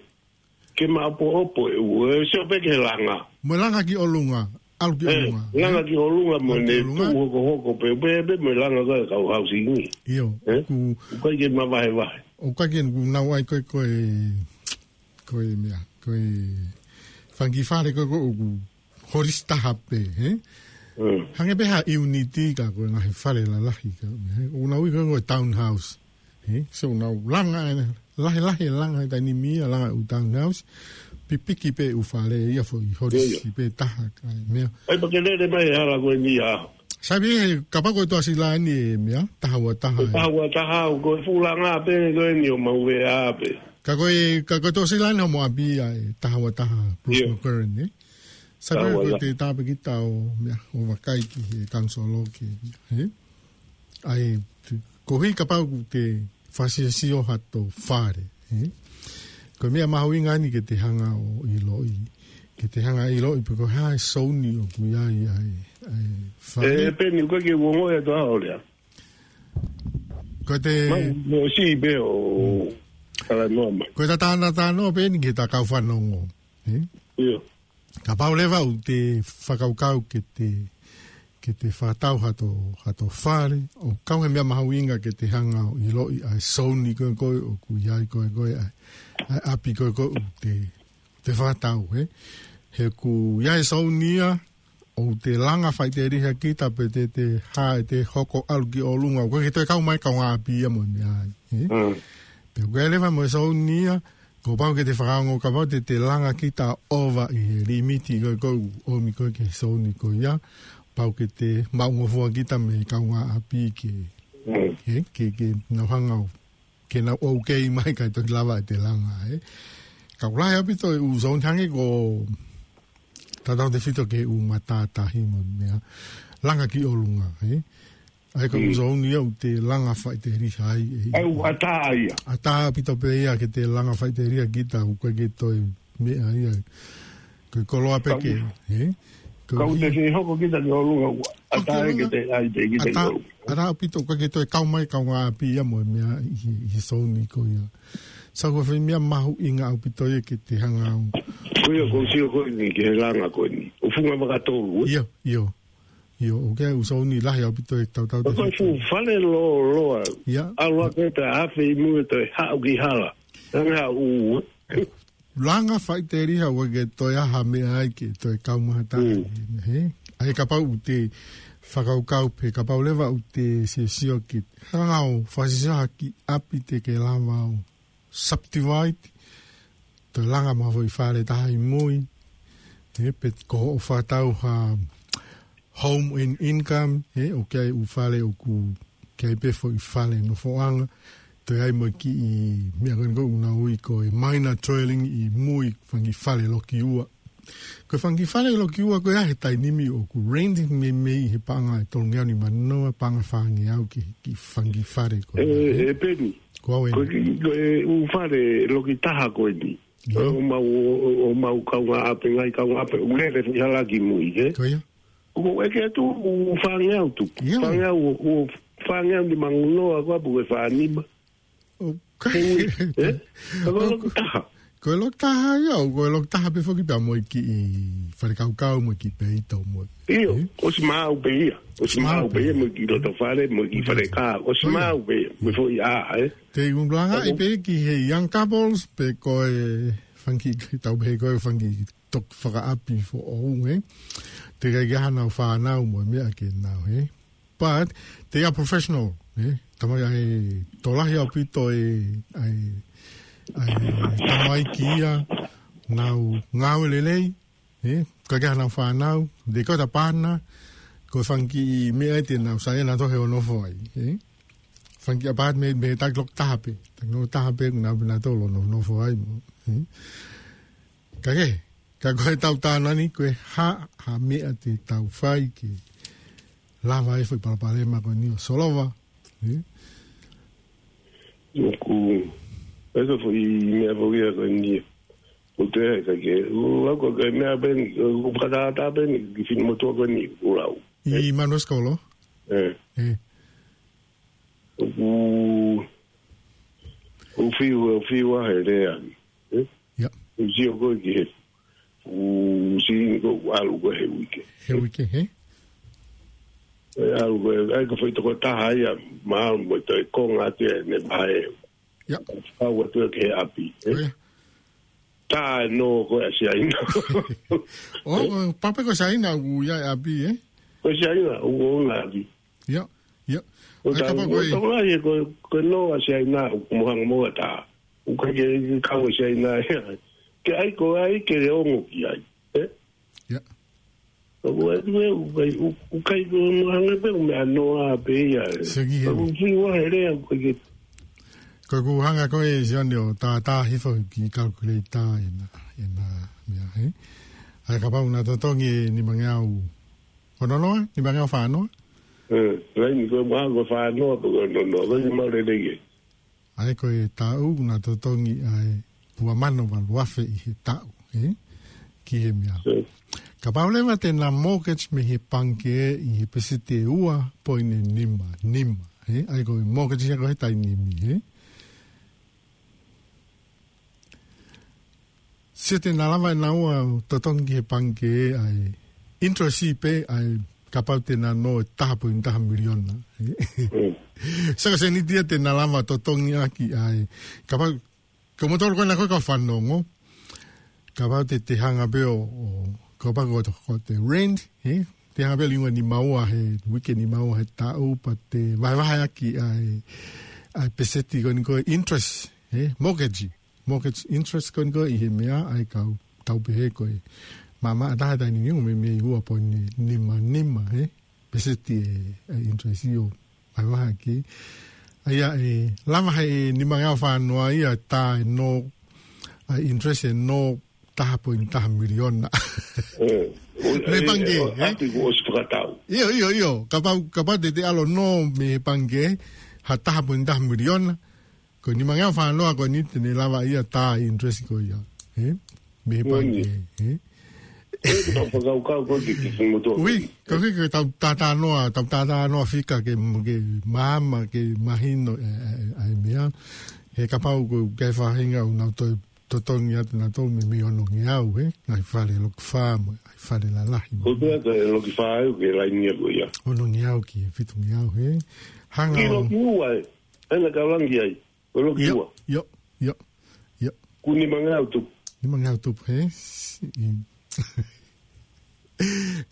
ke maʻopoʻopo e ʻū, ʻe sio pē ki he langa. Mo e langa ki ʻolunga, ʻalu ki ʻolunga. Ē, langa ki ʻolunga mo ne tuʻu hokohoko pē, pē, pē, mo e langa ko ē kau hausingi. ʻIo, ē? ʻOku ʻikai ke mavahevahe. ʻOku ʻikai ke nau ʻai ko ē, ko ē, ko e meʻa, ko e fanga kiʻi fale ko ē, ko ē ʻoku holisi taha pē, he? Mm. Hangē pē ha ʻiuniti ka ko e ngaahi fale lalahi ka, he? ʻOku nau ui ko ē ko e townhouse. He? So nau langa ʻa e, lahi lahi e langa he taimi ni ia, langa ʻū townhouse. Pipiki pē ʻū fale ia foʻi holisi pē taha ka e meʻa. ʻAi pea ke lele mai e hala ko eni ia. Sai pē he kapau ko e Tuʻasila ni e meʻa, taha ua taha. Taha ua taha, ko e fuʻu langa pē ko eni ʻo maʻu ʻe ia pē. Ka ko e, ka ko e Tuʻasila ni hoʻomo ʻapi ia e taha ua taha Bruce McLaren, he? Sai pē ko e te tāpuekina kita ʻo meʻa, ʻo vakai ki he kaunisolo ke, he? ʻAi, te, koeʻuhi kapau ʻoku te fakasiosio hato fale, he? Ko e meʻa mahuʻinga eni ke te hanga ʻo ʻiloʻi, ke te hanga ʻo ʻiloʻi pe ko e hā e souni ʻoku ʻi ai ʻa e, ʻa e fale. ʻE, peni ko e ke uongo e toa olea. Ko e te, mau, mo si pē ʻo, kala noa mai. Ko e tatana tano pē eni ke ta kau fanongo, he? ʻIo. Kapau leva ʻoku te fakakaukau ke te, ke te fakatau hato, hato fale, ʻoku kau he meʻa mahuʻinga ke te hanga ʻo ʻiloʻi ʻa e souni ko ē ko ē ʻoku ʻi ai ko ē ko ē ʻa e, ʻa e ʻapi ko ē ko ē ʻoku te, te fakatau, he? He ʻoku ʻi ai e souni ia, ʻoku te langa faʻiteliha kita pe te, te hā ʻe te hoko ʻalu ki ʻolunga, ʻoku ʻikai ke toe kau mai kaungāʻapi ia mo e meʻa ai, he? Mm. Pea ʻoku ʻi ai leva mo e souni ia, kuo pau ke te fakaongo kapau te te langa kita ʻova ʻi he limiti ko ē ʻoku ʻomi ko ē ki he souni ko ia, pau ke te maʻungofua kita mei he kaungāʻapi ke, mm, ke, ke, ke nau hanga ʻo, ke nau ʻoukei mai kae toki lava ʻete langa, he? Ka ʻoku lahi ʻaupito e ʻū souni hangē ko Tautautefito ki he ʻū matātahi mo e meʻa. Langa ki ʻolunga, ē? ʻA ia ko e Mm. ʻū zone ia ʻoku te langa faʻiteliha ai, ē? ʻA ia ʻoku ʻatā ia. ʻAtā ʻaupito pē ia ke te langa faʻiteliha kita, ʻoku ʻikai ke toe meʻa ia. Ko e koloa pē Kau ke, ē? Ko Kau e te fie hoko kita ki ʻolunga, ʻoku ʻatā ʻOku ia ke ʻolunga. te ʻai pē kita ki ʻAtā, ʻolunga. ʻatā ʻaupito, ʻoku ʻikai ke toe kau mai kaungāʻapi ia mo e meʻa ʻi he, ʻi he zone ko ia. So ko e foʻi meʻa mahuʻinga ʻaupito ia ke te hanga ʻo Ko ia, ʻoku ou sio ko eni ki he langa ko eni. ʻO funga makatolu, ē? ʻIo, ʻio. ʻIo, ʻoku ʻi ai e ʻū zone lahi ʻaupito ʻe tautau Ko e fuʻu fale lōloa. ʻIa. ʻAlu ʻa ke te afe ʻi muʻa ʻo toe haʻu ki hala. Hanga ʻo, Langa faʻiteliha ʻoku ʻikai ke toe ʻi ai ha meʻa ai ke toe kau mai ha taha. Mm. Hē? ʻA ia kapau ʻoku te fakakaukau pē, kapau leva ʻoku te siosio ki he hanga ʻo fakasio ha kiʻi ʻapi te ke lava ʻo subdivide, toe langa mo ha foʻi fale taha ʻi mui, ē, pe ko hoʻo fakatau ha home and income, ē, ʻoku ʻi ai e ʻū fale ʻoku ʻi ai pē foʻi fale nofoʻanga, toe ʻi ai mo e kiʻi meʻa ko eni ʻoku nau ui ko e minor dwelling ʻi mui, fanga kiʻi fale loki ua. Ko e fanga kiʻi fale loki ua ko ia he taimi ni ʻoku rent meimei ʻi he paʻanga ʻe tolungeau nimanoa, paʻanga fāngeau ki he kiʻi fanga kiʻi fale ko ē, ē, ē? ʻE Peni. Ko au ē. Ko e kiʻi, ko e ʻū fale loki taha ko eni. ʻIo. ʻO mau, ʻo, ʻo mau kaungāʻapi, ngaahi kaungāʻapi, ʻoku lele foʻi hala ki mui, ē? Ko ia. ʻOku ʻeke atu ʻū fāngeau tuku. ʻIo. Fāngeau, ʻū, ʻū fāngeau nimanoa ko ē pe ko e fānima. ʻOku He ui, ē? Ko e loki taha. Ko e loki taha ia, ʻo ko e loki taha pē foki pea mo e kiʻi fale kaukau mo e kiʻi peito mo e. ʻIo, ē? ʻOsi maʻu pē ia. ʻOsi maʻu pē ia mo e kiʻi loto fale, mo e kiʻi fale kā. ʻOsi maʻu pē ia, mo e foʻi ʻā, ē? Te u langa ʻi pē ki he young couples, pe ko e fanga kiʻi, tau pehē ko e fanga kiʻi toki fakaʻapi foʻou, ē? Teʻeki ai ke ʻi ai haʻanau fānau mo e meʻa ke nau, ē? But they are professional, ē? Tamai ʻa e tokolahi ʻaupito ē, ʻa e, ʻa e tamaiki ia, nau ngāue lelei, ē? ʻIkai ke ʻi ai haʻanau fānau, they got a partner, ko e fanga kiʻi meʻa ē te nau saiʻia nautolu he ʻo nofo ai, ē? Fanga kiʻi apartment mei he taki loki taha pē, taki loki taha pē, nau pē nautolu ʻo nofo ai mo, ē? Ka ke, ka ko e tau tānaki ni, ko e hā, hā meʻa te tau fai ke lava e foʻi palopalema ko eni ʻo solova, ē? ʻOku, ʻa e foʻi meʻa foʻi ko eni. ʻOku te ʻai ka ke, ʻoku lau ko e meʻa pē ni, ʻoku fakatata pē ni, ki he finemotuʻa ko eni, ʻoku lau. ʻI Manuasikolo? Ē. Ē. ʻOku, ʻoku fiu, ʻoku fiu ʻa e lea ni, ē? ʻIa. ʻOku sio ko ē ki he, ʻoku sio ko ē ʻalu ko ē he uike. He uike, hē? ʻE ʻalu ko ē, ʻai ko e foʻi toko taha ia, mahalo mo e toe konga atu ʻene vahe. ʻIa. Kau atu ē ki he ʻapi, ē? ʻIa. Tā e nō ko ē ʻa Siaina. ʻO, ʻo, pau pē ko Siaina ʻoku ʻi ai e ʻapi, ē? Ko Siaina, ʻoku ʻi ai e ʻapi. ʻIa, ʻia. Ko ʻAi tā, kapau ko ko e tokolahi ko, ko e nō ʻa Siaina, ʻoku mo hanga mo e tā. ʻOku ʻikai ke kau ʻa Siaina, ē? Ke ʻai ko ē ke le ongo ki ai, ē? ʻIa. ʻOku ʻai ko ē, ʻoku ʻikai, ʻoku ʻikai ko e mo hanga pē, ʻo meʻa noa pē ia, ē? Seki he. ʻOku fiu ʻa e lea, ʻoku ʻikai ke Ko ʻeku hanga ko ē Sione ʻo tātā hifo ki he calculator ʻena, ʻena meʻa, hē? ʻA ia kapau naʻa totongi e nimangeau ono noa, nimangeau fā noa? Ē, laini ko e maha ko e fā noa pe ko e ono noa, ko e mau lelei ē. ʻA ia ko e taʻu naʻa totongi ʻa e ua mano valu afe ʻi he taʻu, ē? Ki he meʻa. Ē. Kapau leva te na mortgage mei he pangikē ʻi he peseti ʻe ua poini nima nima, ē? ʻA ia ko e mortgage ia ko ē he taimi ni, ē? Sio te na lava ʻe naua ʻo totongi ki he pangikē ʻa e interest pē ʻa e kapau te na nō ʻe taha poini taha miliona, ē? Mm. Saka seniti ia te na lava totongi ʻaki ʻa e kapau, ko moutolu ko ena ko ē kau fanongo, kapau te te hanga pē ʻo, ʻo, kapau ko, ko te rent, ē? Te hanga pē ʻo liunga nima ua he, uike nima ua he taʻu, pea te vahevahe ʻaki ʻa e, ʻa e peseti ko eni ko e interest, ē? Mortgage, mortgage interest ko eni ko ē ʻi he meʻa, ʻa ia kau tau pehē ko e maʻamaʻa taha taimi ni ʻoku meimei ua poini nima nima, ē? Peseti ʻe, ʻe interest ʻo vahevahe ʻaki. ʻA ia ʻe lava he nimangeau fā noa ia tā ʻe nō, ʻa e interest ʻe nō taha poini taha miliona. Mei he pangikē, ʻapi kuo ʻosi fakatau. ʻIo, ʻio, ʻio. Kapau, kapau te te ʻalu ʻo nō mei he pangikē ha taha poini taha miliona, ko e nimangeau fāngofulu ko eni te ne lava ia tā interest ko ia. Ē? Mei he pangikē, ē? Ē, tau fakakaukau ko e kiʻi kiʻi motu. Ui, ko e kiʻi tau tātānoa, tau tātānoa fika ke, ke māmā, ke mahino, ē, ē, ʻa e meʻa. He kapau ko e faʻahinga ʻoku nau toe totongi atu nautolu mei, mei onongeau, ē? Ngaahi fale loki fā mo, ngaahi fale lalahi mo. Ko e pea ka e loki fā ʻoku ke laini ʻa ko ia. Onongeau ki fitungeau, ē? Hanga ʻo loki ua, ē? Ena ka langi ai. Ko e loki ua. ʻIo, ʻio, ʻio. Ko e nimangeau tupu. Nimangeau tupu, ē?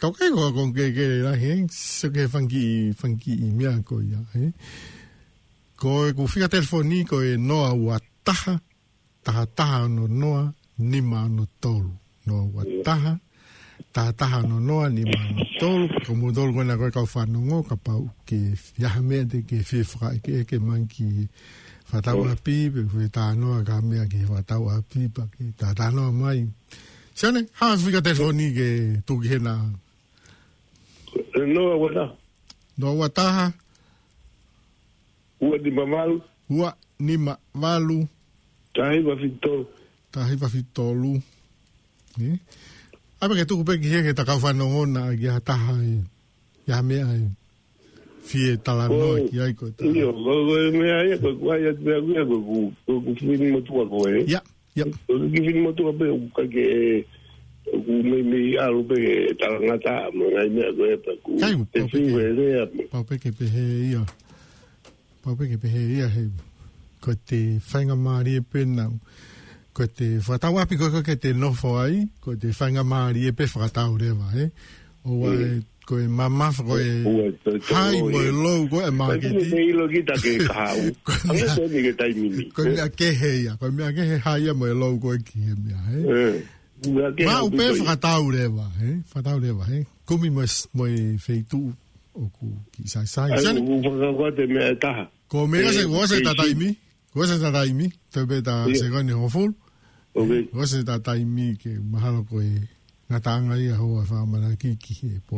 Kau kai ko, ko ke, ke lahi, ē? So ke fanga kiʻi, fanga kiʻi meʻa ko ia, ē? Ko ʻeku fika telefoni ko e noa ua taha, taha taha ono noa, nima ono tolu. Noa ua taha, taha taha ono noa, nima ono tolu. Ko moutolu ko ena ko e kau fanongo, kapau ʻoku ʻi ai ha meʻa te ke fie fakaʻekeʻeke mai ki he fakatau ʻapi, pe fie talanoa ki ha meʻa ki he fakatau ʻapi, pea ke talanoa mai. Sione, hā fika telefoni ke tuku hena. Noa ua taha. Noa ua taha. Ua nima valu. Ua nima valu. Taha hiva fitu tolu. Taha hiva fitu tolu. Ē? ʻAi pē ke tuku pē ki he, ki he kau fanongo na, ki ha taha ē, ʻi ai ha meʻa ē fie talanoa ki ai ko e taha. ʻIo, ko, ko e meʻa ia, ko, ko ai atu pē ia, ko, ko, ko, ko fini motuʻa ko ē. ʻIa, ʻia. Ko e kiʻi fini motuʻa pē, ʻoku ʻikai ke, ʻoku meimei ʻalu pē ke talangataʻa mo e ngaahi meʻa ko ē pē, ʻoku ʻikai, ʻoku te pau pē fiu ke, he lea mo. Pau pē ke pehē ia. Pau pē ke pehē ia he, ko e faingamālie pē naʻa, ko e fakatau ʻapi ko ē, ko ē ke te nofo ai, ko e faingamālie pē fakatau leva, ē? ʻOua ē, ko e mamafa, ko e high mo e low, ko e māketi. Ko e ʻilo kita ke kahaʻu. Ko e meʻa, ko e meʻa kehe ia, ko e meʻa kehe high ia mo e low ko ē ki he meʻa, ē? Maʻu pē fakatau leva, ē? Fakatau leva, ē? Kumi mo e s-, mo e feituʻu ʻoku kiʻi saisai. ʻAi, Sione, ʻoku fakakaukau te meʻa ʻe taha. Ko e meʻa se, ko e se ta taimi. Ko e se ta taimi. Te pē ta sekoni hongofulu. Ko e se ta taimi ke mahalo ko e ngataʻanga ia hoʻo fakamanaki ki he pō.